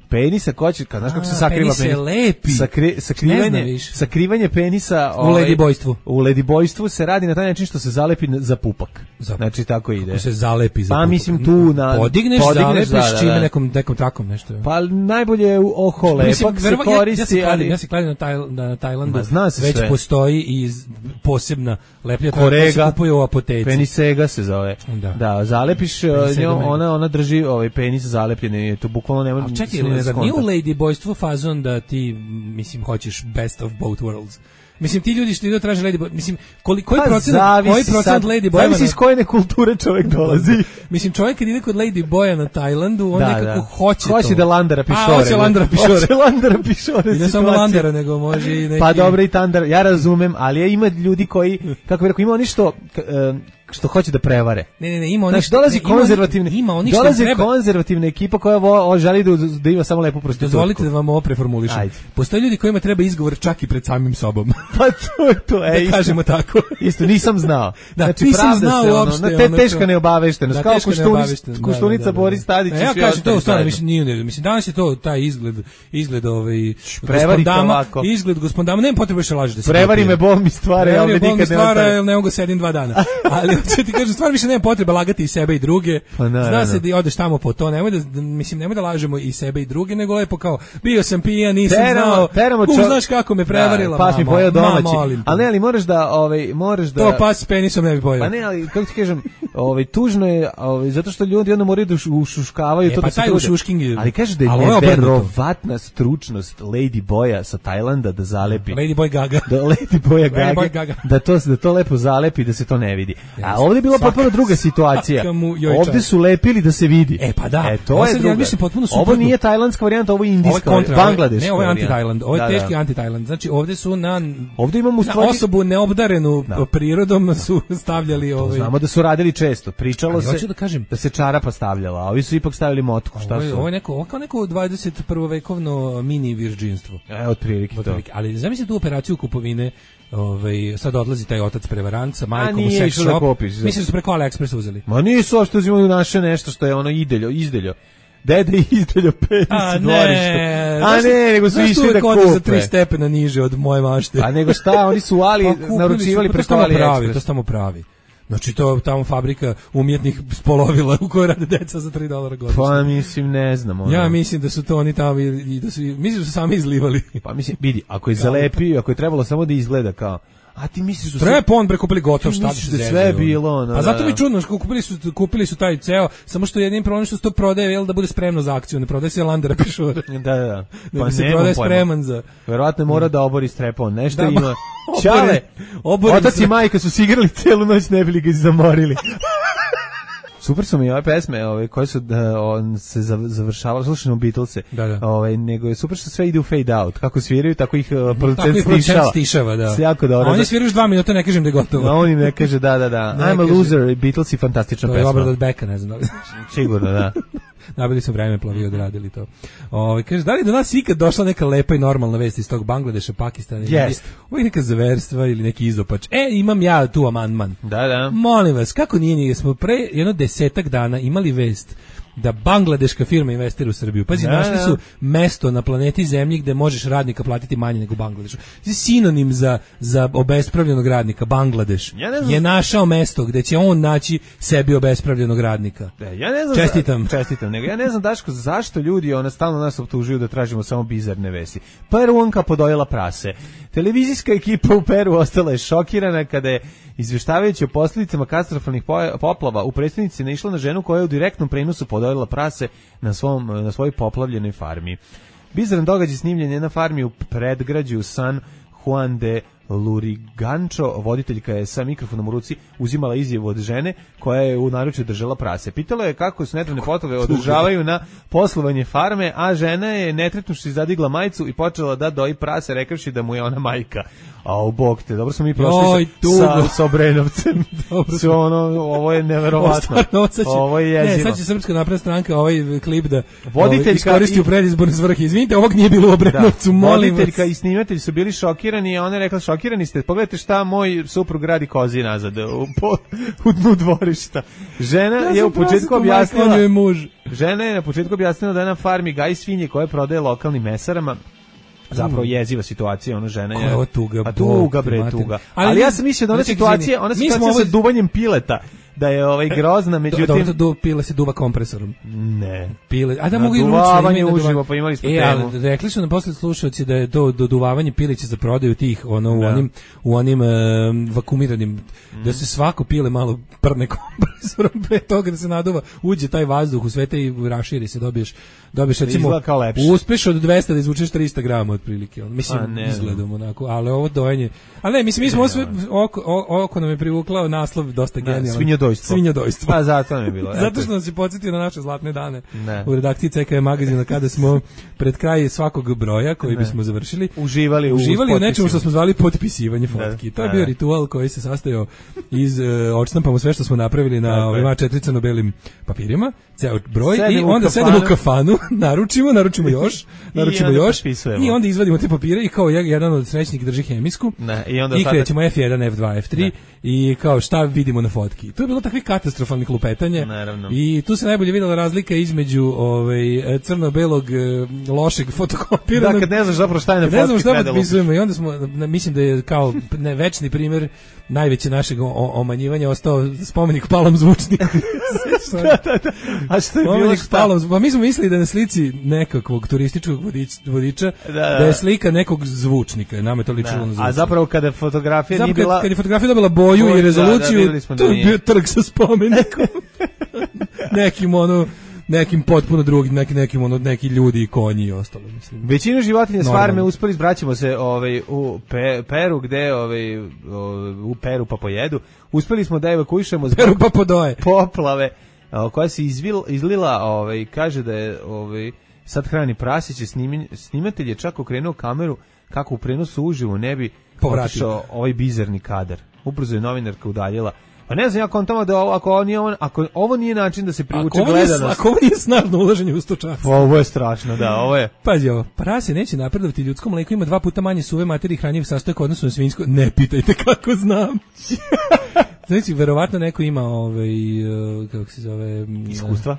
Penisa koči, kad znaš kako se sakriva penis. Lepi. Sakri, sakrivanje, sakrivanje penisa u ovaj, ledibojstvu. U ledibojstvu se radi na taj način što se zalepi za pupak. Za, znači tako ide. Kako se zalepi za pa, pupak. Pa mislim tu na podigneš, podigneš zalepiš da, da, da. čime nekom nekom trakom nešto. Pa najbolje u oko lepak se koristi, ja, ja ali ja se kladim na taj na Tajlandu. Ma, zna se već sve. Postoji i posebna leplja koja se kupuje u apoteci. Penisega se zove. Da, da zalepiš njom, ona ona drži ovaj penis zalepljen, to bukvalno ne može. Čekaj, nije u ladybojstvu fazon da ti mislim hoćeš best of both worlds. Mislim ti ljudi što idu traže lady boy, mislim koji koji pa procent koji procent lady boy zavisi iz koje kulture čovjek dolazi. Mislim čovjek kad ide kod lady boya na Tajlandu, on da, nekako da. hoće to. Hoće da landara pišore. A, hoće landara pišore. Hoće landara pišore. I ne samo landara, nego može i neki... Pa dobro i tandar, ja razumem, ali ima ljudi koji, kako bih rekao, ima oni što... što hoće da prevare. Ne, ne, ne, ima oni. Znači dolazi ne, konzervativne, ima oni što dolazi treba. konzervativna ekipa koja vo, želi da, da ima samo lepu prostitutku. Dozvolite da vam ovo preformulišem. Ajde. Postoje ljudi kojima treba izgovor čak i pred samim sobom. Pa to je to, ej. Da kažemo tako. Isto nisam znao. Da, znači nisam znao se, uopšte. Ono, te teška neobaveštenost, kao Koštunica Boris Tadić. Ja kažem to stvarno mislim nije, ne, mislim danas je to taj izgled, izgled ovaj gospodama, izgled gospodama, nema potrebe više lažete. Prevari me bol mi stvara, ja nikad ne stvara, ne mogu sedim dva dana. Ali Hoće ti kažem, stvarno više nema potrebe lagati i sebe i druge. Pa, zna se da odeš tamo po to, nemoj da, mislim, nemoj da lažemo i sebe i druge, nego lepo kao, bio sam pijan, nisam teramo, znao, teramo kum, čo... znaš kako me prevarila, da, pas mi mama, pojeo domaći. Mama, ali ne, ali moraš da, ovaj, moraš da... To pas s penisom ne bi pojeo. Pa ne, ali kako ti kažem, ovaj, tužno je, ovaj, zato što ljudi onda moraju da ušuškavaju e, to pa da se trude. Ali kaže da je neverovatna stručnost Lady Boya sa Tajlanda da zalepi. Lady Boy Gaga. Da Lady Boya Gaga, Boy Gaga. Da, to, da to lepo zalepi da se to ne vidi. A ovdje je bila potpuno druga situacija. Ovdje su lepili da se vidi. E pa da. E, to je druga. Ovo nije tajlandska varijanta, ovo je indijska, ovo je Bangladeška. Ne, ovo je anti-Tajland. Ovo je teški anti-Tajland. Znači ovdje su na, ovdje imamo na osobu neobdarenu da. prirodom su stavljali ovaj. Znamo da su radili često. Pričalo ali se da, kažem, da se čarapa stavljala, a ovi su ipak stavili motku. Šta ovo je, su? Ovo je neko, ovo kao neko dvadeset prvovekovno mini virđinstvo. E, otprilike to. Ali zamisli tu operaciju kupovine. Ovaj sad odlazi taj otac prevarant sa majkom u sex shop. Da mislim da su preko AliExpress uzeli. Ma nisu, a što uzimaju naše nešto što je ono ideljo, izdeljo. Dede izdeljo penis a dvorište. Ne, a ne, nego su išli da kupe. Za tri stepena niže od moje mašte. A nego šta, oni su ali pa, naručivali su, preko AliExpress. To su tamo pravi. Znači to tamo fabrika umjetnih spolovila u kojoj rade deca za tri dolara godišnje. Pa mislim, ne znam. Ono. Ja mislim da su to oni tamo i da su, mislim da su sami izlivali. Pa mislim, vidi, ako je zalepio, ako je trebalo samo da izgleda kao, a ti misliš da su Treba on prekupili gotov, šta ti se da sve bilo, no, a zato da, mi čudno, kupili su kupili su taj ceo, samo što jednim problem što se to prodaje, jel da bude spremno za akciju, ne prodaje se Landera pišura. Da, da, da. Pa ne se prodaje spreman za. Verovatno mora da obori strepon, nešto da, ima. Čale, otac i majka su se igrali celu noć, ne bili ga zamorili. Super su mi ove pesme, ove koje su da, on se završavale, slušamo Beatlese. Da, da. Ovaj nego je super što sve ide u fade out. Kako sviraju, tako ih uh, producent stišava. stišava, da. Jako dobro. A oni sviraju još dva minuta, ne kažem da je gotovo. A oni ne kaže da, da, da. I'm a kaže, loser, Beatles i fantastična to pesma. To je Robert Becka, ne znam da li znaš. Sigurno, da. Nabili su vreme plavi odradili to. Ovaj kaže da li do nas ikad došla neka lepa i normalna vest iz tog Bangladeša, Pakistana ili yes. Ovo neka zaverstva ili neki izopač. E, imam ja tu amandman. Da, da. Molim vas, kako nije nije smo pre jedno desetak dana imali vest da bangladeška firma investira u Srbiju. Pazi, da, našli su mesto na planeti Zemlji gde možeš radnika platiti manje nego u Bangladešu. Sinonim za, za obespravljenog radnika, Bangladeš, ja je našao mesto gde će on naći sebi obespravljenog radnika. De, ja ne znam čestitam. Za, čestitam, nego ja ne znam Daško, zašto ljudi ona stalno nas optužuju da tražimo samo bizarne vesti. Peruanka podojela prase. Televizijska ekipa u Peru ostala je šokirana kada je izveštavajući o posljedicama katastrofalnih poplava u predstavnici naišla na ženu koja je u direktnom prenosu podojila prase na, svom, na svojoj poplavljenoj farmi. Bizaran događaj snimljen je na farmi u predgrađu San Juan de Lurigancho. Voditeljka je sa mikrofonom u ruci uzimala izjavu od žene koja je u naručju držala prase. Pitala je kako se nedavne poplave održavaju na poslovanje farme, a žena je netretnuši zadigla majicu i počela da doji prase rekavši da mu je ona majka. A u bog te, dobro smo mi prošli Oj, sa, sa Obrenovcem. Sve ono, ovo je neverovatno. Ovo, će, ovo je jezivo. Ne, sad će Srpska napredna stranka ovaj klip da ovaj, iskoristi u predizborne svrhe. Izvinite, ovog nije bilo u Obrenovcu, da, molim voditeljka vas. I snimatelj su bili šokirani, a ona je rekla šokirani ste, pogledajte šta moj suprug radi kozi nazad u, po, u dnu dvorišta. Žena ja je u početku objasnila, je muž. žena je na početku objasnila da je na farmi gaji svinje koje prodaje lokalnim mesarama. Zapravo jeziva situacija, ona žena je. Koja tuga, a tuga bre, tuga. Ali, ali ja sam mislio da ona situacija, ona situacija sa duvanjem pileta, da je ovaj grozna, međutim do, do, do pile se duva kompresorom. Ne. Pile, a da mogu i ručno uživo, pa imali smo e, temu. Ali rekli su nam posle slušaoci da je to doduvavanje pilića za prodaju tih ono u onim u onim um, vakumiranim mm. da se svako pile malo prne kompresorom pre toga da se naduva, uđe taj vazduh u sve te i raširi se, dobiješ dobiješ recimo uspeš od dvesta da izvučeš trista grama otprilike. On mislim ne, izgledom onako, ali ovo dojenje. A ne, mislim mi smo sve oko, oko nam je privukao naslov dosta genijalan. Svinjodojstvo. Svinjodojstvo. Pa zato nam je bilo. Zato što nas je podsjetio na naše zlatne dane. Ne. U redakciji C K magazina kada smo pred kraj svakog broja koji ne. bismo završili uživali, uživali u nečemu što smo zvali potpisivanje fotki. Ne. To je bio ritual koji se sastojao iz uh, odštampamo sve što smo napravili na ovim A četiri crno-belim papirima, ceo broj Sedem i onda sedemo u kafanu, naručimo, naručimo još, naručimo I još i onda izvadimo te papire i kao jedan od srećnik drži hemijsku ne. i onda i krećemo F jedan, F dva, F tri ne. i kao šta vidimo na fotki. To je bilo takvih katastrofalnih lupetanja. Naravno. I tu se najbolje videla razlika između ovaj crno-belog lošeg fotokopiranog. Da, kad ne znaš zapravo šta je na fotki. Ne znam šta potpisujemo i onda smo, mislim da je kao ne, večni primjer najveće našeg omanjivanja ostao spomenik palom zvučnika. da, da, da. A što je bilo šta? Palom, pa mi smo mislili da na slici nekakvog turističkog vodiča, vodiča da, da. da je slika nekog zvučnika, nama je to ličilo na zvučnika. A zapravo kada fotografija zapravo, nije bila... Kad je fotografija dobila boju Boj, i rezoluciju, da, da, to je bio trg sa spomenikom. nekim ono... nekim potpuno drugim, nekim, nekim ono, neki ljudi i konji i ostalo, mislim. Većina životinja s farme uspeli, vraćamo se ovaj, u Pe, Peru, gde ovaj, u Peru pa pojedu, uspeli smo da evakuišemo Peru pa podoje. Poplave, koja se izvil, izlila, ovaj, kaže da je ovaj, sad hrani prasiće, snimi, snimatelj je čak okrenuo kameru kako u prenosu uživo ne bi otišao ovaj bizarni kadar. Ubrzo je novinarka udaljila. Pa ne znam, ja kontam da ovo, ako, ovo nije, ako ovo nije način da se privuče gledanost. Ako ovo nije snažno ulaženje u stočarstvo. Ovo je strašno, da, ovo je. Pazi ovo, prase neće napredovati, ljudsko mleko ima dva puta manje suve materije i hranjivih sastojaka odnosno na svinjsko. Ne pitajte kako znam. Znači, verovatno neko ima ovaj, kako se zove... Iskustva?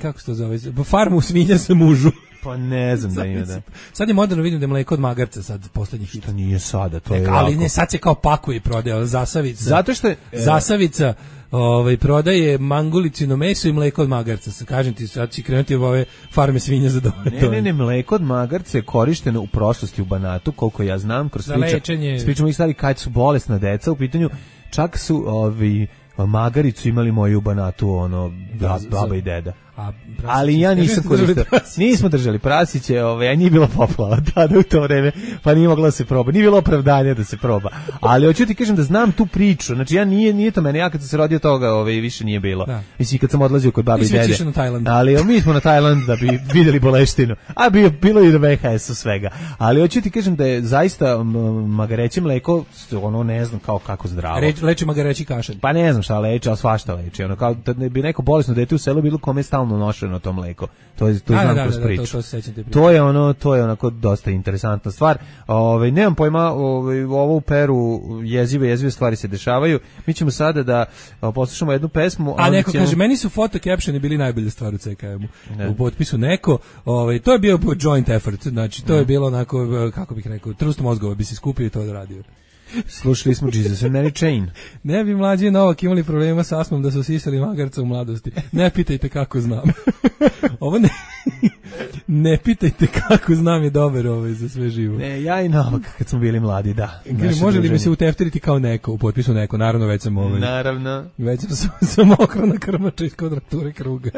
Kako se to zove? Farmu svinja sa mužu. Pa ne znam da ima, da. Sad je moderno, vidim da je mleko od magarca sad poslednjih hit. To nije sada, to je Neka, ali ne, sad se kao pakuje i prodaje, zasavica. Zato što je... Zasavica ovaj, prodaje mangulicino meso i mleko od magarca. Kažem ti, sad će krenuti u ove farme svinja za doje. Ne, ne, ne, mleko od magarca je korišteno u prošlosti u Banatu, koliko ja znam, kroz priča, pričamo ih stvari kad su bolesna deca, u pitanju čak su ovi... magaricu imali moju u Banatu, ono, da, baba i deda. A ali ja nisam koristio. Nismo držali prasiće, ovaj, a nije bilo poplava tada u to vreme, pa nije moglo da se proba. Nije bilo opravdanja da se proba. Ali hoću ti kažem da znam tu priču. Znači ja nije nije to mene, ja kad sam se rodio toga, ovaj više nije bilo. Da. Mislim kad sam odlazio kod babe i dede. Ali mi smo na Tajland da bi videli boleštinu. A bio bilo i na V H S-u svega. Ali hoću ti kažem da je zaista magareće mleko, ono ne znam kao kako zdravo. Reč, leči magareći kašalj. Pa ne znam šta leči, al svašta leči. Ono kao da ne bi neko bolesno dete u selu bilo kome stalno nošeno to mleko. To je to da, znam da, kroz da, priču. Da, to, to, se to je ono, to je onako dosta interesantna stvar. Ovaj nemam pojma, ovaj ovo u Peru jezive jezive stvari se dešavaju. Mi ćemo sada da poslušamo jednu pesmu, a neko ćemo... kaže meni su foto captioni bili najbolje stvar u C K M-u. U potpisu neko, ovaj to je bio joint effort, znači to ne. je bilo onako kako bih rekao, trust mozgova bi se skupio i to odradio. Slušali smo Jesus and Mary Chain. Ne bi mlađi Novak imali problema sa astmom da su sisali magarca u mladosti. Ne pitajte kako znam. Ovo ne... ne pitajte kako znam je dobar ovaj za sve živo. Ne, ja i Novak kad smo bili mladi, da. Kaže, može li mi se utefteriti kao neko u potpisu neko? Naravno, već sam ovaj. Naravno. Već sam sam okro na krmača iz kvadrature kruga.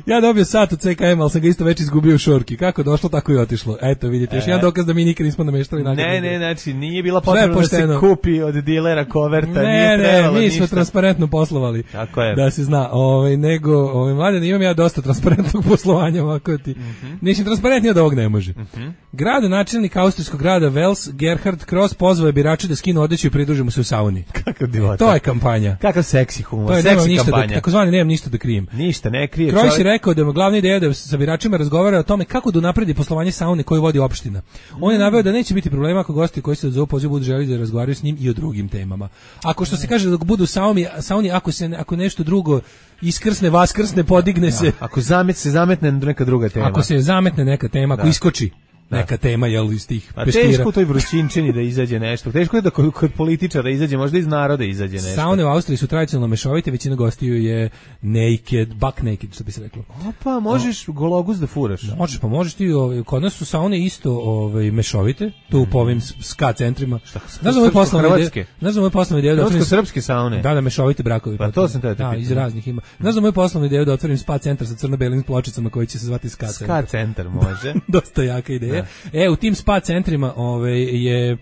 Ja dobio sat u C K M, ali sam ga isto već izgubio u šorki. Kako došlo, tako i otišlo. Eto, vidite, još e. jedan dokaz da mi nikad nismo nameštali nagradu. Ne, ne, znači, nije bila potrebno da se kupi od dilera koverta. Ne, nije ne, mi ništa. smo transparentno poslovali. Tako je. Da se zna. Ovaj, nego, ovaj, mladen, imam ja dosta transparentnog poslovanja ovako ti. Mm -hmm. Ništa transparentnije od ovog ne može. Mm -hmm. Gradonačelnik austrijskog grada Wels, Gerhard Kross, pozvao je birače da skinu odeću i pridruže mu se u sauni. Kakav divota. To je kampanja. Kakav seksi humor, to je, seksi kampanja. Da, takozvani nemam ništa da krijem. Ništa, ne krije. Kross je rekao da je glavna ideja da sa biračima razgovara o tome kako da unapredi poslovanje saune koju vodi opština. On je naveo da neće biti problema ako gosti koji se odazovu pozivu budu želeli da razgovaraju s njim i o drugim temama. Ako što se kaže da budu u sauni, sauni ako se ako nešto drugo iskrsne, vaskrsne, podigne se. Ako zamet se zametne neka druga tema. Ako se zametne neka tema, ako da. iskoči neka da. tema, jel, iz tih peškira. A teško u toj vrućinčini da izađe nešto. Teško je da kod, kod političara izađe, možda iz naroda izađe nešto. Saune u Austriji su tradicionalno mešovite, većina gostiju je naked, buck naked, što bi se reklo. Opa, možeš no. gologus da furaš. Možeš, pa možeš ti, ovaj, kod nas su saune isto ovaj, mešovite, tu mm. po ovim ska centrima. Šta, znaš da moj poslovni ideja? Znaš da moj poslovni ideja da otvorim... Srpske saune? Da, da, mešovite brakovi. Pa to sam te da, iz raznih ima. Znaš da moj poslovni ideja da otvorim spa centar sa crno-belim pločicama koji će se zvati ska centar. Ska centar, može. Dosta jaka ideja. Da. E, u tim spa centrima ove, je e,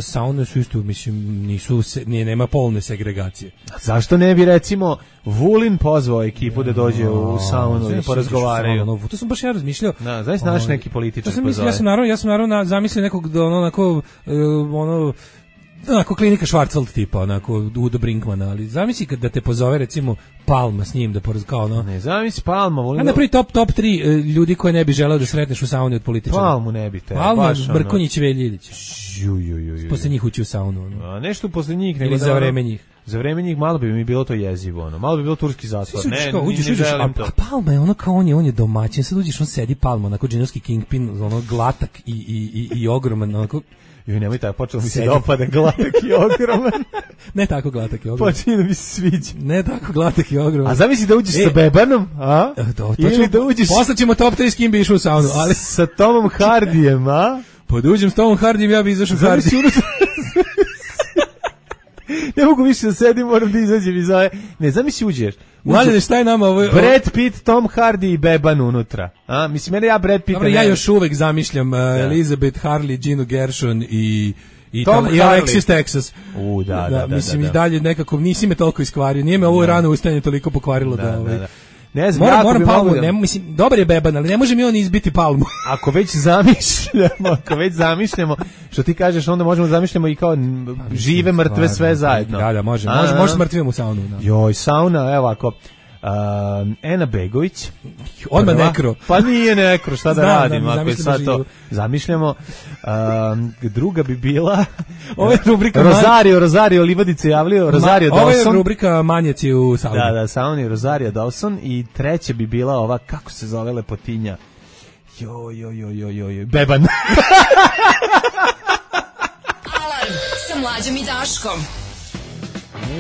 saune su isto, mislim, nisu, se, nije, nema polne segregacije. A zašto ne bi, recimo, Vulin pozvao ekipu da dođe u saunu i porazgovaraju? To sam baš ja razmišljao. Da, znaš, naš neki političar ja pozove. Ja sam naravno, ja sam naravno zamislio nekog, da ono, onako, ono, onako klinika Schwarzwald tipa, onako Udo Brinkmana, ali zamisli kad da te pozove recimo Palma s njim da porazgovarao, no. Ne, zamisli Palma, volim. A na prvi top top tri ljudi koje ne bi želeo da sretneš u sauni od političara. Palmu ne bi te. Palma, Brkonjić, Veljić. Ju ju ju ju. Posle njih ući u saunu. No. A nešto posle njih nego za vreme njih. Za vreme njih malo bi mi bilo to jezivo, ono. Malo bi bilo turski zatvor. Ne, kao, uđeš, ne uđeš, želim a, to. a Palma je ono kao on je, on je domaćin, sad uđeš, on sedi Palma, onako džinovski kingpin, ono glatak i, i, i, i ogroman, onako. Joj, nemoj tako, počelo mi se dopada glatak i ogroman. Ne tako glatak i ogroman. Počinje da mi se sviđa. Ne tako glatak i ogroman. A zamisli da uđeš e, sa bebanom, a? To, to ili ćemo, da uđeš... Posle ćemo top tri s kim bi išao u saunu, ali... Sa Tomom Hardijem, a? Pa da uđem s Tomom Hardijem, ja bi izašao u Hardi. Ne mogu više da sedim, moram da izađem iz ove... Ne, zamisli uđeš. Mlađe, šta je nama ovo? Brad Pitt, Tom Hardy i beban unutra. A? Mislim, mene ja Brad Pitta... Dobro, ja još uvek zamišljam uh, Elizabeth Harley, Ginu Gershon i... I, Tom i Alexis Texas. U, da, da, da. Mislim, da, da. i dalje nekako nisi me toliko iskvario. Nije me ovo rano ustajanje toliko pokvarilo da... da, ovaj, da. Ne znam, moram, moram bi Palmu, da... ne, mislim, dobar je beban, ali ne može mi on izbiti Palmu. Ako već zamišljamo, ako već zamišljamo, što ti kažeš, onda možemo da zamišljamo i kao pa, žive, mrtve, sve zajedno. Da, da, može, može, može smrtvim u saunu. Da. Joj, sauna, evo ako... Uh, Ena Begović odmah nekro. Pa nije nekro, šta da Znam, radim da, ako je sad to zamišljamo. Uh, druga bi bila ovo je rubrika Rosario, man... Rosario Livadice javljio, Rosario Ma, Dawson. Ovo je rubrika Manjeci u sauni. Da, da, sauni Rosario Dawson i treća bi bila ova, kako se zove lepotinja? Jo, jo, jo, jo, jo, jo. Beban. Alarm sa Mlađom i Daškom.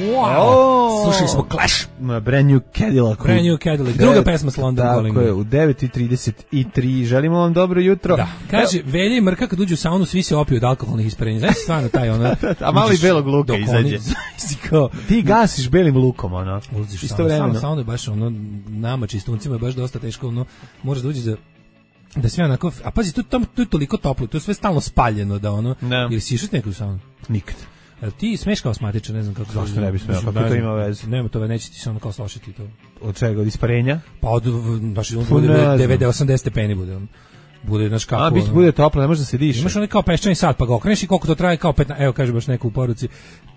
Wow. Oh. Slušali smo Clash. Brand New Cadillac. Brand New Cadillac. Druga pesma s London Calling. Tako je, u devet i trideset tri. Želimo vam dobro jutro. Da. Kaže, Evo. Velja i Mrka kad uđu u saunu, svi se opiju od alkoholnih isparenja. Znaš stvarno taj ono... A malo i belog luka izađe. Ti gasiš belim lukom, ono. Uđeš isto vremeno. Saunu je baš ono, nama čistuncima je baš dosta teško, ono, možeš da uđeš da da sve onako, a pazi, tu, tu, tu je toliko toplo, tu je sve stalno spaljeno, da ono, ne. Ili si išao neku saunu? Nikad. Ti smeš kao asmatičar, ne znam kako... Zašto ne bi smeo, kako to ima veze? Nema to, neće ti se ono kao slošiti to. Od čega, od isparenja? Pa od, znači, on bude devedeset osamdeset stepeni bude on. Bude, znaš kako... A, biti bude toplo, ne može da se diše. Imaš onaj kao peščani sat, pa ga okreneš i koliko to traje, kao petnaest, evo kaže baš neko u poruci.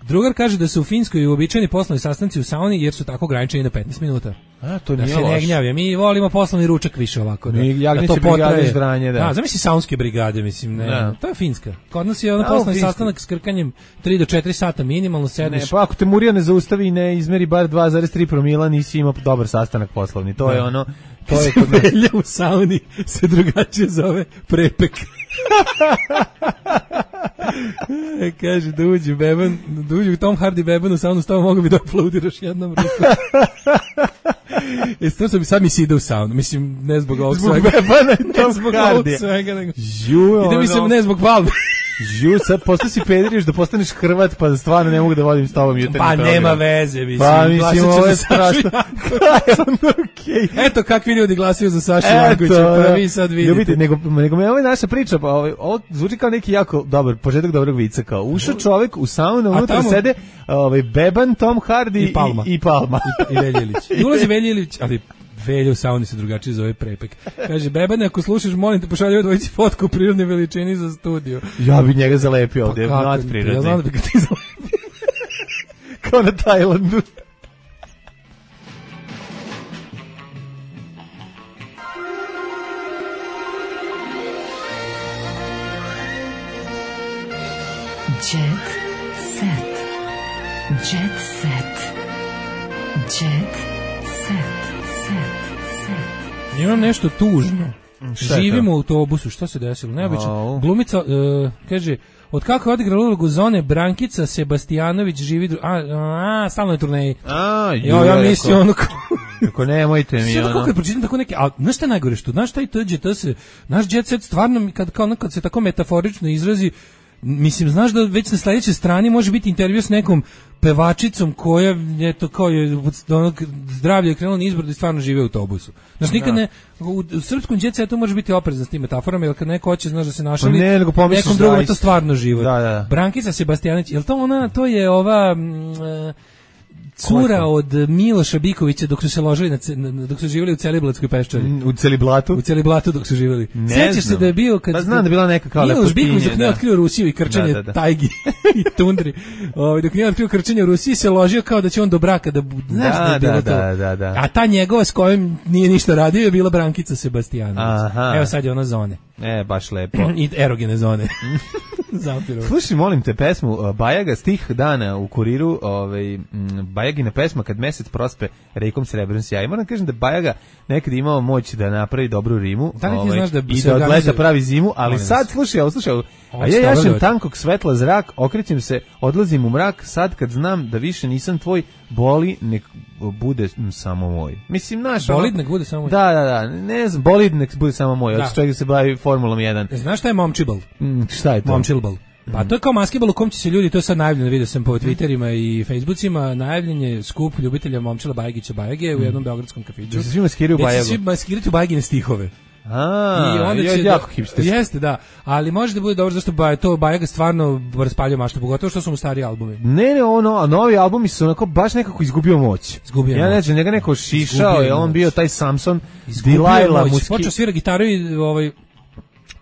Drugar kaže da su u Finskoj uobičajeni poslovni sastanci u sauni jer su tako ograničeni na petnaest minuta. A, to da nije loš. Da se ne gnjavim, mi volimo poslovni ručak više ovako. Da, da to potraje. Ždranje, da. Da, zamisli saunske brigade, mislim, ne. Da. To je Finska. Kod nas je ono poslovni sastanak s krkanjem tri do četiri sata minimalno sedneš. Ne, pa ako te Murija ne zaustavi i ne izmeri bar dva zarez tri promila, nisi imao dobar sastanak poslovni. To da. je ono... To je kod Velja u sauni se drugačije zove prepek. Kaže da uđe beban, da uđe u Tom Hardy beban u saunu, stava mogu bi da aplaudiraš jednom rukom. E, to što bi sad mi se ide u saunu, mislim, ne zbog ovog zbog svega. Bebana i Tom zbog Hardy. ovog svega, nego. Žu, ide mi se ne zbog Palme. Žu, sad posto si pediriš da postaneš Hrvat, pa stvarno ne mogu da vodim s tobom jutarnji pa program. Nema veze, mislim. Pa mislim, ovo je strašno. Okay. Eto kakvi ljudi glasaju za Sašu Jankovića, pa vi sad vidite. Ljubite, nego, nego me ovo je naša priča, pa ovo, ovo zvuči kao neki jako dobar, početak dobrog vica, kao ušao čovek u saunu, unutra tamo... sede ovaj, Beban, Tom Hardy i Palma. I, i, Palma. I, i Veljilić. I ulazi Veljilić, ali Velja u sauni se drugačije zove prepek. Kaže, Bebane, ako slušaš, molim te, pošalji dvojici fotku u prirodnoj veličini za studio. Ja bi njega zalepio ovdje, pa nad prirodni. Ja znam da bi ga ti zalepio. Kao na Tajlandu. Jet set. Jet set. Jet set. Imam nešto tužno. Živimo u autobusu, šta se desilo? Neobično. Oh. Glumica, uh, kaže, od kako je odigrala ulogu Zone, Brankica Sebastijanović živi... Dru... A, a, stalno je turneji. A, jo, ja mislim ono... Kako nemojte mi, ono... Sve kako je pročitam tako neke... A, znaš šta je najgore što? Znaš šta i to, to se... Naš jet set stvarno, kad, kao, kad se tako metaforično izrazi, mislim, znaš da već na sledećoj strani može biti intervju s nekom pevačicom koja je to kao je onog zdravlje je krenulo nizbrdo i stvarno žive u autobusu. Znaš, nikad ne, u, u srpskom jet setu može biti oprezan s tim metaforama, jer kad neko hoće, znaš da se našali, ne, nego nekom drugom je to stvarno život. Da, da. Brankica Sebastijanić, je li to ona, to je ova... Mm, cura od Miloša Bikovića dok su se ložili na, na dok su živjeli u Celiblatskoj peščari. U Celiblatu? U Celiblatu dok su živjeli. Sećaš se da je bio kad pa znam da je bila neka kao Miloš Biković dok nije otkrio Rusiju i krčenje da, da, da. tajgi i tundri. Ovaj dok nije otkrio krčenje u Rusiji se ložio kao da će on do braka da znaš da, da je bilo da, to. Da, da, da. A ta njegova s kojom nije ništa radio je bila Brankica Sebastijanović. Evo sad je ona Zone. E, baš lepo. I erogene Zone. Zapirovo. Slušaj, molim te, pesmu uh, Bajaga, stih dana u Kuriru, ovaj, m, Bajagina pesma Kad mesec prospe rekom srebrn sjaj. Moram kažem da Bajaga nekad imao moć da napravi dobru rimu, Da li ti ovaj, znaš da i se da od leta organizuje- pravi zimu, ali Molim sad vas. slušaj, ovo slušaj, ovo. Ovo A je ja jašem stavljeno. tankog svetla zrak, okrećem se, odlazim u mrak, sad kad znam da više nisam tvoj, boli nek bude m, samo moj. Mislim, naš... ono- Bolid nek bude samo moj. Da, da, da, ne znam, bolid nek bude samo moj, Da. od čovjek se bavi Formulom jedan. Znaš šta je momčibal? Mm, šta je to? Momčilbal. Pa to je kao maskebal u kom će se ljudi, to je sad najavljeno, vidio sam po Twitterima i Facebookima, najavljen je skup ljubitelja Momčila Bajagića Bajage u jednom beogradskom kafiću. Da se svi maskiraju u Gde će Bajagu. svi maskirati u Bajagine stihove. A, I onda je će jako da- hipsterski. Jeste, da. Ali može da bude dobro zašto ba, to Bajaga stvarno raspaljuje maštu, pogotovo što su mu stari albumi. Ne, ne, ono, a novi albumi su onako baš nekako izgubio moć. Izgubio ja moć. ne znam, njega neko šišao, Izgubio je on moć. bio taj Samson, Izgubio Delilah moć. muski. Počeo svira gitaru i ovaj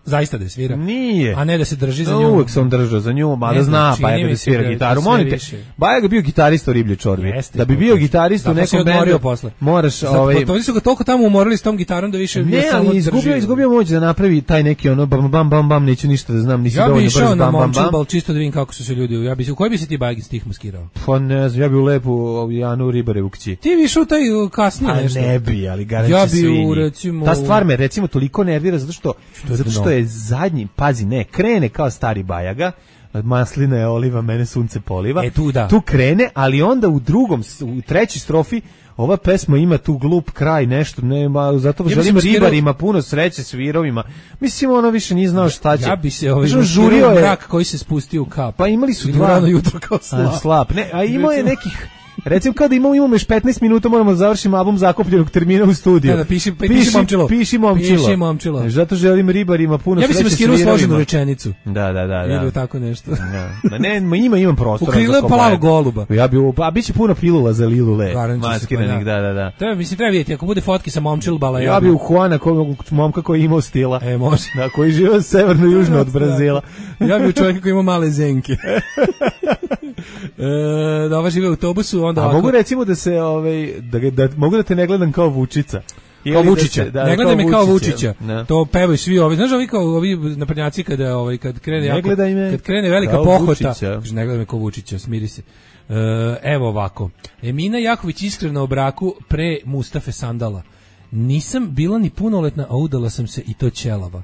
zaista da je svira. Nije. A ne da se drži za No, nju. uvek sam držao za nju, mada Ne znam, zna čini Bajaga mi da se svira da- gitaru. da sve Molim te, više. Bajaga bio gitarista u Riblje čorbi. Jeste, Da bi bio gitarista u da, pa se nekom odmorio bendu, posle. moraš... Zato, ovaj, pa, oni su ga toliko tamo umorili s tom gitarom da više ne, samo ali izgubio, drži. izgubio moć da napravi taj neki ono bam, bam, bam, bam, neću ništa da znam, nisi Ja dovoljno bi brz, išao bam, na bam, bam. Momčilbal čisto da vidim kako su se ljudi. Ja bi se u koji bi se ti Bajagin stih maskirao? Pa ne znam, ja bi u lepu Janu Ribarevu kći. Ti bi išao u taj uh, kasnije A nešto. ne bi, ali garant Ja će bi svinji. u, recimo, Ta stvar me recimo toliko nervira zato što, je zato što dno? je zadnji, pazi, ne, krene kao stari Bajaga, maslina je oliva, mene sunce poliva. E, tu da. Tu krene, ali onda u drugom, u trećoj strofi ova pesma ima tu glup kraj, nešto, nema, zato Ja bi želim se maskirao- ribarima puno sreće s virovima. Mislim, ono više nije znao šta će. Ja bi se ovaj Znaš, on žurio žurio je, mrak koji se spustio u kap. pa imali su Ili dva. rano jutro kao A, slap. slap. Ne, a imao je Recimo- nekih. Recimo kao da imamo, imamo još petnaest minuta, moramo da završimo album zakupljenog termina u studiju. Da, da, piši- piši Momčilo. Piši Momčilo. Piši Momčilo. Zato želim ribarima puno Ja bi se sreće s maskirao virovima. složenu rečenicu. Da, da, da. Ili da. tako nešto. Da. Ma ne, ma ima, imam prostora. U krilo za je kobaje. plavog goluba. Ja bi, a bit će puno pilula za Lilule. Garant će se, Maskiranih, pa da, da, da. Treba, mislim, treba vidjeti, ako bude fotke sa Momčilbala, Ja bi u Juana, ko, momka koji je imao stila. E, može. Da, koji žive severno-južno od Brazila. Ja bi u čovjeka koji ima male zenke. e, da ova žive u autobusu, onda A ovako... mogu recimo da se, ovaj, da, ga- da, mogu da te ne gledam kao Vučica. Kao Ili da Vučića, se- da, ne gledaj me kao Vučića. Vučića. Da. To pevaju svi ovi, znaš ovi kao ovi naprednjaci kada ovaj kad krene Ne jako, gledaj me kad krene velika kao pohota, Vučića. kaže ne gledaj me kao Vučića, smiri se. E, evo ovako. Emina Jaković iskrena o braku pre Mustafe Sandala. Nisam bila ni punoletna, a udala sam se i to ćelava.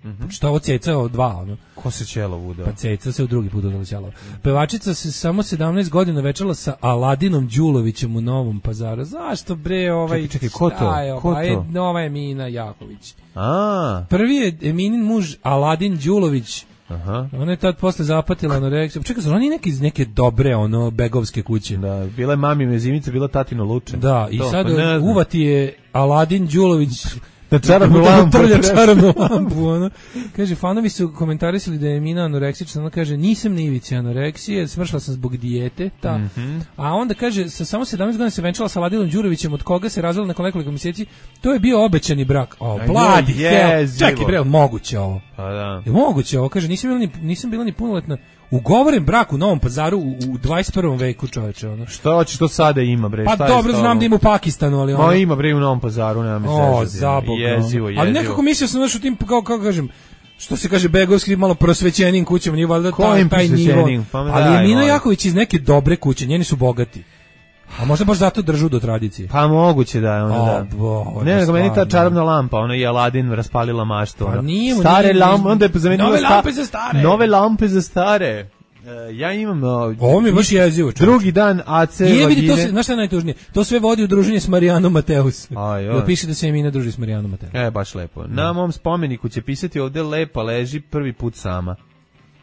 Mhm. Što ovo ceca od dva, ono. Ko se Ćelov udao? Pa ceca se u drugi put udala ćelava. Pevačica se samo sedamnaest godina večala sa Aladinom Đulovićem u Novom Pazaru. Zašto bre ovaj... Čekaj, čekaj, ko to? šta je, Ko ova je to? nova Emina Jaković. A, Prvi je Eminin muž Aladin Đulović. aha. Ona je tad posle zapatila anoreksiju. Čekaj, zar oni neki iz neke dobre ono begovske kuće? Da, bila je mami mezimica, bila tatino luče. Da, i To, sad pa ne znam. uvati je Aladin Đulović Na čarobnu da lampu. utrlja čarobnu lampu, ono. Kaže, fanovi su komentarisali da je Emina anoreksična, ona kaže, nisam na ivici anoreksije, smršla sam zbog dijete, ta. Mhm. A onda kaže, sa samo sedamnaest godina se venčala sa Aladinom Đurovićem, od koga se razvela nakon nekoliko mjeseci, to je bio obećani brak. O, Aj, bladi joj, hell. jezivo. Čekaj, bre, jel moguće ovo? Pa da. Je moguće ovo, kaže, nisam bila ni, nisam bila ni punoletna. Ugovoren brak u Novom Pazaru u, u dvadeset prvom veku, čoveče, ono. Šta hoćeš, što sada ima, bre? Pa šta je dobro, s znam tobom? da ima u Pakistanu, ali ono... Ma ima, bre, u Novom Pazaru, nema me O, zezati. zaboga. Jezivo, jezivo. Ali nekako mislio sam, znaš, u tim, kao, kao kažem, što se kaže, begovski, malo prosvećenim kućama, nije valjda taj, Kojim taj nivo. prosvećenim? Pa me Ali daj, je Mina molim. Jaković iz neke dobre kuće, njeni su bogati. A možda baš zato držu do tradicije. Pa moguće da je ono O, da. Bože, Ne, nego meni ta stvarno. čarobna lampa, ono je Aladin raspalila maštu. Pa ono. nije mu, Stare nije mu, lampe, onda je zamenila nove sta- lampe za stare. Nove lampe za stare. E, ja imam... o, Ovo mi je baš jezivo, čovječe. Drugi dan A C Nije vidi, to vagine. se, znaš šta je najtužnije? To sve vodi u druženje s Marijanom Mateus. Aj, Jel aj. piše da se Emina druži s Marijanom Mateus. E, baš lepo. Na mom spomeniku će pisati ovde lepa leži prvi put sama.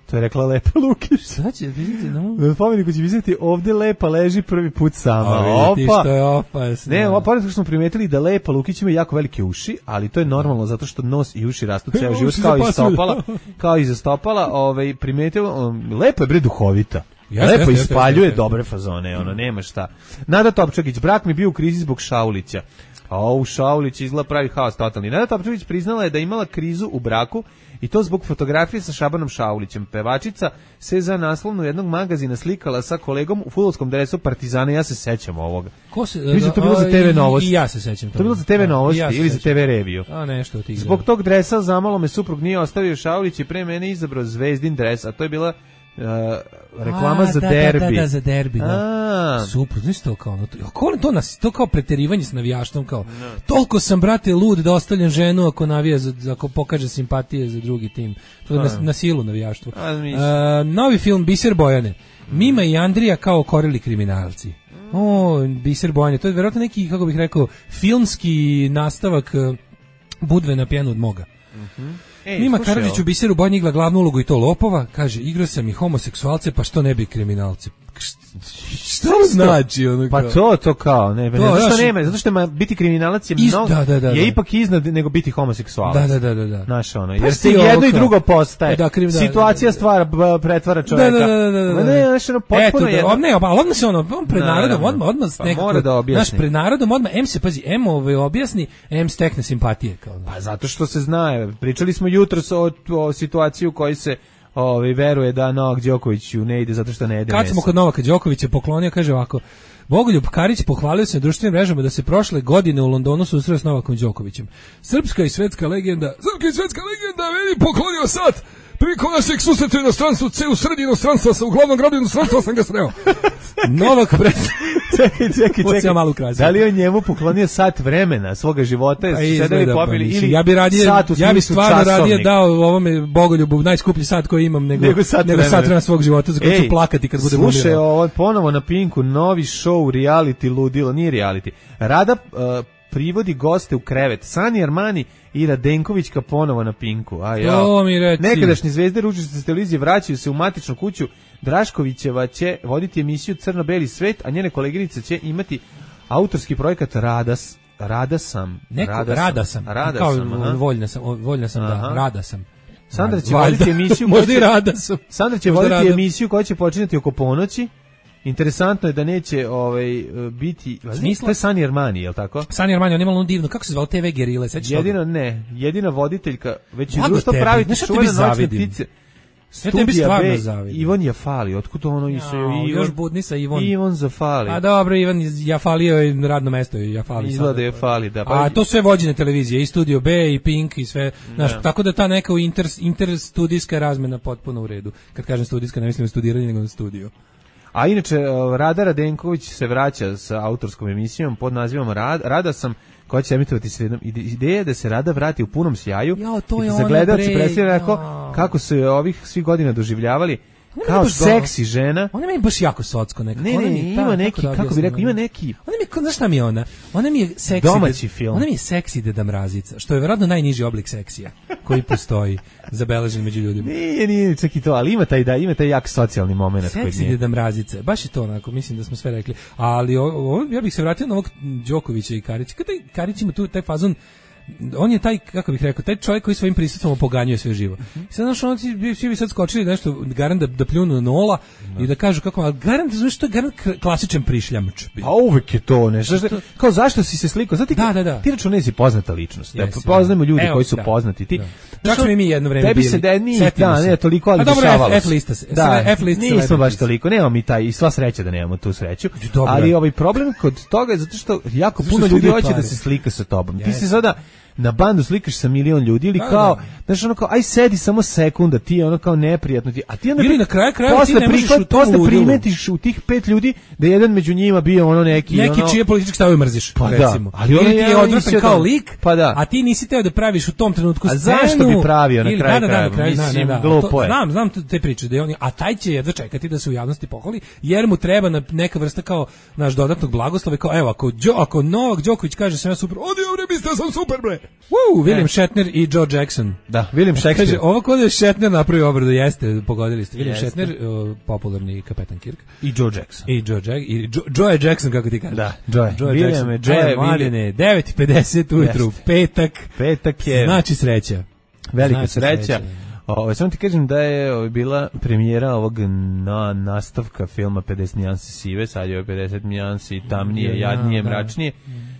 To je rekla Lepa Lukić. Šta će vidjeti, no? Na spomeniku će pisati ovde lepa leži prvi put sama. A vidite što je opasno. Ne, ovo pored toga što smo primetili da Lepa Lukić ima jako velike uši, ali to je normalno zato što nos i uši rastu ceo život Uši kao i zapasuju. stopala, kao i za stopala, ovaj primetila, um, Lepa je bre duhovita. Jeste, Lepo jeste, jeste, ispaljuje jeste. dobre fazone, ono nema šta. Nada Topčagić, brak mi bio u krizi zbog Šaulića. A u Šaulić izgleda pravi haos totalni. Nada Topčević priznala je da je imala krizu u braku i to zbog fotografije sa Šabanom Šaulićem. Pevačica se za naslovnu jednog magazina slikala sa kolegom u fudbalskom dresu Partizana. Ja se sećam ovoga. Ko se, Mislim, to bilo za te ve Novosti. I ja se sećam. To bilo za te ve Novosti ja ili za te ve Reviju. A nešto od tih. Zbog tog dresa zamalo me suprug nije ostavio Šaulić i pre mene izabrao Zvezdin dres, a to je bila Uh, reklama a, za da, derbi. Da, da, da, za derbi, da. Super, znaš to kao, no, to, to, nas, to kao preterivanje s navijaštvom, kao, no. Toliko sam, brate, lud da ostavljam ženu ako navija, za, ako pokaže simpatije za drugi tim. To je na, na silu navijaštvo. Uh, novi film Biser Bojane. Mima i Andrija kao korili kriminalci. O, Biser Bojane, to je vjerojatno neki, kako bih rekao, filmski nastavak uh, Budve na pjenu od moga. Mhm. Ej, Mima Karadžić u Biseru Bojani igla glavnu ulogu i to lopova, kaže, igrao sam i homoseksualce, pa što ne bi kriminalci? Što znači ono kao? Pa to, to kao, ne, to, zato što znači, nema, zato što ima biti kriminalac je iz, mnogo, da, da, da, je da. ipak iznad nego biti homoseksualac. Da, da, da, da. Znaš ono, jer se jedno i drugo postaje. Da, kriv, da, situacija da, da, da. stvara, pretvara čovjeka. Da, da, da, da, da. Ne, znaš ono, potpuno jedno. Ne, ali odmah se ono, pred narodom, odmah, odmah pa mora da objasni. Znaš, pred narodom odmah, em se, pazi, em ove objasni, em stekne simpatije. Kao, pa zato što se zna, pričali smo jutros o, o situaciji u kojoj se Ovi veruje da Novak Đokoviću ne ide zato što ne jede meso. Kad smo kod Novaka Đokovića poklonio, kaže ovako, Bogoljub Karić pohvalio se na društvenim mrežama da se prošle godine u Londonu susreo s Novakom Đokovićem. Srpska i svetska legenda, srpska i svetska legenda meni poklonio sat. Prilikom našeg susreta u inostranstvu, ce u sredi inostranstva, sa u glavnom gradu inostranstva sam ga sreo. Novak pred... čekaj, čekaj, čekaj. Malu da li on njemu poklonio sat vremena svoga života, pa su sedeli popili, pa, ili ja bi radije, sat u ja bi stvarno časovnik. radije dao ovome Bogoljubu najskuplji sat koji imam, nego, nego sat, nego sat vremena svog života, za koji ću plakati kad budem umirao. Slušaj, ovo ponovo na Pinku, novi show reality ludilo, nije reality. Rada uh, privodi goste u krevet. Sani Armani i Radenkovićka ponovo na Pinku. A ja. To mi reci. Nekadašnje zvezde ručice s televizije vraćaju se u matičnu kuću. Draškovićeva će voditi emisiju Crno-beli svet, a njene koleginice će imati autorski projekat Radas. Rada sam. Neko, rada, rada sam. sam. Rada kao sam. Aha. Voljna sam, voljna sam da. Rada sam. Sandra će voditi emisiju. Možda i rada sam. Sandra će voditi rada. emisiju koja će počinjati oko ponoći. Interesantno je da neće ovaj biti smisla. To je Sani Armani, je l' tako? Sani Armani, on ima ono divno, kako se zvao te ve Gerile, sećaš? Jedino ne, jedina voditeljka, već i društvo praviti čuvene noćne ptice. Ja tebi stvarno zavidim. Ivan Jafali, otkud ono i se Ivan? Još budni sa Ivan. Ivan Zafali. A dobro, Ivan Jafalio je radno mesto i Jafali. Izgleda Jafali, da. Pa a to sve vođene televizije, i Studio B, i Pink, i sve. Znaš, tako da ta neka inter, interstudijska razmena potpuno u redu. Kad kažem studijska, ne mislim na studiranje, nego na studio. A inače, Rada Radenković se vraća sa autorskom emisijom pod nazivom Rad, Rada sam, koja će emitovati sredom. Ideja je da se Rada vrati u punom sjaju jo, to i da za gledalce predstavlja kako su je ovih svih godina doživljavali kao seksi žena. Ona mi je baš jako socko nekako. Ne, ne, ne, ima neki, kako, kako bi rekao, ima neki... Ona mi je, znaš šta mi je ona? Ona mi je seksi... Domaći film. Ona mi je seksi Deda Mrazica, što je vjerojatno najniži oblik seksija koji postoji, zabeležen među ljudima. Nije, nije, čak i to, ali ima taj, da, ima taj jak socijalni moment. Seksi Deda Mrazica, baš je to onako, mislim da smo sve rekli. Ali o, o, ja bih se vratio na ovog Đokovića i Karića. Kada Karić ima tu taj fazon, on je taj, kako bih rekao, taj čovjek koji svojim prisustvom opoganjuje sve živo. Mm-hmm. I sad, znaš, on ti, svi bi sad skočili nešto, garant da, da pljunu nola no. i da kažu kako, ali garant, znaš, to je garant klasičan prišljamč. A uvek je to, ne, znaš, kao zašto si se slikao? Znači, da, da, da. Ti računaj si poznata ličnost, yes, da poznajemo ljudi evo, koji su da, poznati. Ti, da. Čak smo i mi jedno vreme tebi bili. Se da, nije, da, ne, toliko, ali dešavalo se. F lista se. Da, F lista se. Nismo baš toliko, nemamo mi taj, i sva sreća da nemamo tu sreću, ali ovaj problem kod toga je zato što jako puno ljudi hoće da se slika sa tobom. Ti se sada na bandu slikaš sa milion ljudi ili kao, znaš, ono kao, aj sedi samo sekunda, ti je ono kao neprijatno ti, a ti onda ili na kraju krajeva ti ne možeš u tom primetiš u tih pet ljudi da jedan među njima bio ono neki neki ono, čije politički stavove mrziš, pa recimo. Da, ali ili ti je ja odvratan kao lik, pa da. A ti nisi teo da praviš u tom trenutku scenu. A zašto bi pravio na kraju da, da, kraju? Mislim, glupo je. Znam, znam te priče, da je on, a taj će jedva čekati da se u javnosti pohvali, jer mu treba na neka vrsta kao naš dodatnog blagoslova, kao evo, ako ako Novak Đoković kaže sam ja super, odi bre, mislio sam super bre. Woo, William Shatner i Joe Jackson. Da, William Shakespeare. Kaže, ovo kod je Shatner napravio obradu, jeste, pogodili ste. William jeste. Shatner, uh, popularni kapetan Kirk. I Joe Jackson. I Joe Jackson. I Joe, Joe Jackson, kako ti kažeš. Da, Joe. Joe William Jackson. je, Joe je, William. devet i pedeset ujutru, jeste. petak. Petak je. Znači sreća. Velika znači sreća. sreća. Ovo, samo ti kažem da je ovo, bila premijera ovog na, nastavka filma pedeset nijansi sive, sad je ovo pedeset nijansi tamnije, jadnije, da. mračnije.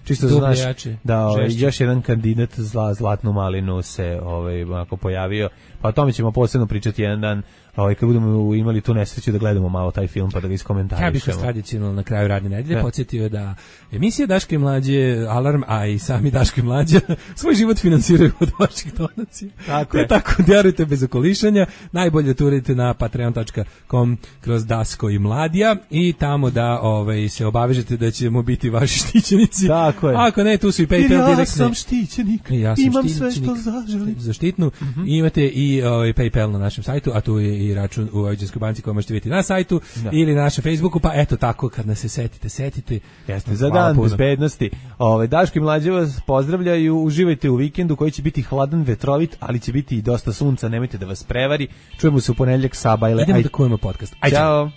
čisto Dublje, znaš jače, da ovaj, žešće. još jedan kandidat za zlatnu malinu se ovaj onako pojavio, pa o tome ćemo posebno pričati jedan dan, ovaj kad budemo imali tu nesreću da gledamo malo taj film pa da ga iskomentarišemo. Ja bih vas tradicionalno na kraju radne nedelje Da. podsjetio da emisija Daško i mlađe, Alarm, a i sami Daško i mlađa svoj život finansiraju od vaših donacija. Tako Te je. tako djarujte bez okolišanja, najbolje da uradite na patreon dot com kroz Dasko i Mladija i tamo da ovaj, se obavežete da ćemo biti vaši štićenici. Tako je. Ako ne, tu su i Jer PayPal ja direktne. sam štićenik, Ja sam imam sve štićenik. što zaželim. Zaštitnu. I imate i ovaj, PayPal na našem sajtu, a tu je i račun u Vojvođanskoj banci koji možete vidjeti na sajtu Da. ili na našem Facebooku, pa eto tako kad nas se setite, setite. Jeste, za Hvala dan puno. bezbednosti. Ove, Daško i Mlađe vas pozdravljaju, uživajte u vikendu koji će biti hladan, vetrovit, ali će biti i dosta sunca, nemojte da vas prevari. Čujemo se u ponedjeljak sa Bajle. Idemo Aj- da kujemo podcast. Ajde. Ćao.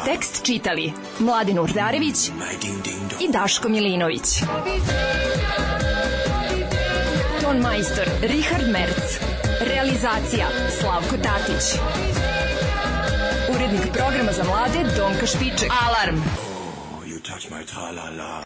Tekst čitali Mladin Urdarević i Daško Milinović. Ton majstor Richard Merc. Realizacija Slavko Tatić. Urednik programa za mlade Donka Špiček. Alarm! You touch my tra-la-la.